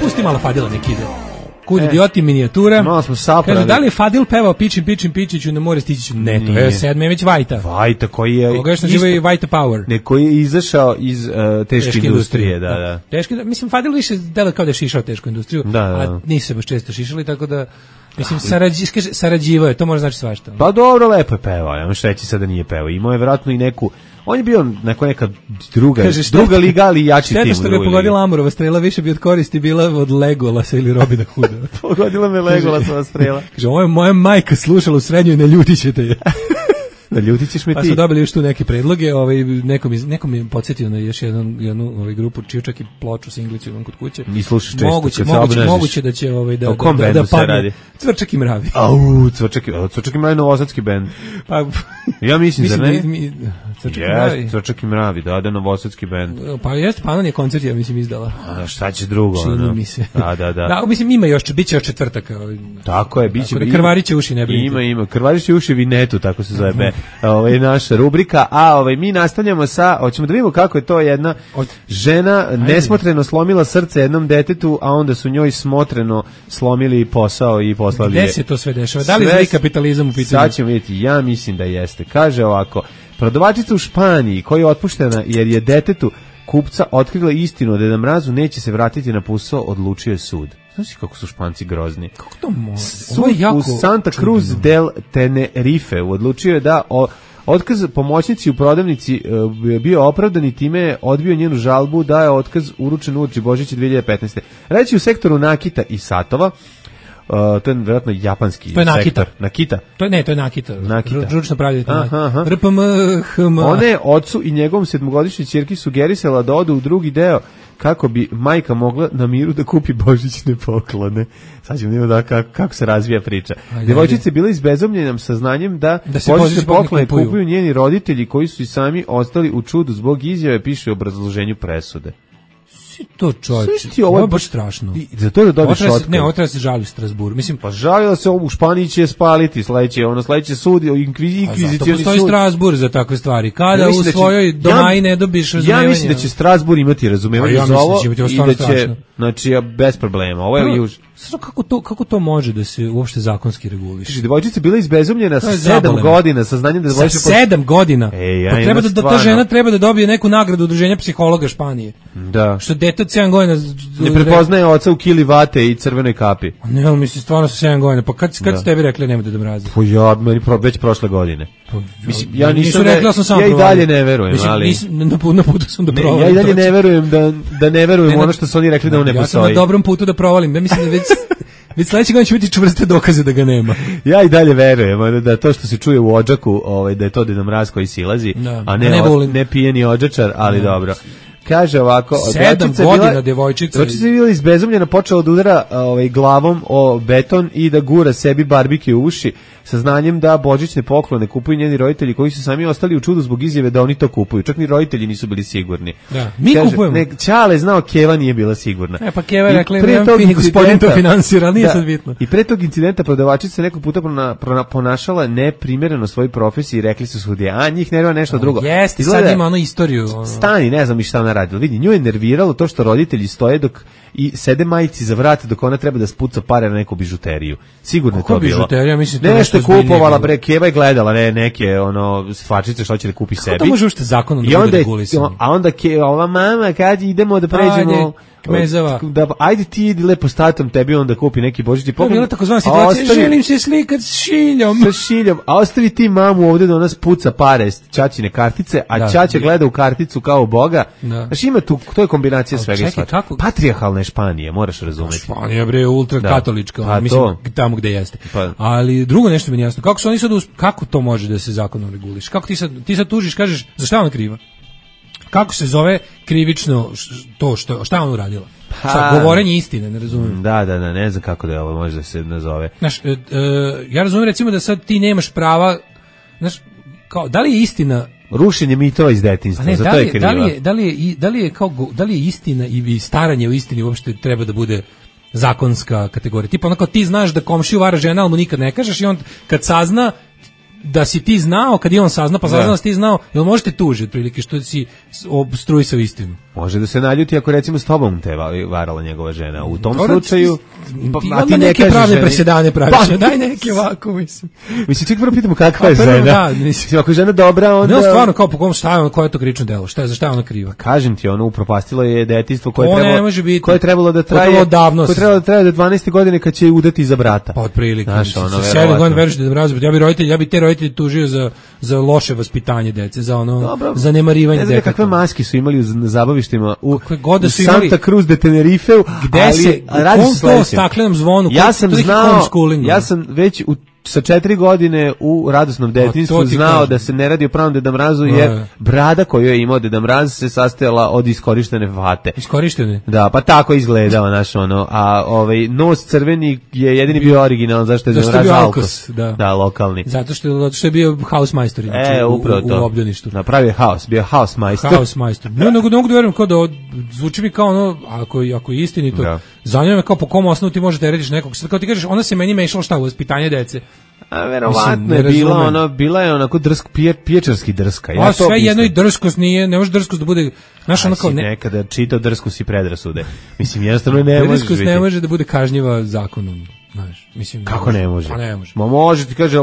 Pusti malo Fadila nek ide. Kud idioti minijatura. Malo smo saprali. Kaže, da li je Fadil pevao Pičim, Pičim, Pičiću na more stići ću? Ne, to je sedme već Vajta. Vajta koji je... Koga još naživa i Vajta Power. Ne, koji je izašao iz uh, teške, teške industrije. industrije. Da, da. Teške, mislim, Fadil više delo kao da je šišao tešku industriju, da, da. a nisu se baš često šišali, tako da... Mislim, sarađi, sarađivao je, to može znači svašta. Pa dobro, lepo je pevao, ja možeš reći sada nije pevao. Imao je vjerojatno i neku, on je bio neko neka druga, kaže, šteta, druga liga, ali jači tim. Šteta što ga je pogodila Amurova strela, više bi od koristi bila od Legolasa ili Robina Hooda. Pogodila me Legolasova strela. Kaže, ovo je moja majka slušala u srednjoj, ne ljutit ćete je. Da ljutit ćeš me ti. Pa su dobili još tu neke predloge, ovaj, nekom, iz, nekom je podsjetio na još jednu, jednu ovaj, grupu, čiju čak i ploču sa Inglicu imam kod kuće. Ni slušaš često, moguće, kad moguće, moguće da će ovaj, da, da, da, da padne. Cvrčak i mravi. Au, Cvrčak i, Cvrčak i mravi novosadski bend. Pa, ja mislim, da ne. Mi, Cvrčak yes, i mravi. Cvrčak i mravi, da, da, novosadski bend. Pa jeste, Panon je koncert, ja mislim, izdala. A šta će drugo? Čini no? mi se. Da, da, da. Da, mislim, ima još, bit će još četvrtak. Ovaj. Tako je, bit će. Da krvariće uši, ne brinite. Ima, ima, krvariće uši Vinetu, tako se zove be, ovaj, naša rubrika, a ovaj, mi nastavljamo sa, hoćemo da vidimo kako je to jedna žena nesmotreno slomila srce jednom detetu, a onda su njoj smotreno slomili posao i poslali je. Gde se to sve dešava? Da li je kapitalizam u pitanju? Sad ćemo vidjeti, ja mislim da jeste. Kaže ovako, prodavačica u Španiji koja je otpuštena jer je detetu kupca otkrila istinu da Deda Mrazu neće se vratiti na posao, odlučio je sud. Znaš kako su Španci grozni? Kako to može? Sud u Santa Cruz del Tenerife odlučio je da o, Otkaz pomoćnici u prodavnici uh, bio opravdan i time je odbio njenu žalbu da je otkaz uručen uoči Božića dve hiljade petnaeste. Reći u sektoru nakita i satova, Uh, to je vjerojatno japanski to je Nakita. sektor. Nakita. To je ne, to je Nakita. Nakita. Ručno pravljanje. R P M H M. Ona je ocu i njegovom sedmogodišnjoj ćerki sugerisala da odu u drugi deo kako bi majka mogla na miru da kupi božićne poklone. Sad ćemo vidjeti da kako, kako se razvija priča. Devojčica je bila izbezumljena saznanjem da, da božićne poklone kupuju. kupuju njeni roditelji koji su i sami ostali u čudu zbog izjave, piše u obrazloženju presude. To čovječe, ovo je baš strašno. I za to da dobiješ otkaz. Ne, ovo treba se žali u Strasburu. Mislim, pa žalila se u Španiji će spaliti, sledeće, ono sledeće sud, inkvizicioni sud. Postoji Strasbur za takve stvari. Kada ja u svojoj će, domaji ne dobiš razumevanje. Ja mislim da će Strasbur imati razumevanje ja za ovo da i da će, strašno. Znači, bez problema. Ovo je juž. Kako to, kako to može da se uopšte zakonski reguliše? Devojčica bila izbezumljena sa sedam godina, sa znanjem da devojčica sa sedam godina. Ej, ja, pa treba da, da ta žena treba da dobije neku nagradu udruženja psihologa Španije. Da. Što dete od sedam godina ne prepoznaje oca u kili vate i crvenoj kapi. Ne, ali mislim stvarno sa sedam godina. Pa kad kad da. Tebi rekli nemoj da mrazi? Pa ja meni već prošle godine. Pa, mislim ja nisam rekla sam sam ja i dalje ne verujem, mislim, ali nisam, na, na putu sam da provalim. Ja i dalje ne verujem da da ne verujem ne, ono što su oni rekli da on ne ja postoji. Ja sam na dobrom putu da provalim. Ja mislim da već već sledeće godine će biti čvrste dokaze da ga nema. Ja i dalje verujem da to što se čuje u Odžaku, ovaj da je to Deda Mraz koji silazi, da, a ne ne, od, ne pijeni Odžačar, ali da. Dobro. Kaže ovako, sedam godina bila, devojčica. Devojčica je bila izbezumljena, počela da udara ovaj, glavom o beton i da gura sebi barbike u uši, sa znanjem da božićne poklone kupuju njeni roditelji koji su sami ostali u čudu zbog izjave da oni to kupuju. Čak ni roditelji nisu bili sigurni. Da. Mi Kaže, kupujemo. Ne, Ćale znao, Keva nije bila sigurna. E pa Keva je rekla, ne gospodin to finansira, nije da, sad bitno. I pre tog incidenta prodavačica se nekog puta prona, prona, ponašala neprimjereno svojoj profesiji i rekli su sudije, a njih nervira nešto o, drugo. Jeste, sad ima ono istoriju. Ono. Stani, ne znam i šta ona radila. Vidi, nju je nerviralo to što roditelji stoje dok i sede majici za vrat dok ona treba da spuca pare na neku bižuteriju. Sigurno je to bilo. Bižuterija, mislim to nešto kupovala bre, Keva je gledala ne neke ono stvarčice što će da kupi sebi. Kako to može uopšte zakonom da bude regulisano? A onda Keva, ova mama kad idemo da pređemo Kmezava. Da, ajde ti idi lepo statom tebi onda kupi neki božićni poklon. To je bila takozvana situacija, ostavi, želim se slikati s šiljom. Sa šiljom, a ostavi ti mamu ovde da ona spuca pare s ćaćine kartice, a da, ćaća gleda u karticu kao boga. Da. Znači ima tu, to je kombinacija svega i svačega. Patrijarhalna je Španija, moraš razumeti. Španija bre, ultrakatolička, da. Mislim, to. Tamo gde jeste. Pa. Ali drugo nešto mi nije jasno, kako su oni sad, kako to može da se zakonom reguliše? Kako ti sad, ti sad tužiš, kažeš, za šta ona kriva? Kako se zove krivično to što šta on uradila? Šta, govorenje istine, ne razumijem. Da, da, da, ne znam kako da je ovo može da se nazove. Znaš, e, e, ja razumijem recimo da sad ti nemaš prava, znaš, kao, da li je istina rušenje mitova iz detinjstva, ne, za da to li, je kriva. Da li je, da li je, da li je, kao, da li je istina i staranje o istini uopšte treba da bude zakonska kategorija? Tipa onako ti znaš da komšiju vara žena, ali mu nikad ne kažeš i on kad sazna da si ti znao, kad je on sazna, pa sazna da si ti znao, jel možete tužiti otprilike što si obstruisao istinu? Može da se naljuti ako recimo s tobom te varala njegova žena. U tom Dobar, slučaju... Pa, ti a ti neke ne pravne ženi... presedane praviš, pa, daj neke ovako, mislim. Mislim, ček prvo pitamo kakva je žena. Da, mislim, ako je žena dobra, onda... Ne, stvarno, kao po kom šta je ono, koje je to krivično delo, šta je, za šta je ona kriva? Kažem ti, ono, upropastilo je detinjstvo koje, trebalo, biti, koje je trebalo da traje... Koje je trebalo da traje do dvanaeste godine kad će udati za brata. Pa otprilike. Sa sedam godina veriš da mrazi, ja bi roditelj, ja bi te roditelji tužio za za loše vaspitanje dece, za ono Dobro, zanemarivanje deteta. Ne znam kakve maske su imali u zabavištima u, u Santa Cruz de Tenerife, gde ali, se radi se to staklenom zvonu. Ja sam znao, ja sam već u sa četiri godine u radosnom detinjstvu znao kažem. Da se ne radi o pravom Deda Mrazu, jer no, brada koju je imao Deda Mraz se sastojala od iskorištene vate. Iskorištene? Da, pa tako izgledao naš ono, a ovaj nos crveni je jedini bio originalan, zašto je Deda Mraz Alkos, da. Da, lokalni. Zato što, zato što je bio hausmajstor, znači e, u, u, u obdaništu. Napravio haos, bio hausmajstor. Hausmajstor. Ne, nego ne mogu da verujem, kao da od, zvuči mi kao ono, ako, ako je istinito, da. Zanima me kao po kom osnovu ti možete rediš nekog, sad kao ti kažeš, ona se meni mešala šta u vaspitanje dece. A verovatno je bila ono, bila je onako drsk, pije, piječarski drska. Ja a sve mislim. Jedno i drskost nije, ne može drskost da bude, znaš ono kao... Ne... Nekada čitao drskost i predrasude. Mislim, jednostavno ne može drskost ne može da bude kažnjiva zakonom. Znaš, mislim, kako ne može? Pa ne može. Ma može, ti kaže,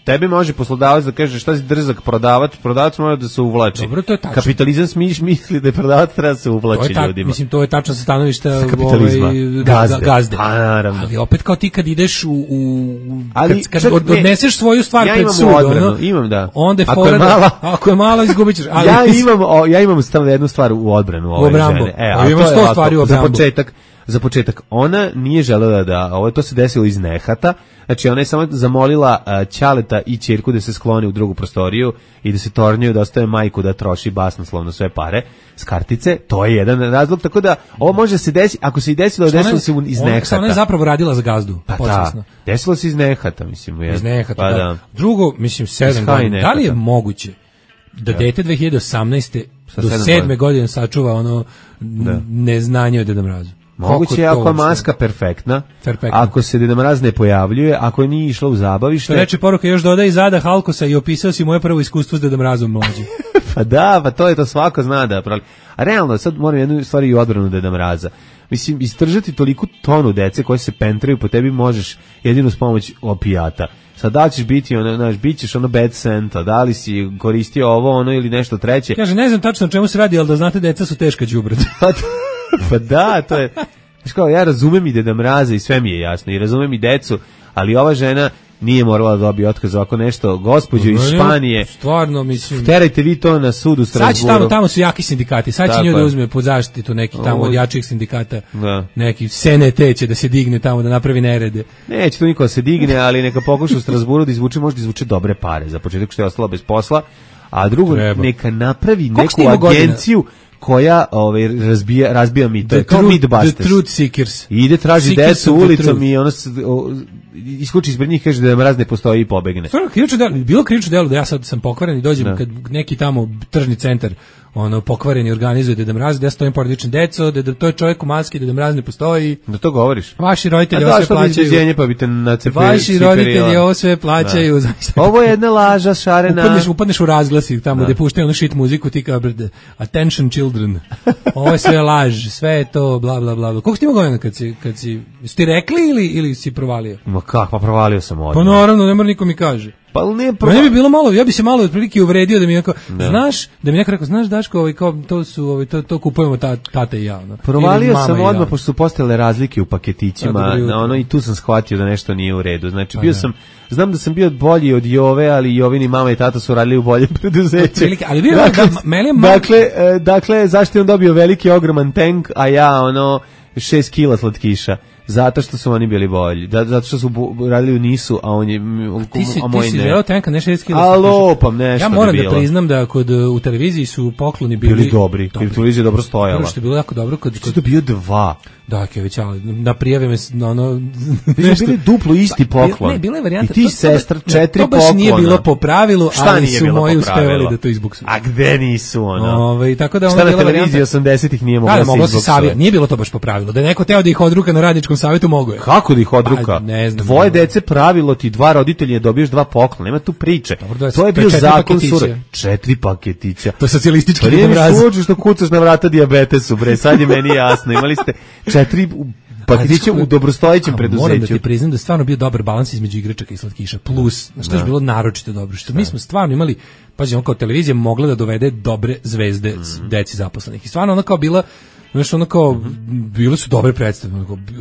tebi može poslodavac da kaže šta si drzak prodavac, prodavac mora da se uvlači. Dobro, to je tačno. Kapitalizam smiš misli da je prodavac treba da se uvlači ta, ljudima. Mislim, to je tačno sa stanovišta kapitalizma. Ovaj, gazde. gazde. Pa, naravno. Ali opet kao ti kad ideš u, u ali, kad, kad odneseš svoju stvar ja pred sud, odbranu, ono, imam da. onda je ako je mala, mala, ako je mala izgubit ćeš. Ali, ja imam, o, ja imam stavno jednu stvar u odbranu ove žene. E, a imam sto stvari u obrambu. Za početak, za početak, ona nije želela da, ovo to se desilo iz nehata, znači ona je samo zamolila uh, ćaleta i ćerku da se sklone u drugu prostoriju i da se tornjuju, da ostave majku da troši basnoslovno sve pare s kartice, to je jedan razlog, tako da ovo može se desiti, ako se i desilo, desilo se iz nehata. Ona je zapravo radila za gazdu, pa da, desilo se iz nehata, mislim. Je. Iz nehata, pa da. da. Drugo, mislim, sedam godina, da li je moguće da ja. dete dve hiljade osamnaeste do sedme godine sačuva ono da. neznanje od Deda Mraza? Moguće je ako je maska perfektna, perfektna, ako se Deda Mraz ne pojavljuje, ako nije išla u zabavište. Reče poruka, još dodaj Zada Halkosa i opisao si moje prvo iskustvo s Deda Mrazom mlađim. Pa da, pa to je to, svako zna da pravi. A realno, sad moram jednu stvar i u odbranu Deda Mraza. Mislim, istržati toliko tonu dece koje se pentraju po tebi možeš jedino s pomoć opijata. Sad da li ćeš biti, ono, znaš, bit ćeš ono bad senta, da li si koristio ovo, ono ili nešto treće. Kaže, ne znam tačno o čemu se radi, ali da znate, deca su teška đubrad. Pa da, to je, znaš kao, ja razumem i Deda Mraza i sve mi je jasno, i razumem i decu, ali ova žena nije morala da dobije otkaz ovako nešto, gospođo iz Španije. Stvarno, mislim. Terajte vi to na sudu u Strasburu. Sad će tamo, tamo su jaki sindikati, sad će nju da uzme pod zaštitu neki tamo od jačih sindikata, da. Neki S N T će da se digne tamo, da napravi nerede. Neće to niko da se digne, ali neka pokuša u Strasburu da izvuče, možda izvuče dobre pare, za početak što je ostala bez posla, a drugo, Treba. neka napravi Koliko neku agenciju godina? koja ovaj razbija razbija mi to je kao Mythbusters. The Truth Seekers. I ide traži decu ulicom i ono iskuči ispred njih, kaže da Mraz ne postoji i pobegne. Stvarno, krivično delo, bilo krivično delo da ja sad sam pokvaren i dođem da. kad neki tamo tržni centar ono pokvareni organizuje Deda Mraz, da ja stojim pored vičem deco, da to je čovjek u maski, Deda Mraz ne postoji. Da to govoriš? Vaši roditelji ovo sve plaćaju. Pa bite na ceperi, Vaši roditelji ovo sve plaćaju. Ovo je jedna laža šarena. Upadneš, upadneš u razglasi tamo gde puštaju onu shit muziku, ti kao brde. Attention children. Ovo je sve laž, sve je to bla bla bla. Koliko ti ima godina kad si kad si ti rekli ili ili si provalio? Ma kako, pa provalio sam odmah. Pa naravno, ne mora niko mi kaže. Pa ne, prvo... Meni bi bilo malo, ja bi se malo otprilike uvredio da mi neko, da. znaš, da mi neko rekao, znaš Daško, ovaj, kao, to su, ovaj, to, to kupujemo ta, tata i ja. No. Provalio sam odmah, ja. pošto su postojale razlike u paketićima, na ono, i tu sam shvatio da nešto nije u redu. Znači, bio sam, znam da sam bio bolji od Jove, ali Jovini mama i tata su radili u boljem preduzeću. Ali bio dakle, da, meni je mal... dakle, e, dakle, zašto je on dobio veliki, ogroman tank, a ja, ono, šest kila slatkiša? Zato što su oni bili bolji. Da, zato što su bu, radili u Nisu, a on je a ti si, a moj ti si želeo tenka, ne šest kila. Alo, pa nešto. Ja moram da priznam da kod u televiziji su pokloni bili, bili dobri. dobri. Televizija je dobro stojala. Prvo što je bilo jako dobro kod kod to bio dva. Da, Kević, ali na prijave me na ono nešto bili duplo isti poklon. Ne, bila je varijanta. I ti sestra četiri poklona. To baš nije bilo po pravilu, ali su moji uspevali da to izbuksuju. A gde nisu ono? Ovaj tako da ona bila televizija osamdesetih nije mogla da se izbuksuje. Nije bilo to baš po pravilu. Da neko teo da ih odruka na radničkom savetu mogo je. Kako da ih odruka? Dvoje dece pravilo ti dva roditelja dobiješ dva poklona. Nema tu priče. To je bio zakon sur. Četiri paketića. To je socijalistički obraz. Služi što kucaš na vrata dijabetesu, bre. Sad je meni jasno. Imali ste četiri paketića u dobrostojećem preduzeću. Moram da ti priznam da je stvarno bio dobar balans između igračaka i slatkiša. Plus, na što je bilo naročito dobro. Što mi smo stvarno imali, pazi, on kao televizija mogla da dovede dobre zvezde deci zaposlenih. I stvarno ona kao bila, znaš, ono kao, bile su dobre predstave.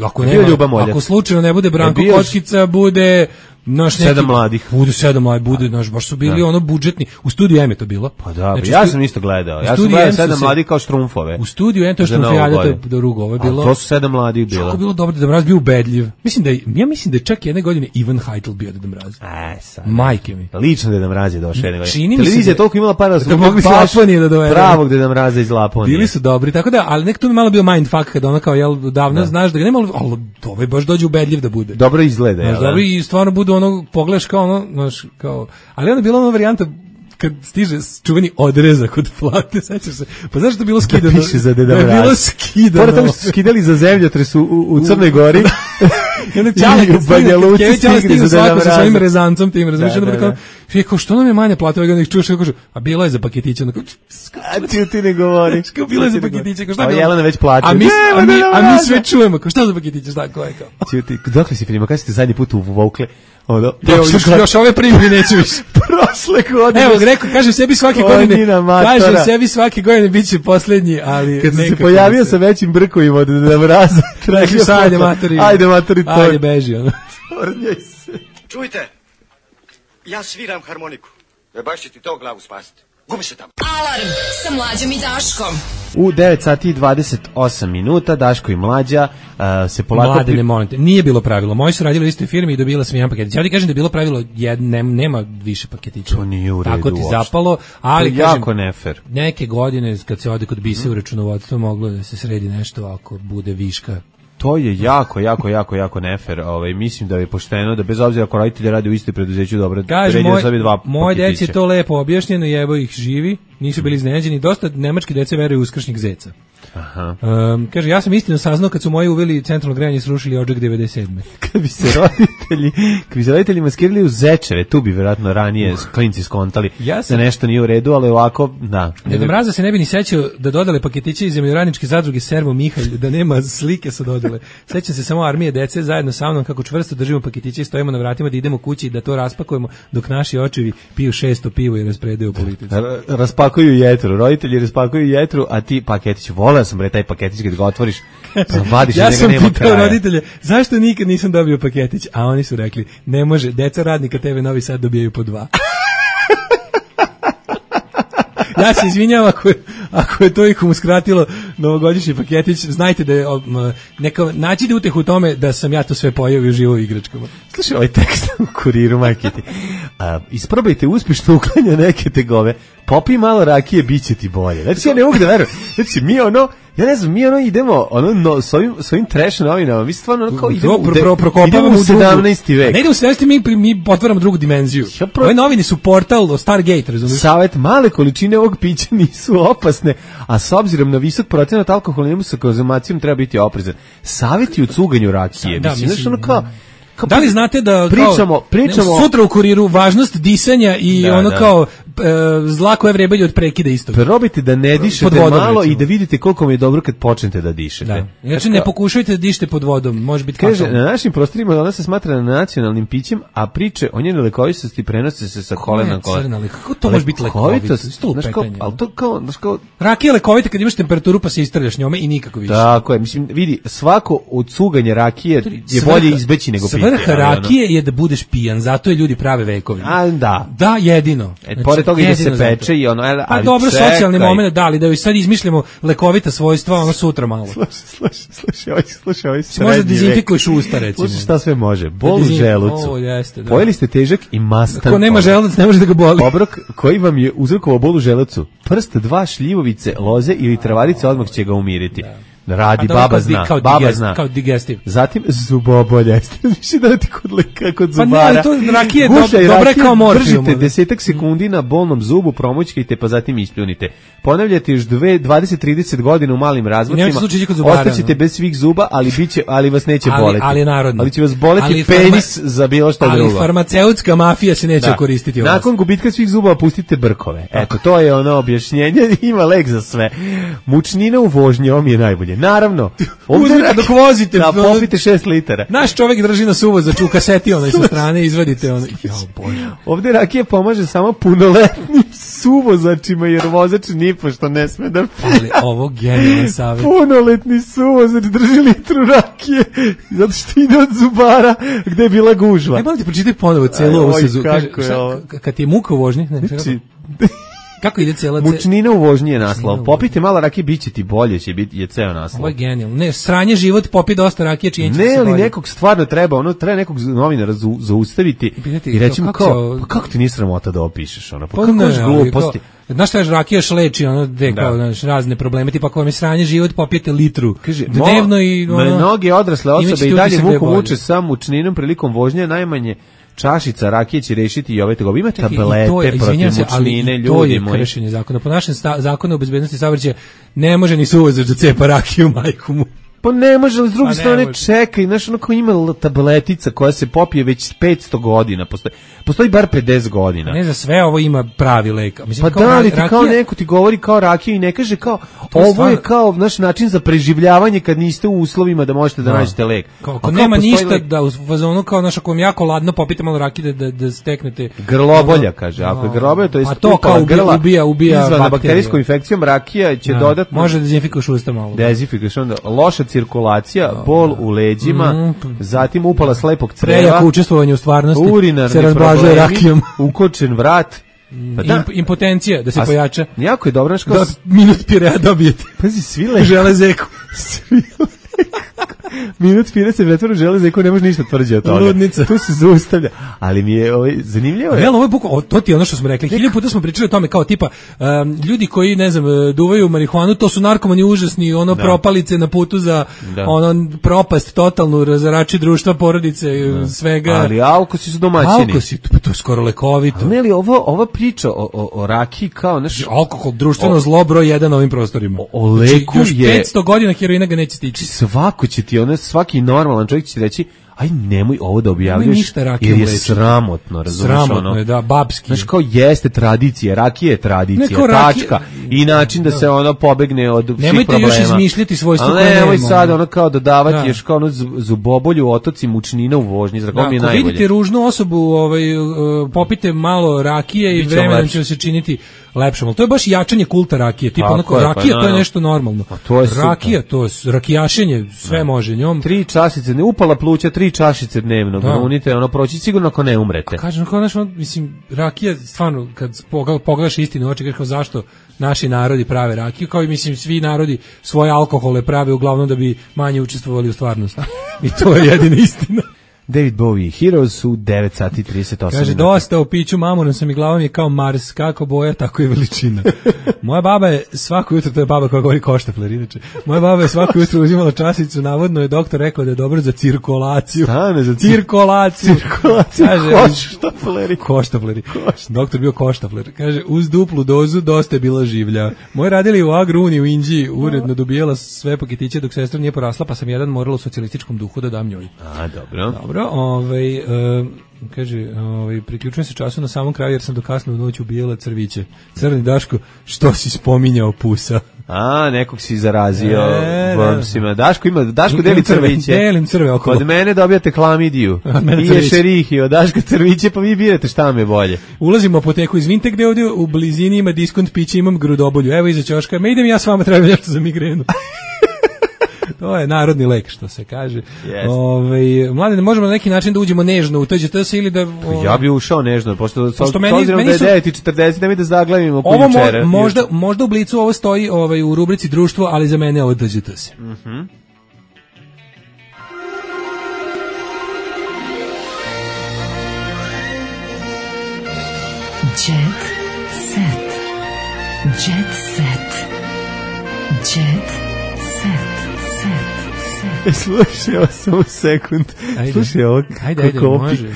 Ako, nema, ako slučajno ne bude Branko Kockica, bude... Naš neki, sedam mladih. Bude sedam mladih, bude, naš, baš su bili da. ono budžetni. U studiju M je to bilo. Pa da, znači, ja sam isto gledao. Ja sam gledao sedam mladih kao Štrumfove. U studiju M to je Štrumfijada, to je do rugo. Ovo je bilo. A to su sedam mladih bilo. Kako bilo dobro da Mraz bio ubedljiv. Mislim da je, ja mislim da je čak jedne godine Ivan Heitl bio da Mraz. E, sad. Majke mi. Lično da Mraz je došao jedne godine. Čini Televizija je toliko imala para da su mogli Laponije da dovedu. Pravog da Mraza iz Laponije. Bili su dobri, tako da, ali nek tu mi malo bio mindfuck kad ona kao jel davno znaš da ga nema, al ovaj baš dođe ubedljiv da bude. Dobro izgleda, je. Dobro i stvarno bude ono pogledaš kao ono, znaš, kao, ali onda je bila ona varijanta kad stiže čuveni odrezak od plate, sećaš se, pa znaš što je bilo skidano? Da piše za Deda Mraz. Da je bilo skidano. Pored toga što su skidali za zemljotres u, u Crnoj Gori I onda Ćale kad Banja Luci stigne, stigne za Deda sa svojim Mraza. rezancom tim, razumiješ, Da, onda da, kao, da. kao, što nam je manja plata, ovaj ga ih čuješ, kako kažu, a bilo je za paketiće, onda kao, A ti ti ne govori. kao bilo je za paketiće, kao šta A bilo? Jelena već plače. A mi, Ne, a mi, Deda a mi Mraza. sve čujemo, kao šta za paketiće, šta, ko je kao? Ti, dokle si filima, kada ste zadnji put uvukle? Ono, Evo, još, još ove primjeri neću više. prošle godine. Evo, rekao, kaže sebi svake godine, kaže sebi svake godine bit će poslednji, ali kad sam se nekako pojavio se- sa većim brkovima od Deda Mraza, Rekli su, ajde matori. Ajde matori, to. Ajde, beži, ono. Tornjaj se. Čujte, ja sviram harmoniku. E baš će ti to glavu spasiti. Gubi se tamo. Alarm sa Mlađom i Daškom. U devet sati i dvadeset osam minuta Daško i Mlađa uh, se polako... Mlade, ne molim te, nije bilo pravilo. Moji su radili u istoj firmi i dobila sam jedan paketić. Ja ti kažem da je bilo pravilo, jed, ne, nema više paketića. To nije u redu Tako ti uopšte. zapalo, ali To je kažem, jako nefer. neke godine kad se ode kod bise u računovodstvo moglo da se sredi nešto ako bude viška. To je jako, jako, jako, jako nefer. Ovaj, mislim da je pošteno da bez obzira ako roditelji rade u istoj preduzeću, dobro, Kaže, red je da moj, sebi dva moj deci je paketića. to lepo objašnjeno i evo ih živi, nisu bili iznenađeni. Dosta nemački dece veruju u uskršnjeg zeca. Aha. Um, kaže, ja sam istino saznao kad su moji uveli centralno grejanje i srušili odžak devedeset sedme. Kad bi se roditelji, kad bi se roditelji maskirali u zečeve, tu bi vjerojatno ranije klinci skontali Ja sam- da nešto nije u redu, ali ovako, da. Deda Mraza se ne bi ni sećao da dodale paketiće iz zemljoradničke zadruge Servo Mihalj, da nema slike sa dodale. Sećam se samo armije dece zajedno sa mnom kako čvrsto držimo paketiće i stojimo na vratima da idemo kući i da to raspakujemo dok naši očevi piju šesto pivo i raspredaju politici. R- raspakuju jetru, roditelji raspakuju jetru, a ti paketić, voleo sam bre taj paketić kad ga otvoriš, pa vadiš Ja iz njega sam nema pitao kraja. roditelje, zašto nikad nisam dobio paketić? A oni su rekli, ne može, deca radnika T V Novi Sad dobijaju po dva. Ja se izvinjavam ako je, ako je to ikom uskratilo novogodišnji paketić, znajte da je um, neka, nađite utehu u tome da sam ja to sve pojeo i uživao u igračkama. Slušaj, ovaj tekst u kuriru, majke ti. A, isprobajte uspješno uklanja neke tegove, popij malo rakije, bit će ti bolje. Znači, ja ne mogu da verujem. Znači, mi ono, ja ne znam, mi ono idemo ono, no, s ovim, s ovim trash novinama, mi stvarno ono kao idemo, To pro, u, de, pro, prokopavamo idemo u u drugu- sedamnaesti vek. Ne idemo u sedamnaesti, mi, mi otvaramo drugu dimenziju. Ja pro- Ove novine su portal o Stargate, razumiješ? Savet, male količine ovog pića nisu opasne, a s obzirom na visok procenat alkoholima sa konzumacijom treba biti oprezan. Savjeti u cuganju rakije, Da, mislim, mislim, znaš, ono kao, kao Da li znate da pričamo, kao, pričamo, sutra u kuriru važnost disanja i Da, ono da. kao e, zla koja vrebelju od prekida isto. probajte da ne dišete Pod vodom, malo recimo. i da vidite koliko mi je dobro kad počnete da dišete. Da. Znači ne pokušajte da dišete pod vodom, može biti Kaže, fatalno. na našim prostorima ona se smatra nacionalnim pićem, a priče o njenoj lekovitosti prenose se sa kolena na kolena. crna lek- kako to može biti lekovitost? Isto Znaš kao, lupetanje, ali to kao, znaš kao, Rakija je lekovita kad imaš temperaturu pa se istrljaš njome i nikako više. tako je, mislim, vidi, svako od cuganja rakije je Svrha- bolje izbeći nego piti. Svrha ali ono- rakije je da budeš pijan, zato je ljudi prave vekovima. A, da. Da, jedino. E, pored toga i da se jedino zato. peče i ono, ali, Pa ali dobro, čekaj. socijalni moment, da li da joj sad izmišljamo lekovita svojstva, ono sutra malo. Slušaj, slušaj, slušaj, ovaj, slušaj, ovaj Si možda srednji vek. dezinfikuješ usta, recimo. Slušaj šta sve može. Bol u Dezin- želucu. O, jeste, da. Pojeli ste težak i mastan. Ko nema obrok. želudac, ne može da ga boli. Obrok koji vam je uzrokovao bol u želucu. Prst, dva šljivovice, loze ili travarice odmah će ga umiriti. Radi, A dobro, baba kao di- zna, kao baba digest- zna. kao digestiv. Zatim zubobolja. Više da ti kod leka, kod Pa ne, zubara. ali to rakije je Gušaj dob- dobra je rakiju, kao morfijum, Držite ono. desetak sekundi na bolnom zubu, promućkajte, pa zatim ispljunite. Ponavljate još dve- dvadeset do trideset godina u malim razmacima. Nemojte slučajno kod zubara, Ostaćete ono. bez svih zuba, ali biće, ali vas neće Ali- boleti. ali je narodno. Ali će vas boleti Ali penis farma- za bilo šta Ali drugo. farmaceutska mafija se neće Da. koristiti od vas. Nakon gubitka svih zuba pustite brkove. Eto, to je ono objašnjenje, ima lek za sve. Mučnina u vožnji, ovo mi je najbolje. Naravno, Uzmite dok vozite. da popite šest litara. Naš čovjek drži na suvozač u kaseti onaj sa strane, izvadite ono. Jao, Bože. Ovde rakija pomaže samo punoletnim suvozačima, jer vozač nipošto ne sme da pije. Ali ovo genijalan savjet. Punoletni suvozač drži litru rakije, zato što ide od zubara gde je bila gužva. Ajmo ti pročitaj ponovo celu ovu Oj, sezonu. kako Kaže, je šta- ovo? k- kad ti je muka u vožnji, ne, Znači, kako ide cela ce... mučnina u vožnji je naslov. Mučnina u Popite malo rakije, bit će ti bolje, će biti je ceo naslov. Ovo je genijalno. Ne, sranje život, popi dosta rakije, činjenica Ne, se ali bolje. nekog stvarno treba, ono treba nekog novinara zau- zaustaviti pitati i reći mu kako kao, će- pa kako ti nije sramota da opišeš ono, pa, Pa kako ne, je ali gluposti. kao- Znaš šta je rakija šleči, ono, de, Da. kao, znaš, razne probleme, tipa ako vam je sranje život, popijete litru Kaže, dnevno i ono, mnoge odrasle osobe imaćete i dalje utisak da je vuku bolje. muče sa mučninom prilikom vožnje, najmanje čašica rakije će rešiti i ove tegobe. Ima Čekaj, i tablete to je, protiv izvinjam se, ali mučnine, i to ljudi je moji. kršenje zakona. Po našem sta, zakonu o bezbednosti saobraćaja ne može ni suvozač da cepa rakiju majku mu. Pa ne može, ali s druge strane čekaj, znaš, ono kao ima tabletica koja se popije već petsto godina, postoji, postoji bar pedeset godina. Ne za sve ovo ima pravi lek. Mislim, pa kao da li ti rakija, kao neko ti govori kao rakija i ne kaže kao, ovo stvarno je kao naš način za preživljavanje kad niste u uslovima da možete da, da. nađete lek. Kao, ako nema ništa lek, da u fazonu kao naš, ako vam jako ladno popite malo rakije da, da, da steknete. Grlobolja, kaže, ako je grlobolja, to je a to kao grla, ubija, ubija izvana bakterijskom infekcijom, rakija će da. dodatno. Može da dezinfikuješ usta malo. Dezinfikuješ onda, loša cirkulacija, bol u leđima, mm. zatim upala slepog creva. Prejako učestvovanje u stvarnosti, urinarni se razblažuje rakijom. Ukočen vrat. Pa da. Impotencija, da se a, pojača. Jako je dobro. Da minut pirea dobijete. Pazi, svi leku. Železeku. Svi leku. Minut pire se pretvara železeku, ne može ništa tvrđe od toga. Ludnica. Tu se zaustavlja. Ali mi je ovaj, zanimljivo je. Jel, ovo je buko, to ti je ono što smo rekli. Hilju puta smo pričali o tome kao tipa, um, ljudi koji, ne znam, duvaju marihuanu, to su narkomani užasni, ono da. propalice na putu za da. ono propast, totalnu razarači društva, porodice, da. svega. Ali alkosi su domaćini. Alkosi, to, to je skoro lekovito. Ne li ovo, ova priča o, o, o rakiji kao, znaš, alkohol, društveno o, zlo broj jedan na ovim prostorima. O, o leku znači, je... petsto godina heroina ga neće stići. Svako će ti, ono, svaki normalan čovjek će ti reći, aj nemoj ovo da objavljuješ, jer je sramotno, razumiješ, sramotno ono, je, da, babski. Znaš, kao jeste tradicija, rakija je tradicija, tačka, i način da, da se ono pobegne od svih problema. Nemojte još izmišljati svojstvo koje nema. Nemoj sad ono kao dodavati da. još kao ono zubobolju, otoci, mučnina u vožnji, zrakom da, mi je najbolje. Ako vidite ružnu osobu, ovaj, uh, popite malo rakije i vremenom će se činiti lepšom, ali to je baš jačanje kulta rakije, tipa onako, rakija, pa, to je nešto normalno. To je rakija, to je rakijašenje, sve da. može njom. Tri čašice, ne upala pluća, tri čašice dnevno, da unite, ono proći sigurno ako ne umrete. A kažem, kao naš, mislim, rakija, stvarno, kad pogledaš istinu u oči, kažeš kao zašto naši narodi prave rakiju, kao i mislim svi narodi svoje alkohole prave uglavnom da bi manje učestvovali u stvarnosti. I to je jedina istina. David Bowie, Heroes u devet sati i trideset osam. Kaže, dosta o piću mamunom sam i glavom je kao Mars, kako boja, tako i veličina. Moja baba je svako jutro, to je baba koja govori koštafler, inače, moja baba je svako jutro uzimala časicu, navodno je doktor rekao da je dobro za cirkulaciju. Stane za cirkulaciju. Cirkulaciju, koštafleri. Koštafleri. Doktor bio koštafler. Kaže, uz duplu dozu dosta je bila življa. Moji radili u Agruni u Inđiji, uredno dobijala sve paketiće dok sestra nije porasla, pa sam jedan morala u socijalističkom duhu da dam njoj. A, dobro. Dobro, ovaj, uh, kaže, ovaj, priključujem se času na samom kraju jer sam do kasno u noć ubijala crviće. Crni Daško, što si spominjao pusa? A, nekog si zarazio e, vrpsima. Daško ima, Daško deli crviće. Delim crve okolo. Od mene dobijate klamidiju. I ješerih i od Daška crviće, pa vi birate šta me bolje. Ulazimo u apoteku iz Vinte gde ovdje u blizini ima diskont pića, imam grudobolju. Evo iza ćoška, me idem ja s vama, treba nešto za migrenu. To je narodni lek, što se kaže. Yes. Ove, mlade, možemo na neki način da uđemo nežno u T Ž T S ili da... O... Ja bi ušao nežno, pošto s obzirom da je devet i četrdeset, da mi da zaglavimo ovo mo, možda, možda u Blicu ovo stoji ovaj, u rubrici društvo, ali za mene ovo T Ž T S. Mhm. Jet set. Jet set. Jet set. Slušaj, ovo samo sekund. Ajde. Slušaj, ovo ajde, ajde, može.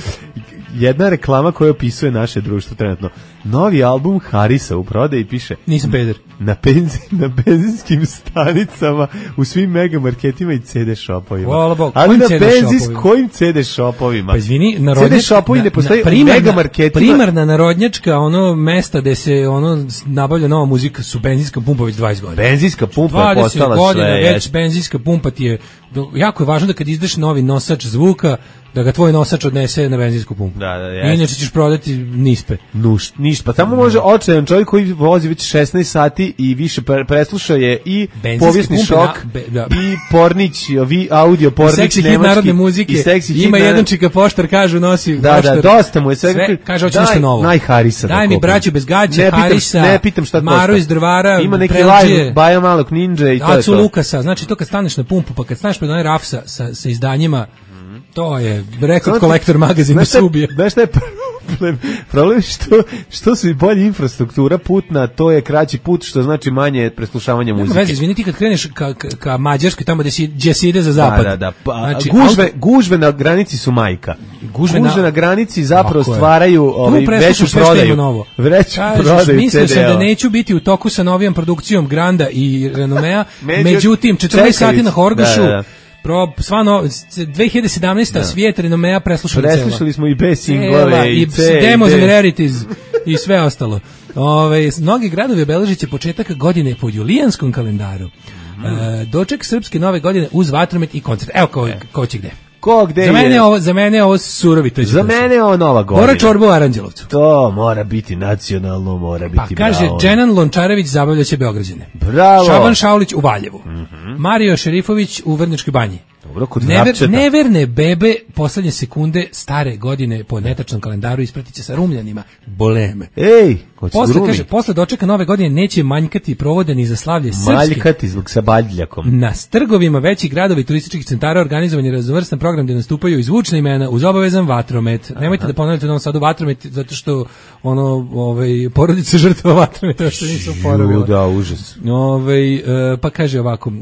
Jedna reklama koja opisuje naše društvo trenutno. Novi album Harisa u prodaji piše Nisam peder. Na, benzi, na benzinskim stanicama, u svim megamarketima i C D shopovima. Hvala Bog. Ali na benzis kojim C D shopovima? Pa izvini, narodnjačka... C D shopovi ne postoji u megamarketima. Primarna narodnjačka, ono, mesta gde se ono nabavlja nova muzika su benzinska pumpa već dvadeset godina. Benzinska pumpa je postala godina, sve. Već jest. Benzinska pumpa ti je... Jako je važno da kad izdaš novi nosač zvuka, da ga tvoj nosač odnese na benzinsku pumpu. Da, da, jest. Inače ćeš prodati nispe. Nuš, ništa. Pa tamo može očajan čovjek koji vozi već šesnaest sati i više preslušao je i povijesni šok, na, be, da. i pornić, vi, audio pornić nemački. Seksi hit narodne muzike. I seksi hit ima jedan čika poštar, kažu, nosi da, poštar. Da, dosta mu je. Sve, sve kaže, hoće nešto novo. Naj Harisa. Daj mi braću bez gađa, ne Harisa, pitam, ne pitam šta Maru iz Drvara, ima neki live, Baja Malog Ninja i to je to. Acu Lukasa, znači to kad staneš na pumpu, pa kad staneš pred onaj raf sa, sa, sa izdanjima, to je Record Collector magazin da se ubije. Znaš šta je problem. Problem je što, što su i bolje infrastruktura putna, to je kraći put, što znači manje preslušavanja muzike. Nema veze, izvini, ti kad kreneš ka, ka, ka Mađarskoj, tamo gde, si, gde se ide za zapad. Da, da, da. Pa, znači, gužve, auto... gužve na granici su majka. Gužve, gužve na... na granici zapravo stvaraju ovaj, veću prodaju. Veću prodaju mislio sam da neću biti u toku sa novijom produkcijom Granda i Renomea, Među... međutim, četrnaest sati na Horgošu, da, da. Pro, sva no, dve hiljade sedamnaesta. Da. Svijet Renomea preslušali celo. Preslušali smo i B singlove i, i C, Demos and Rarities i sve ostalo. Ove, mnogi gradovi obeležit će početak godine po julijanskom kalendaru. Mm. E, doček srpske nove godine uz vatromet i koncert. Evo ko, e. ko će gde. Ko gde za mene je? Ovo, za mene je ovo surovi. Za mene je ovo nova godina. Mora čorba u Aranđelovcu. To mora biti nacionalno, mora biti pa, kaže, bravo. Dženan Lončarević zabavljaće Beograđane. Bravo. Šaban Šaulić u Valjevu. Mm -hmm. Mario Šerifović u Vrnjačkoj banji. Dobro, kod Never, neverne bebe poslednje sekunde stare godine po netačnom kalendaru ispratiće sa Rumljanima. Boleme. Ej, ko će posle, kaže, posle dočeka nove godine neće manjkati provode ni za slavlje srpske. Maljkati zbog sa badljakom. Na trgovima većih gradova i turističkih centara organizovan je raznovrstan program gde nastupaju i zvučna imena uz obavezan vatromet. Aha. Nemojte da ponavljate u Novom Sadu vatromet zato što ono, ovaj, porodice žrtva vatrometa što nisu porovila. Da, užas. Ovaj, pa kaže ovako,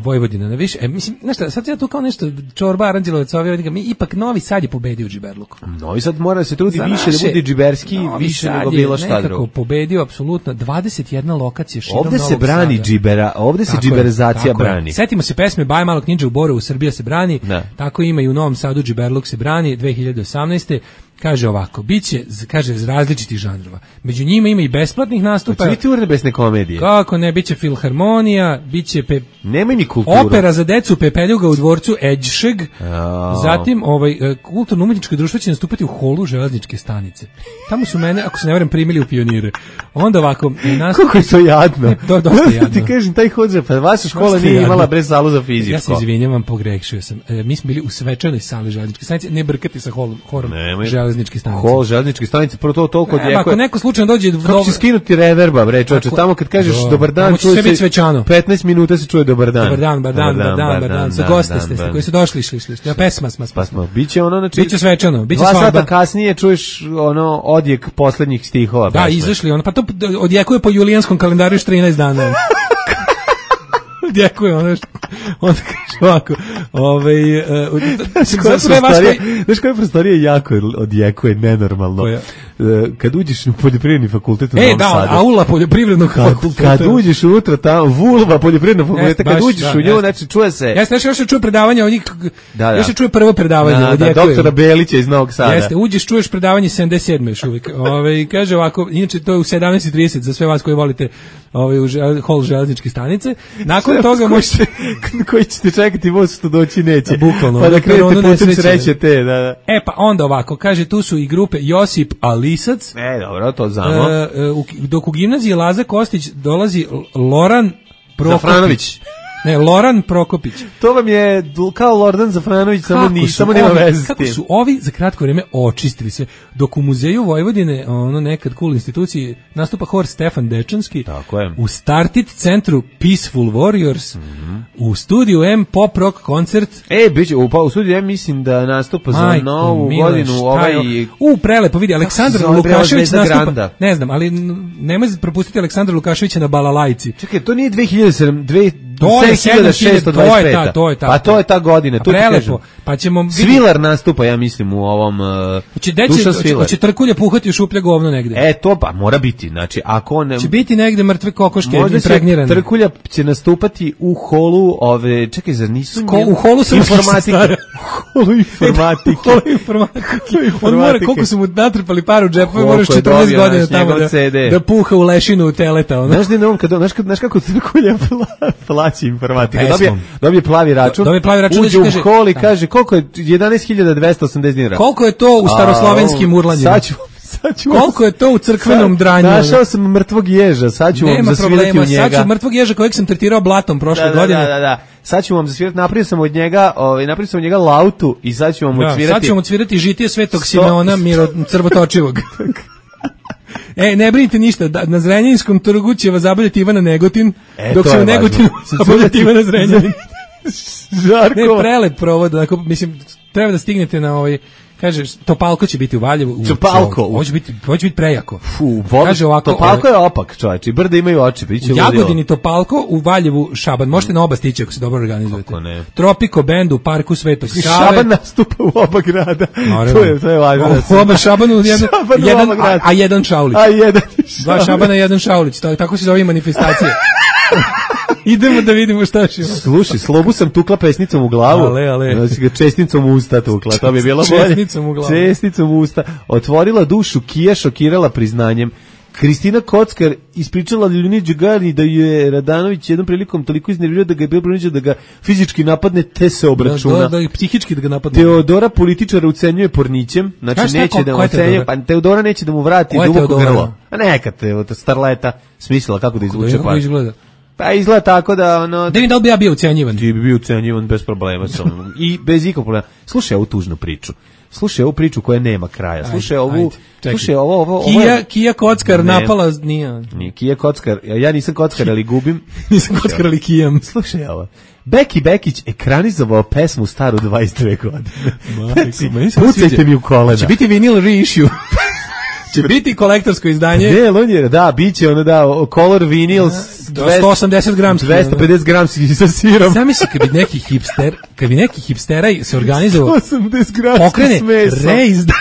Vojvodina na više. E, mislim, znaš šta, sad ja tu kao nešto čorba Aranđelovac, mi ipak Novi Sad je pobedio u džiberluku. Novi Sad mora da se trudi za više naše, da bude džiberski, više nego bilo šta drugo. Nekako pobedio apsolutno dvadeset jedna lokacija širom ovde Novog se brani Sada. Džibera, ovde se džiberizacija brani. Je. Setimo se pesme Baj malog ninja u Borovu, Srbija se brani. Da. Tako ima i u Novom Sadu džiberluk se brani dve hiljade osamnaeste. Kaže ovako, biće, kaže, iz različitih žanrova. Među njima ima i besplatnih nastupa. Hoće biti urnebesne komedije. Kako ne, biće filharmonija, biće pe... Nema mi kulturu. Opera za decu Pepeljuga u dvorcu Edšeg. Oh. Zatim, ovaj, kulturno-umetničko društvo će nastupati u holu železničke stanice. Tamo su mene, ako se ne varam, primili u pionire. Onda ovako... Nastup... Kako je to jadno? Ne, to dosta jadno. Ti kažem, taj hodže, pa vaša škola nije jadno. Imala bre salu za fizičko. Ja se izvinjavam, pogrešio sam. E, mi smo bili u svečanoj sali železničke stanice, ne brkati sa holom, horom železničke stanice. Hol železničke stanice, prvo to toliko odjekuje. Ako neko slučajno dođe... Kako će skinuti reverba, bre, čoče, tamo kad kažeš do, dobar dan, čuje se petnaest minuta se čuje dobar dan. Dobar dan, dobar dan, dobar dan, dobar dan. Sa goste ste, koji su došli, išli, išli. Ja pesma, sma, sma. Pa biće ono, znači... Biće svečano, biće svadba. Dva sata kasnije čuješ ono odjek poslednjih stihova. Da, izašli ono, pa to odjekuje po julijanskom kalendaru još trinaest dana. Odjekuje ono što... Onda kaže ovako, ovaj... Uh, znaš koja prostorija jako odjekuje, nenormalno. Koja? Kad uđeš u poljoprivredni fakultet u Novom Sadu. E, da, aula poljoprivrednog fakulteta. Kad uđeš unutra tamo, vulva poljoprivrednog fakulteta, kad uđeš u nju, znači čuje se... Jeste, još se čuje predavanje od njih, još se čuje prvo predavanje. Da, da, doktora Belića iz Novog Sada. Jeste, uđeš, čuješ predavanje sedamdeset sedme još uvijek. Ove, kaže ovako, inače to je u sedamnaest i trideset za sve vas koji volite ovaj, u žel, hol železničke stanice. Nakon toga možete... koji ćete čekati, voz što doći neće. Bukvalno. Pa da krenete putem sreće te, da, da. E, pa onda ovako, kaže, tu su i grupe Josip Alisac. E, dobro, to znamo. E, dok u gimnaziji Laza Kostić dolazi Loran Prokopić. Zafranović. Ne, Loran Prokopić. To vam je kao Lordan Zafranović, samo ni samo nema veze. Kako su ovi za kratko vrijeme očistili se. Dok u muzeju Vojvodine, ono nekad cool instituciji, nastupa hor Stefan Dečanski. Tako je. U Startit centru Peaceful Warriors. Mm -hmm. U studiju M pop rock koncert. E, biće u, u studiju M mislim da nastupa za Majko, novu Mile, godinu ovaj u prelepo vidi Aleksandar Lukašević nastupa. Ne znam, ali nemoj propustiti Aleksandra Lukaševića na balalajci. Čekaj, to nije dve hiljade sedam, dve To je sedam šessto dvadeset pet. To je ta, to je ta. Pa to je ta godina, to ti kažem. Pa ćemo Svilar nastupa, ja mislim, u ovom uh, Hoće deće, hoće trkulje puhati u šuplje govno negde. E, to pa mora biti, znači, ako ne... Će biti negde mrtve kokoške impregnirane. Možda će trkulja će nastupati u holu ove, čekaj, zar nisu... Ko, u holu informatike. U holu informatike. U holu informatike. On mora, koliko su mu natrpali paru u džepu, moraš četrnaest godina tamo da, da puha u lešinu u teleta. Ono. Znaš, ne, kad, znaš, znaš kako trkulja plaći informatika? Dobije, dobije plavi račun, dobije plavi račun uđe u hol i kaže koliko je jedanaest hiljada dvesta osamdeset dinara. Koliko je to u staroslovenskim urlanjima? Sad ću, sad ću koliko je to u crkvenom dranju? Našao sam mrtvog ježa, sad ću vam zasvirati u njega. Sad ću mrtvog ježa kojeg sam tretirao blatom prošle da, da, godine. Da, da, da. Sad ću vam zasvirati, napravio sam od njega, ovaj napravio sam od njega lautu i sad ću vam da, odsvirati. Sad ću vam odsvirati žitije Svetog Simeona Miro Crvotočivog. E, ne brinite ništa, da, na Zrenjaninskom trgu će vas zabavljati Ivana Negotin, e, dok se u Negotinu zabavljati Ivana Zrenjanin. Žarko. Ne, prelep provod, dakle, mislim, treba da stignete na ovaj, Kaže, Topalko će biti u Valjevu. Topalko. Ovo će biti, ovo će biti prejako. Fu, kaže ovako, Topalko je opak, čovječ, i brda imaju oči. U Jagodini Topalko, u Valjevu Šaban. Možete na oba stići ako se dobro organizujete. Tropiko bend u parku Svetog Save. Šaban nastupa u oba grada. To je, to je važno. U oba Šabanu, jedan, jedan, a, a jedan Šaulić. A jedan Dva Šabana, jedan Šaulić. Tako se zove manifestacije. Idemo da vidimo šta će. Slušaj, Slobu sam tukla pesnicom u glavu. Ale, ale. Znači ga česticom u usta tukla. To bi bilo bolje. Česticom u glavu. Česticom u usta. Otvorila dušu, Kija šokirala priznanjem. Kristina Kockar ispričala Ljuni Đugani da je Radanović jednom prilikom toliko iznervirao da ga je bilo prinuđeno da ga fizički napadne, te se obračuna. Da, da, da psihički da ga napadne. Teodora političara ucenjuje pornićem, znači Kaš neće tako, da mu ocenjuje, pa Teodora neće da mu vrati duboko grlo. A neka te, starleta smislila kako da izvuče pa. Izgleda? Pa izgleda tako da ono... Da mi da li bi ja bio ucenjivan? Ti bi bio ucenjivan bez problema. I bez ikog problema. Slušaj ovu tužnu priču. Slušaj ovu priču koja nema kraja. Slušaj ovu... Ajde, slušaj ovo... ovo, ovo Kija, je... Kija Kockar ne, napala... Nije. Nije Kija Kockar. Ja nisam Kockar, ali gubim. Nisam Kockar, ali Kijam. Slušaj ovo. Beki Bekić ekranizovao pesmu staru dvadeset dve godine. Znači, pucajte mi u kolena. Će biti vinil reissue. Će biti kolektorsko izdanje. Ne, on je, da, biće ono da, color vinyl sto osamdeset gramski. dvesta pedeset gramski sa sirom. Zamisli kad bi neki hipster, kad bi neki hipstera se organizovao, sto osamdeset gramski pokrene reizdanje,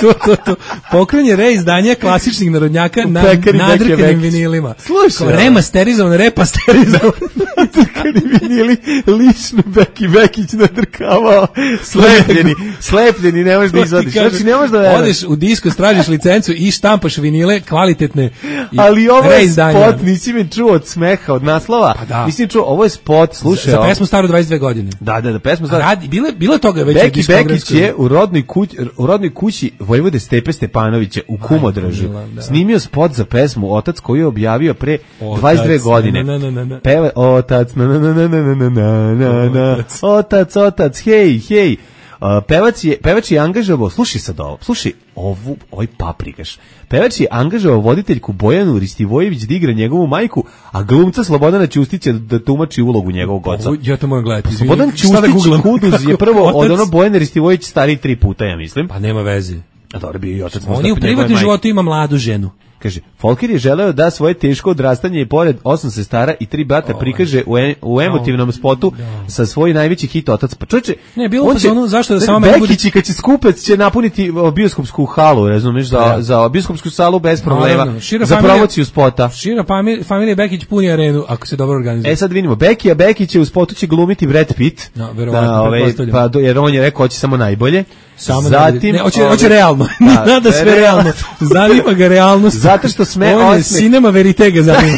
to, to, to, pokrene reizdanje klasičnih narodnjaka na nadrkanim vinilima. Slušaj. Remasterizovan, repasterizovan. Nadrkani vinili, lično Beki Bekić nadrkavao. Slepljeni, slepljeni, ne možeš da izvadiš. Znači, ne možeš da veruješ. Odeš u disko, stražiš licencu i štampaš vinile kvalitetne i ali ovo je spot, nisi mi čuo od smeha, od naslova. Pa da. Nisi mi čuo, ovo je spot, slušaj. Za, za pesmu staru dvadeset dve godine. Da, da, da, pesmu staru. Radi, bile, bilo toga već. Beki Bekić je u rodnoj, kuć, u rodnoj kući Vojvode Stepe Stepanovića u Kumodražu snimio spot za pesmu Otac koju je objavio pre dvadeset dve godine. Na, na, na, na. Peva Otac, na, na, na, na, na, na, na, na, Otac, Otac, hej, hej. Uh, pevac je, pevač je angažovao, slušaj sad ovo, slušaj ovu, ovaj paprikaš. Pevač je angažovao voditeljku Bojanu Ristivojević da igra njegovu majku, a glumca Slobodana Ćustića da tumači ulogu njegovog oca. Ovo, ja to moram gledati. Slobodan Ćustić Kuduz je prvo od ono Bojane Ristivojević stariji tri puta, ja mislim. Pa nema veze. A dobro, bio i otac. On je u privatnom životu ima mladu ženu. Kaže, Folker je želeo da svoje teško odrastanje i pored osam sestara i tri brata prikaže u, e, u emotivnom spotu sa svoj najveći hit Otac. Pa čovječe, ne, bilo on će, ono, zašto da samo Bekić i kad će skupec će napuniti bioskopsku halu, razumiješ, za, ja. za bioskopsku salu bez problema, no, no, no. za promociju spota. Šira familija Bekić puni arenu, ako se dobro organizuje. E sad vidimo, Bekija Bekić je u spotu će glumiti Brad Pitt, no, verovatno, da, ove, pa, jer on je rekao hoće samo najbolje. Samo zatim, ne, hoće, hoće realno, da, nada sve realno, zanima ga realnost. Zato što sme on je cinema verite ga zanima.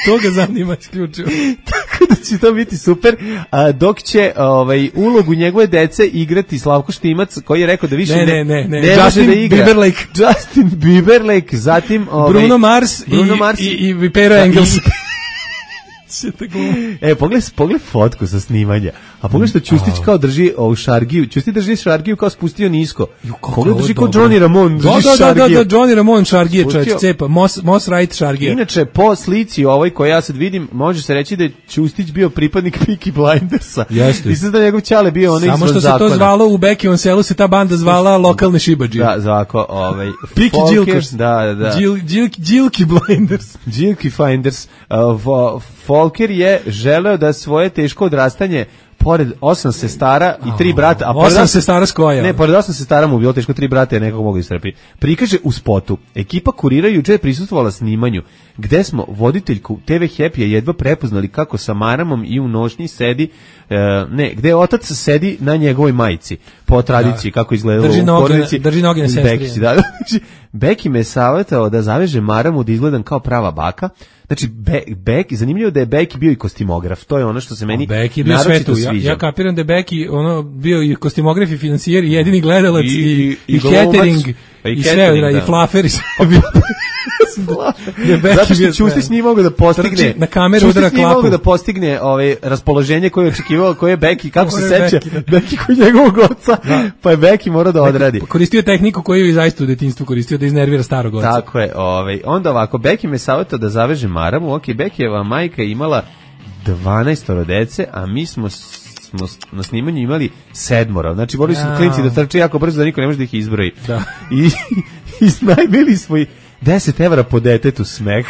To ga zanima isključivo. Tako da će to biti super, a, dok će ovaj, ulogu njegove dece igrati Slavko Štimac, koji je rekao da više ne, ne, ne, ne, ne Justin može da igra. Timberlake. Justin Timberlake, zatim ovaj, Bruno Mars, Bruno i, Mars i, i Vipera Engels. E, pogledaj, pogledaj fotku sa snimanja. A pogledaj što Ćustić kao drži ovu šargiju. Ćustić drži šargiju kao spustio nisko. Pogledaj drži kao Johnny Ramon. Da, da, da, da, Johnny Ramon šargije, čovječ, cepa. Moss, Moss Wright šargije. Inače, po slici ovoj koju ja sad vidim, može se reći da je Ćustić bio pripadnik Peaky Blindersa. Jeste. I sad da njegov ćale bio onaj izvan zakona. Samo što se to zvalo u Bekijevom selu, se ta banda zvala lokalne šibadžije. Da, zvako, ovaj... Peaky Jilkers. Da, da. Jilky Blinders. Jilky Finders. Folker je želeo da svoje teško odrastanje pored osam sestara i tri brata, a pored osam sestara s koja? Ne, pored osam sestara mu bilo teško, tri brata je nekako mogu istrpiti. Prikaže u spotu. Ekipa Kurira juče je prisustvovala snimanju, gde smo voditeljku te ve Happy je jedva prepoznali kako sa maramom i u nošnji sedi, e, ne, gde otac sedi na njegovoj majici, po tradiciji, da. Kako izgledalo drži u noge, porodici. Drži noge na sestri. Da, Beki me savjetao da zaveže maramu da izgledam kao prava baka. Znači, Be, Beki, zanimljivo da je Beki bio i kostimograf, to je ono što se meni Beki bio naročito svetu. sviđa. Ja, ja kapiram da je Beki ono, bio i kostimograf i financijer, i jedini gledalac, i, i, i, i catering, i, i sve, da. I flafer, i sve bio. Zato što Ćustić nije mogao da postigne na kameru udara klapu. Nije mogao da postigne ovaj raspoloženje koje je očekivao, koje je Beki, kako se seća, Beki kod njegovog oca, da. Pa je Beki morao da odradi. Koristio tehniku koju je zaista u detinjstvu koristio da iznervira starog oca. Tako je, ovaj, onda ovako, Beki me savjetao da zaveže maramu, ok, Bekijeva majka je imala dvanaest dece, a mi smo smo na snimanju imali sedmoro. Znači, morali su klinci da trče jako brzo da niko ne može da ih izbroji. Da. I, i snajmili smo i deset evra po detetu smeh.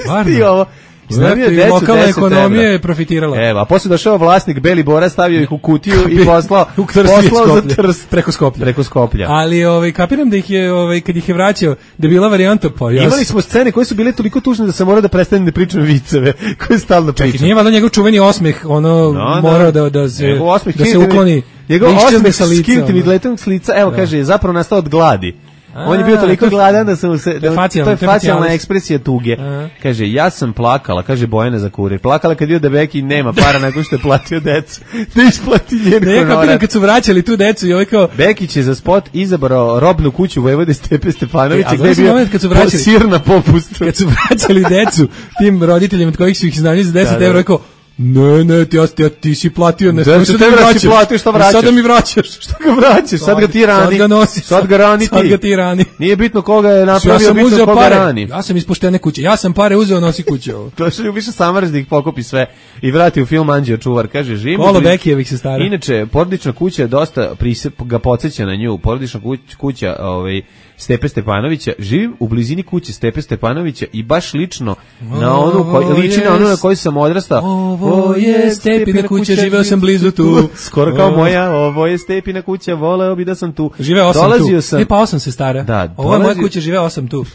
Stvarno? ovo. Iznajmio decu lokalna deset ekonomija evra. je profitirala. Evo, a posle došao vlasnik Beli Bora, stavio ih u kutiju i poslao, u poslao za Trst. Preko Skoplja. Preko Skoplja. Ali ovaj, kapiram da ih je, ovaj, kad ih je vraćao, da je bila varijanta pa ja. Imali smo scene koje su bile toliko tužne da sam morao da prestanem da pričam viceve, koje stalno pričam. Čekaj, nije valjda njegov čuveni osmeh, ono, no, morao da, da se, osmeh, da se ukloni. Njegov osmeh sa skinti mi letom s lica, evo da. Kaže, je zapravo nastao od gladi. A, on je bio toliko gladan da sam se, da, to je facijalna ekspresija tuge. A. Kaže, ja sam plakala, kaže Bojana za kurir. Plakala kad vidio da Beki nema para nakon što je platio decu. Da isplati njen honorar. Ne, kapiram kad su vraćali tu decu i ovaj kao... Bekić je za spot izabrao robnu kuću Vojvode Stepe Stefanovića, e, gde je bio kad su vraćali, sir na popustu. Kad su vraćali decu tim roditeljima od kojih su ih iznajmili za deset evra, rekao, ne, ne, ti, ti, ti si platio, ne, da, što te vraćaš, platio, šta vraćaš? Sada mi vraćaš. Što ga vraćaš? Sad ga ti rani. Sad ga nosi. Sad ga rani ti. Sad ga ti rani. Nije bitno koga je napravio, ja bitno koga pare. Rani. Ja sam ispuštene kuće. Ja sam pare uzeo, nosi kuće ovo. To što ljubiš samrznik, pokopi sve i vrati u film Anđeo čuvar. Kaže, živim. Kolo Bekijevih se stara. Inače, porodična kuća je dosta prisep, ga podsjeća na nju. Porodična kuća, ovaj, Stepe Stepanovića, živim u blizini kuće Stepe Stepanovića i baš lično na onu koji liči na onu na kojoj sam odrastao. Ovo je Stepina kuća, živeo sam blizu tu. Skoro kao moja, ovo je Stepina kuća, voleo bi da sam tu. Živeo sam tu. Sam, e pa osam se stara. Da, ovo je moja kuća, živeo sam tu.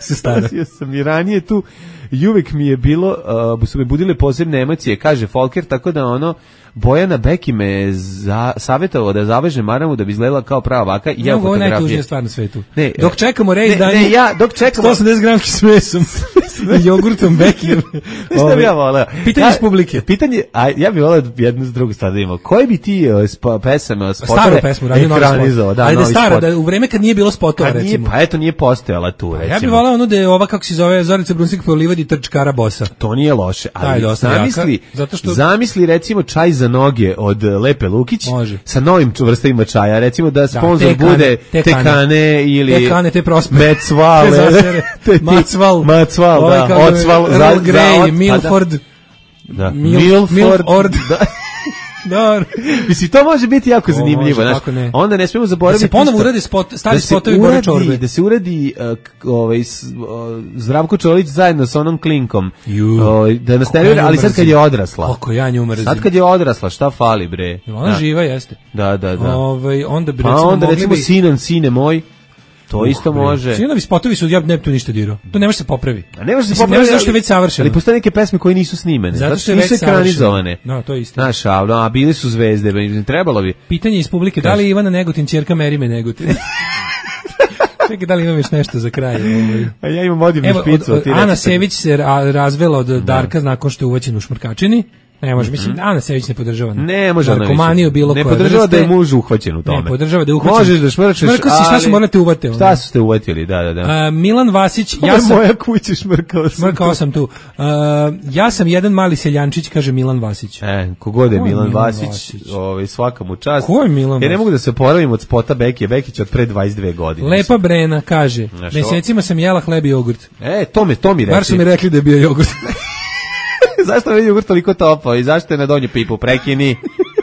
Se stara. Dolazio sam i ranije tu i uvek mi je bilo, uh, su me budile posebne emocije, kaže Folker, tako da ono, Bojana Beki me za, savjetovao da zavežem maramu da bi izgledala kao prava vaka i ja no, fotografije. Ovo je najtužnija stvar na svetu. Ne, dok čekamo rej izdanje, ne, ja, dok čekamo... sto osamdeset gramki s mesom i jogurtom Beki. Šta bi ja voleo? Pitanje iz publike. Pitanje, a ja bih voleo jednu s drugu stvar da imamo. Koje bi ti uh, pesama, spotove staru pesmu, radio novi spot. Da, ali da stara, spot. Da u vreme kad nije bilo spotova, kad recimo. Nije, pa eto, nije postojala tu, recimo. Ja bih voleo ono da je ova, kako se zove, Zorica Brunsik po livadi trčkara bosa. To nije loše, ali zamisli, zato što... zamisli recimo čaj za noge od Lepe Lukić. Može. Sa novim vrstovima čaja, recimo da sponsor da, te bude te te kane ili te kane, te prospe, Mecval, Macval, Macval, da, Ocval, Earl Grey, Milford, da, Milford, da. Da. Mislim, to može biti jako zanimljivo, znači. Onda ne smemo zaboraviti da se ponovo uradi spot, stari da spotovi Bore Čorbe. Da se uradi uh, ovaj uh, Zdravko Čolić zajedno sa onom klinkom. Uh, da nas nervira, ali sad kad je odrasla. Kako ja nju mrzim. Sad kad je odrasla, šta fali bre? Ona da. Živa jeste. Da, da, da. Ovaj onda bi recimo, pa onda recimo bi... sinan, sine moj. To uh, isto može. Sinovi spotovi su, ja ne bi tu ništa dirao. To ne može se popravi. A ne može se popravi, zašto je već savršeno. Ali postoje neke pesme koje nisu snimene. Zato što je nisu ekranizovane. No, to je isto. Znaš, a bili su zvezde, trebalo bi. Pitanje iz publike, da li Ivana Negotin ćerka Merime Negotin? Čekaj, da li imam još nešto za kraj? Ovaj. A ja imam odivnu špicu. Od, od, Ana Sević se razvela od Darka da. Nakon što je uvećen u šmrkačini. Ne može, mislim, Ana Sević ne podržava. Ne može narkomaniju bilo ne koja. Ne podržava vrste, da je muž uhvaćen u tome. Ne podržava da je uhvaćen. Možeš da šmrčeš, ali... šta su morali te uvate? Šta su te uvatili, da, da, da. Uh, Milan Vasić, to ja sam... moja kuća, šmrkao sam Šmrkao sam tu. Uh, ja sam jedan mali seljančić, kaže Milan Vasić. E, kogod je Milan, Milan Vasić, Vasić. Ovaj, svaka mu čast. Ko je Milan Vasić? Ja ne mogu da se oporavim od spota Bekije, Bekić od pre dvadeset dve godine. Lepa Brena, kaže, znaš, mesecima sam jela hleb i jogurt. E, to mi, to mi rekli. Bar su mi rekli da je bio jogurt. Zašto je jogurt toliko topao i zašto je na donju pipu? Prekini.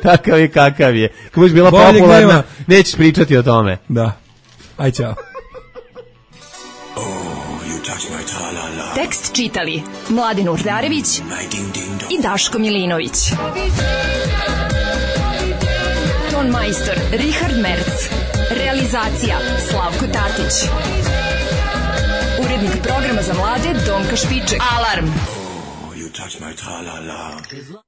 Takav je kakav je. Kako biš bila bolje popularna, gneva. Nećeš pričati o tome. Da. Aj, čao. Oh, tekst čitali Mladin Urdarević i Daško Milinović. Ton majstor Richard Merc. Realizacija Slavko Tatić. Urednik programa za mlade Donka Špiček. Alarm! touch my tra-la-la.